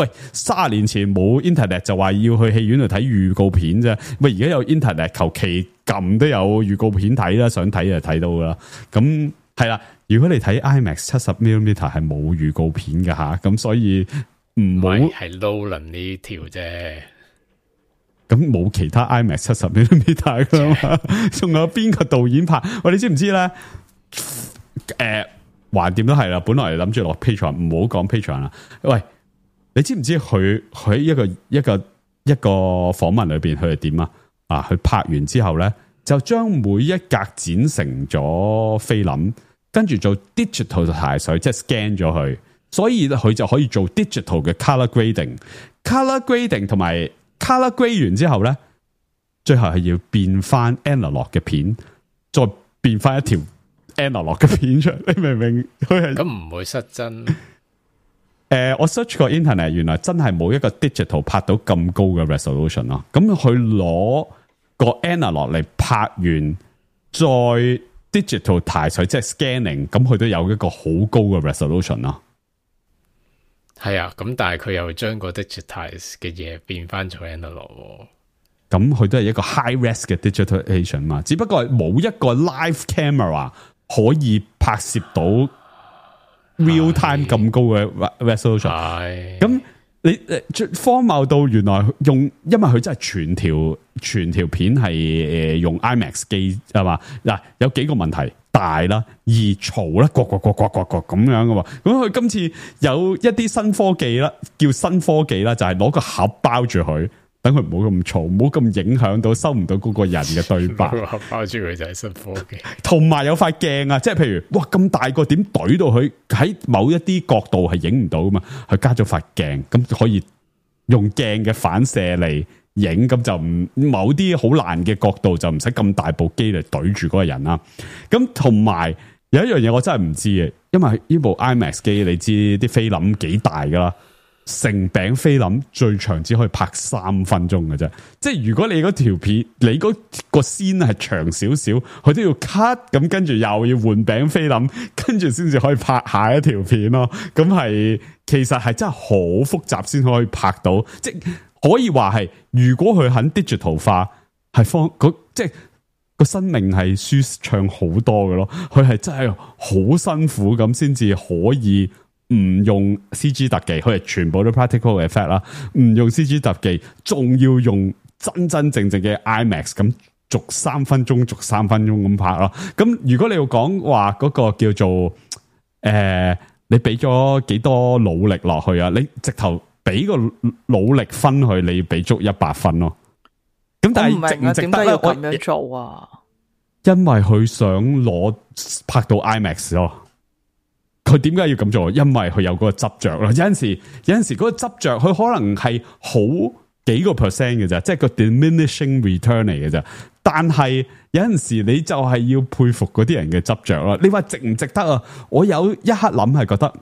喂，30年前冇 internet 就話要去戲院度睇預告片啫。喂，而家有 internet，求其撳都有預告片睇啦，想睇就睇到噶啦。咁係啦，如果你睇 IMAX 70mm 係冇預告片噶吓，咁所以唔好係 Nolan 呢條啫。咁冇其他 IMAX 70mm 噶嘛？仲有邊個導演拍？喂，你知唔知咧？橫掂都係啦，本來諗住落 Patreon， 唔好講 Patreon 啦。喂，你知唔知佢喺一個訪問裏邊佢係點啊？佢拍完之後咧，就將每一格剪成咗菲林，跟住做 digital ถ่าย水，即係 scan 咗佢，所以佢就可以做 digital 嘅 color grading。color grading 同埋 color grade 完之後咧，最後係要變翻 analog 嘅片，再變翻一條 analog 嘅片出嚟，你明唔明？佢係咁唔會失真。我 search 過 internet， 原來真係冇一個 digital 拍到咁高嘅 resolution 咯。咁佢攞個 analog 嚟拍完，再 digital ถ่าย水，即係 scanning，咁佢都有一個好高嘅 resolution 咯。係啊，咁但係佢又將個 digitize 嘅嘢變翻做 analog。咁佢都係一個 high res 嘅 digitalization 嘛，只不過係冇一個 live camera 可以拍攝到 real time 咁高嘅 resolution。咁你荒謬到原來因為佢真係全條片係用 IMAX 機係嘛？嗱，有幾個問題，大啦，而嘈啦，各咁樣嘅喎。咁佢今次有一啲新科技啦，叫新科技啦，就係攞個盒包住佢。等佢唔好咁嘈，唔好咁影響到收唔到嗰個人嘅對白。包住佢就係新科技，同埋有塊鏡啊，即係譬如哇咁大個點懟到佢喺某一啲角度係影唔到噶嘛，佢加咗塊鏡，咁可以用鏡嘅反射嚟影，咁就唔某啲好難嘅角度就唔使咁大部機嚟懟住嗰個人啦。咁同埋有一樣嘢我真係唔知嘅，因為呢部 IMAX 機你知啲菲林幾大噶啦。成餅菲林最長只可以拍3分鐘嘅啫，即係如果你嗰條片，你嗰個先係長少少，佢都要 cut， 咁跟住又要換餅菲林，跟住先至可以拍下一條片咯。咁係其實係真係好複雜先可以拍到，即係可以話係如果佢肯 digital 化，係即係個生命係舒暢好多嘅咯。佢係真係好辛苦咁先至可以。唔用 CG 特技，佢係全部都 practical effect 啦。唔用 CG 特技，仲要用真正嘅 IMAX 咁，逐3分鐘咁拍咯。咁如果你要講話嗰個叫做你俾咗幾多努力落去啊？你直頭俾個努力分去，你要俾足100分咯。咁但係值唔值得咧？咁樣做啊？因為佢想拍到 IMAX 咯。佢點解要咁做？因為佢有嗰個執着咯。有陣時嗰個執着，佢可能係好幾個 percent 嘅啫，即係個 diminishing return 嚟嘅啫。但係有陣時你就係要佩服嗰啲人嘅執着咯。你話值唔值得啊？我有一刻諗係覺得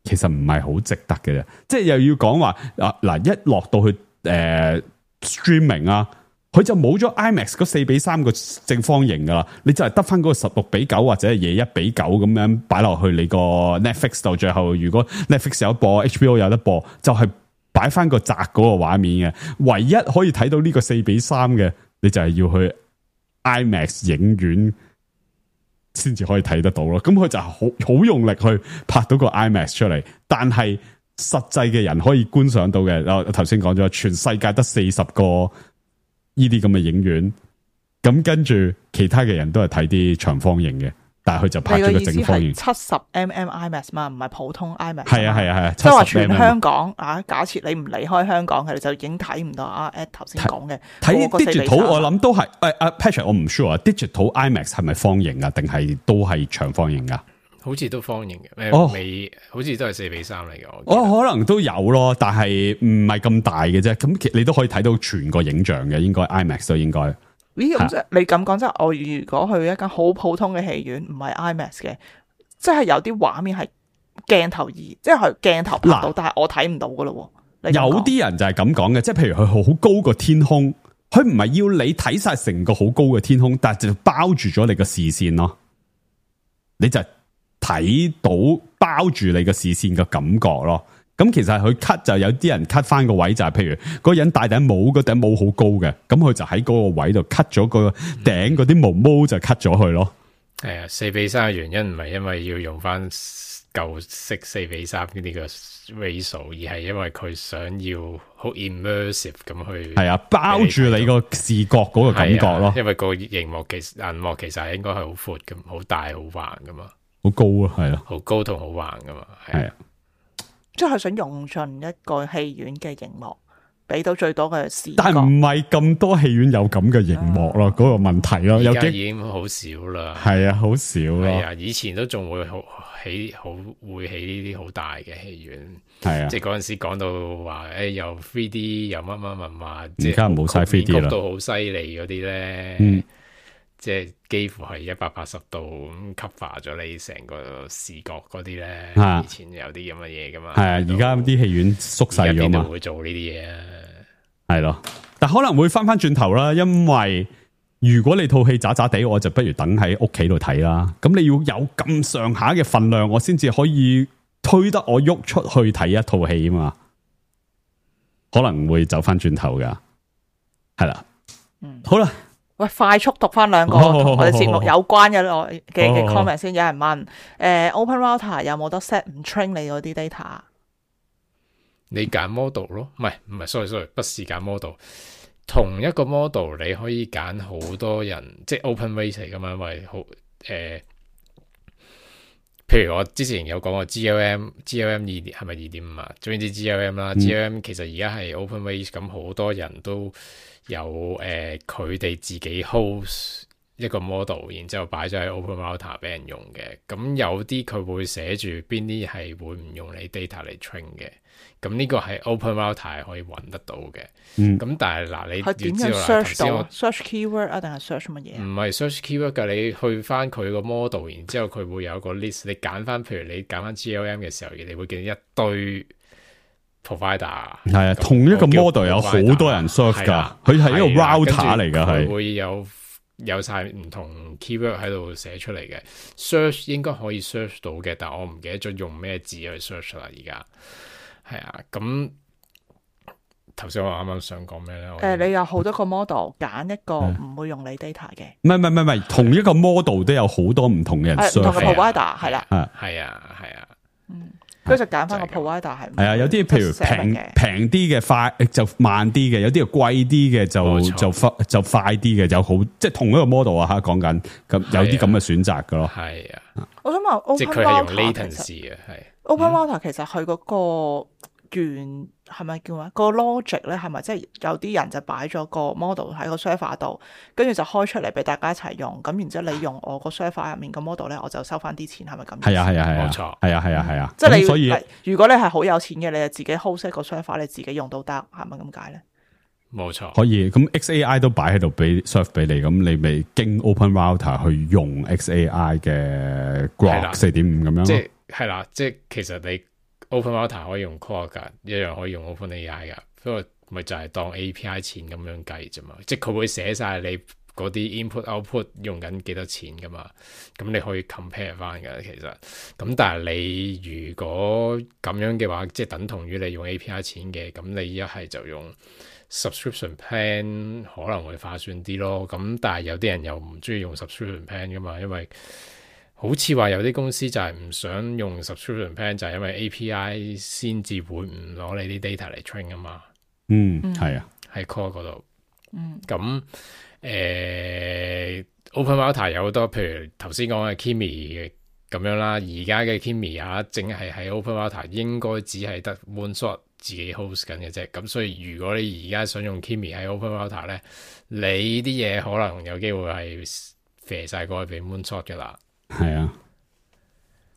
其實唔係好值得嘅啫。即係又要講話嗱，一落到去streaming 啊。佢就冇咗 IMAX 嗰4:3個正方形噶啦，你就係得翻嗰個16:9或者係21:9咁樣擺落去你個 Netflix 度。最後如果 Netflix 有播 HBO 有得播，就係擺翻個窄嗰個畫面嘅。唯一可以睇到呢個4:3嘅，你就係要去 IMAX 影院先至可以睇得到咯。咁佢就好用力去拍到個 IMAX 出嚟，但係實際嘅人可以觀賞到嘅，我頭先講咗，全世界得40個。呢啲咁嘅影院，咁跟住其他嘅人都係睇啲長方形嘅，但係佢就拍咗個正方形。70mm IMAX 嘛，唔係普通 IMAX。係啊，即係話全香港啊，假設你唔離開香港嘅，你就已經睇唔到Ed 頭先講嘅。睇 digital 我諗都係Patrick 我唔 sure 啊 ，digital IMAX 係咪方形啊，定係都係長方形啊？好似都方形嘅，好似都係4:3嚟嘅。可能都有咯，但係唔係咁大嘅啫。咁你都可以睇到全個影像嘅，應該 IMAX 都應該。咦，咁即係你咁講，即係我如果去一間好普通嘅戲院，唔係 IMAX 嘅，即係有啲畫面係鏡頭即係鏡頭拍到，但係我睇唔到噶咯。有啲人就係咁講嘅，即係譬如佢好高個天空，佢唔係要你睇晒成個好高嘅天空，但係就包住咗你個視線咯，你就睇到包住你個視線嘅感覺咯，咁其實佢 cut 就有啲人 cut 翻個位，就係譬如嗰個人戴頂帽，嗰頂帽好高嘅，咁佢就喺嗰個位度 cut 咗個頂嗰啲毛就 cut 咗佢咯。係啊，4:3嘅原因唔係因為要用翻舊式4:3呢個 ratio， 而係因為佢想要好 immersive 咁去係啊，包住你個視覺嗰個感覺咯。因為個銀幕其實係應該係好闊咁，好大好橫噶嘛。好高啊，係咯，好高同好橫噶嘛，係啊，即係想用盡一個戲院嘅熒幕，俾到最多嘅視覺。但係唔係咁多戲院有咁嘅熒幕咯，嗰個問題咯，而家已經好少啦。係啊，好少咯。係啊，以前都仲會會起呢啲好大嘅戲院。係啊，即係嗰陣時講到話，又 3D 又乜，而家冇晒 3D 啦，角度好犀利嗰啲咧。即係幾乎係180度咁 cover 咗你成個視覺嗰啲咧，以前有啲咁嘅嘢噶嘛。係啊，而家啲戲院縮細咗嘛。邊度會做呢啲嘢啊？係咯，但可能會翻轉頭啦，因為如果你套戲渣渣地，我就不如等喺屋企度睇啦。咁你要有咁上下嘅份量，我先至可以推得我喐出去睇一套戲啊嘛，可能會走翻轉頭噶，係啦，好啦。喂，快速讀翻兩個同我哋節目有關嘅 comment 先。有人問Open Router 有冇得 set 唔 train 你嗰啲 data？你揀 model 咯，唔係，sorry，不是揀 model。同一個 model 你可以揀好多人，即係 open rate 嚟噶嘛，因為好譬如我之前有講過 GLM 係咪2.5啊？總之 GLM 啦，GLM 其實而家係 open rate，咁好多人都有佢哋自己 host 一個 model，然之後擺咗喺 Open Router 俾人用嘅。咁有啲佢會寫住邊啲係會唔用你 data 嚟 train 嘅。咁呢個係 Open Router 係可以揾得到嘅。咁但係嗱，你要知道啦，頭先我 search keyword 啊，定係 search 乜嘢？唔係 search keyword 㗎，你去翻佢個 model，然之後佢會有個 list，你揀翻，譬如你揀翻 GLM 嘅時候，你會見一堆 provider。係啊，同一個 model 有好多人 serve 㗎，佢係一個 router 嚟㗎，係會有晒唔同 keyword 喺度寫出嚟嘅。search 應該可以 search 到嘅，但我唔記得咗用咩字去 search 啦。而家係啊，咁頭先我啱啱想講咩咧？你有好多個 model， 揀一個唔會用你 data 嘅。唔係，同一個 model 都有好多唔同嘅人 serve， 唔同嘅 provider 係啦，係啊，跟住就揀翻個 provider 係啊，有啲譬如平啲嘅快就慢啲嘅，有啲係貴啲嘅就快啲嘅，有好即係同一個 model 啊嚇，講緊咁有啲咁嘅選擇㗎咯。係啊，我想問，即係佢係用 latency 嘅，係 Open Router 其實佢嗰個原係咪叫咩？個 logic 咧係咪即係有啲人就擺咗個 model 喺個 server 度，跟住就開出嚟俾大家一齊用，咁然之後你用我個 server 入面個 model 咧，我就收翻啲錢，係咪咁？係啊，冇錯，係啊，即係你所以如果你係好有錢嘅，你就自己 host 一個 server，你自己用都得，係咪咁解咧？冇錯，可以。咁 XAI 都擺喺度俾 serve 俾你，咁你咪經 Open Router 去用 XAI 嘅 Grok 4.5咁樣。即係啦，即係其實你 Open Router 可以用 Claude 噶，一樣可以用 OpenAI 噶，不過咪就係當 API 錢咁樣計啫嘛。即係佢會寫晒你嗰啲 input output 用緊幾多錢噶嘛，咁你可以 compare 翻噶其實。咁但係你如果咁樣嘅話，即係等同於你用 API 錢嘅，咁你一係就用 subscription plan 可能會划算啲咯。咁但係有啲人又唔中意用 subscription plan 噶嘛，因為好似話有啲公司就係唔想用 subscription plan， 就係因為 API 先至會唔攞你啲 data 嚟 train 啊嘛。係啊，喺 core 嗰度。咁Open Router 有好多，譬如頭先講嘅 Kimi 咁樣啦。而家嘅 Kimi 啊，淨係喺 Open Router 應該只係得 OneShot 自己 host 緊嘅啫。咁所以如果你而家想用 Kimi 喺 Open Router 咧，你啲嘢可能有機會係飛晒過去俾 OneShot 噶啦。係啊，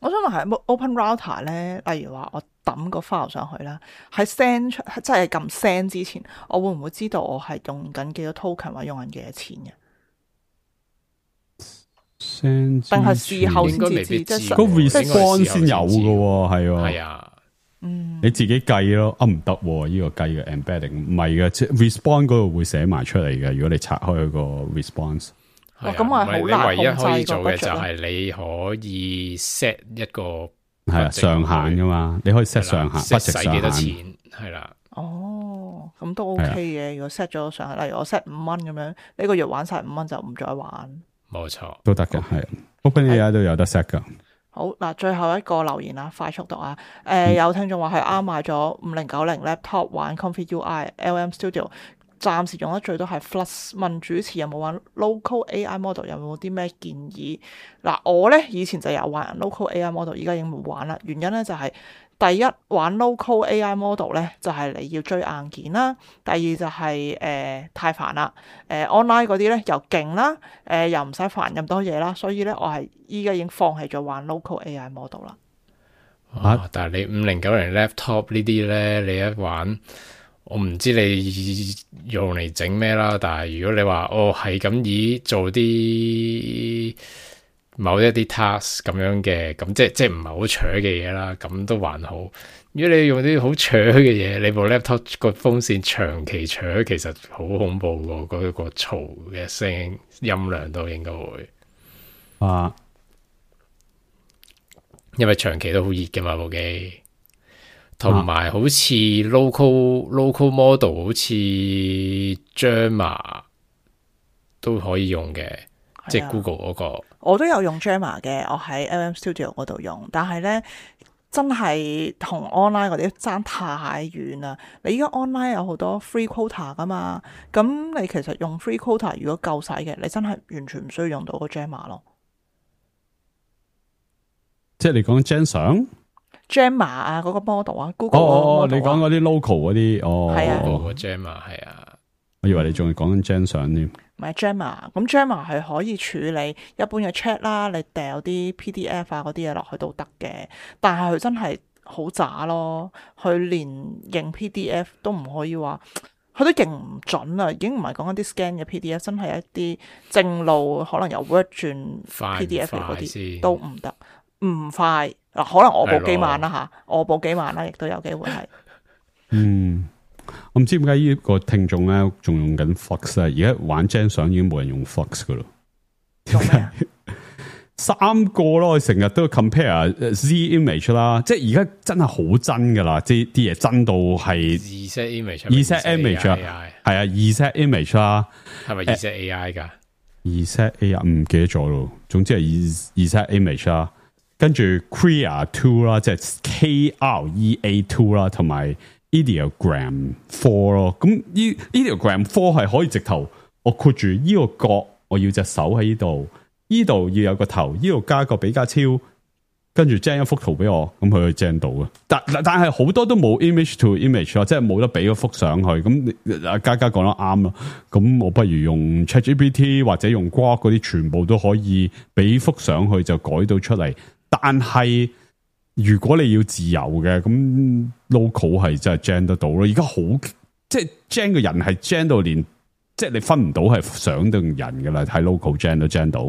我想問係 Open Router 咧，例如話我抌個 file 上去啦，喺 send 出即係撳 send 之前，我會唔會知道我係用緊幾多 token 或者用緊幾多錢嘅？send 定係事後先至知？即係個 response 先有嘅，係啊，你自己計咯。唔得，呢個計嘅 embedding 唔係嘅，即係 response 嗰度會寫埋出嚟嘅。如果你拆開個 response。咁我係好難你唯一可以做嘅就係你可以 set 一個上限噶嘛，你可以 set 上限，使幾多錢係啦。哦，咁都 OK 嘅。如果 set 咗上限，例如我 set 5蚊咁樣，呢個月玩晒5蚊就唔再玩。冇錯，都得嘅，係 OpenAI 都有得 set 噶。好嗱，最後一個留言啦，快速讀啊！有聽眾話係啱買咗5090 laptop 玩 Comfy UI LM Studio。暫時用得最多係 Flux， 問主持有冇玩 local AI model， 有冇啲咩建議？嗱，我咧以前就有玩 local AI model， 而家已經冇玩啦。原因咧就係、第一玩 local AI model 咧就係、你要追硬件啦，第二就係、太煩啦。online 嗰啲咧又勁啦，又唔使煩咁多嘢啦，所以咧我係依家已經放棄咗玩 local AI model 啦。但係你5090 laptop 呢啲咧，你一玩。我唔知你用嚟整咩啦，但係如果你話係咁以做啲某一啲 task 咁樣嘅，咁即係唔係好扯嘅嘢啦，咁都還好。如果你用啲好扯嘅嘢，你部 laptop 個風扇長期扯，其實好恐怖喎，嗰個嘈嘅聲音量都應該會。因為長期都好熱嘅嘛部機，同埋好似 local model 好似 Jammer 都可以用嘅，即係 Google 嗰個。我都有用 Jammer 嘅，我喺 LM Studio 嗰度用，但係咧真係同 online 嗰啲爭太遠啦。你依家 online 有好多 free quota 噶嘛，咁你其實用 free quota 如果夠使嘅，你真係完全唔需要用到個 Jammer 咯。即係你講 Jammer 啊，嗰個 model 啊 ，Google 嗰個 model 你講嗰啲 local 嗰啲，係啊個 Jammer 係啊，我以為你仲係講緊 Jammer 添。唔係 Jammer，咁 Jammer 係可以處理一般嘅 chat 啦，你掉啲 PDF 啊嗰啲嘢落去都得嘅，但係佢真係好渣咯，佢連認 PDF 都唔可以話，佢都認唔準啊，已經唔係講緊啲 scan 嘅 PDF， 真係一啲正路可能由 Word 轉 PDF 嗰啲都唔得，唔快嗱，可能我部機慢啦嚇，我部機慢啦，亦都有機會係。我唔知點解呢個聽眾咧仲用緊 Flux 啊，而家玩 Gen 相已經冇人用 Flux 噶咯。做咩啊？3個咯，我成日都 compare Z image 啦，即係而家真係好真噶啦，即係啲嘢真到係 Z image， Z image 啊，係啊，Z image 啦，係咪 Z AI 噶？Z AI 唔記得咗咯，總之係 Z image 啦，跟住 Krea 2啦，即係 KREA 2啦，同埋Ideogram 4咯，咁Ideogram 4係可以直頭，我括住呢個角，我要隻手喺呢度，呢度要有個頭，呢度加個比較超，跟住 gen 一幅圖俾我，咁佢去 gen 到嘅。但係好多都冇 image to image 咯，即係冇得俾個幅上去。咁嘉嘉講得啱咯，咁我不如用 ChatGPT 或者用 Grok 嗰啲，全部都可以俾幅上去就改到出嚟。但係如果你要自由嘅，咁 local 係真係 gen 得到咯。而家好即係 gen 嘅人係 gen 到連，即係你分唔到係相定人噶啦，喺 local gen 都 gen 到。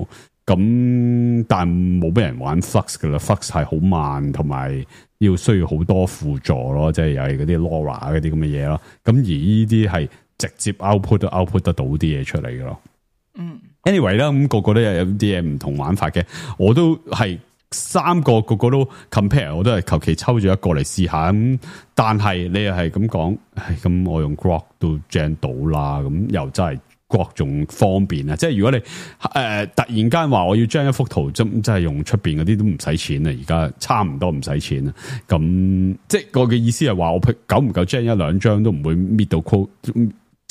咁但係冇俾人玩 Flux 噶啦 ，Flux 係好慢，同埋要需要好多輔助咯，即係又係嗰啲 LoRa 嗰啲咁嘅嘢咯。咁而呢啲係直接 output 都 output 得到啲嘢出嚟噶咯。anyway 啦，咁個個都有啲嘢唔同玩法嘅，我都係。3個個個都 compare， 我都係求其抽咗一個嚟試下咁，但係你又係咁講，咁我用 Grok 都 gen 到啦，咁又真係 Grok 仲方便啊！即係如果你突然間話我要 gen 一幅圖，真係用出邊嗰啲都唔使錢啊！而家差唔多唔使錢啊！咁即係我嘅意思係話，我久唔久 gen 一兩張都唔會搣到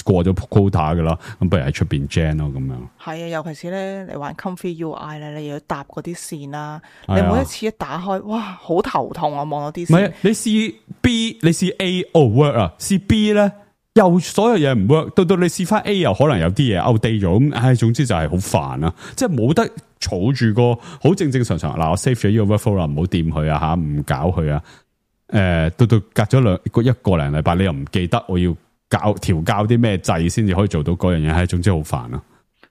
過咗 quota 噶啦，咁不如喺出邊 gen 咯，咁樣。係啊，尤其是咧，你玩 Comfy UI 咧，你又要搭嗰啲線啦，你每一次一打開，哇，好頭痛啊！望到啲線。唔係，你試 B， 你試 A， work 啊，試 B 咧又所有嘢唔 work， 到你試翻 A 又可能有啲嘢 outdate 咗，咁總之就係好煩啊！即係冇得儲住個好正常嗱，我 save 咗呢個 workflow 啦，唔好掂佢啊吓，唔搞佢啊。到隔咗一個零禮拜，你又唔記得我要調校啲咩掣先至可以做到嗰樣嘢，係總之好煩啊！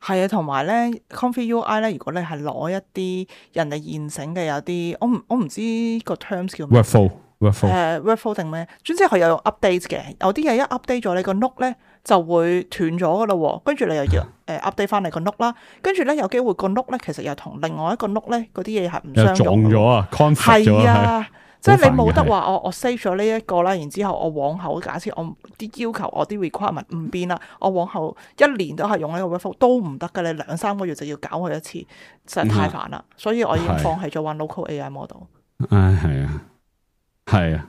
係啊，同埋咧 Comfy UI 咧，如果你係攞一啲人哋現成嘅，有啲我唔知個 terms 叫咩 workflow 定咩？總之佢有用 update 嘅，有啲嘢一 update 咗，你個 note 咧就會斷咗噶啦，跟住你又要update 翻你個 note 啦，跟住咧有機會個 note 咧其實又同另外一個 note 咧嗰啲嘢係唔相容嘅，撞咗啊 conflict 咗啊！即係你冇得話我 save 咗呢一個啦，然之後我往後假設我啲要求我啲 requirement 唔變啦，我往後1年都係用呢個 workflow 都唔得㗎，你2-3個月就要搞佢一次，實在太煩啦，所以我已經放棄咗玩 local AI model。係啊，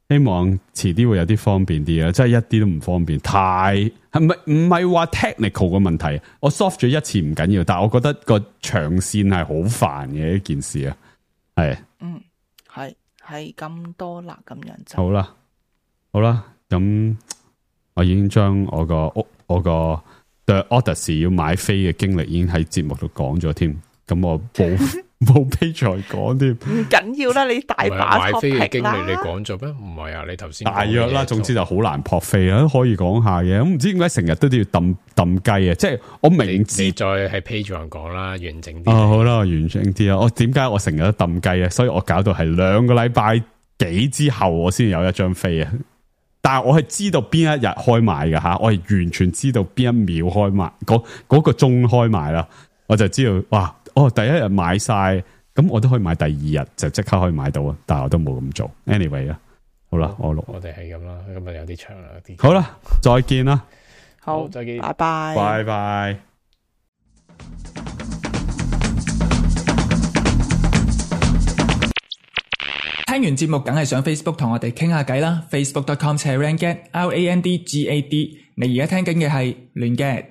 希望遲啲會有啲方便啲啊，真係一啲都唔方便，唔係話 technical 嘅問題，我 soft 咗一次唔緊要，但係我覺得個長線係好煩嘅一件事啊，係。係咁多啦，咁樣就好啦，咁我已經將我個 The Odyssey 要買飛嘅經歷已經喺節目度講咗添，咁我冇飛再講添，唔緊要啦，你大把買飛嘅經歷你講咗咩？唔係啊，你頭先大約啦，總之就好難撲飛啦，都可以講下嘅，咁唔知點解成日都要抌雞啊？即係我明知再喺 Patreon 講啦，完整啲好啦，完整啲啊！我點解我成日都抌雞啊？所以我搞到係2個禮拜幾之後我先有一張飛啊！但係我係知道邊一日開賣㗎吓，我係完全知道邊一秒開賣，嗰個鐘開賣啦，我就知道哇！第一日買晒，咁我都可以買第二日就即刻可以買到啊，但係我都冇咁做。anyway 啊，好啦，我哋係咁啦，今日有啲長啦，啲好啦，再見啦，好，再見，拜拜，拜拜。聽完節目梗係上 Facebook 同我哋傾下偈啦 ，facebook.com/randgad，RANDGAD。你而家聽緊嘅係亂 gad。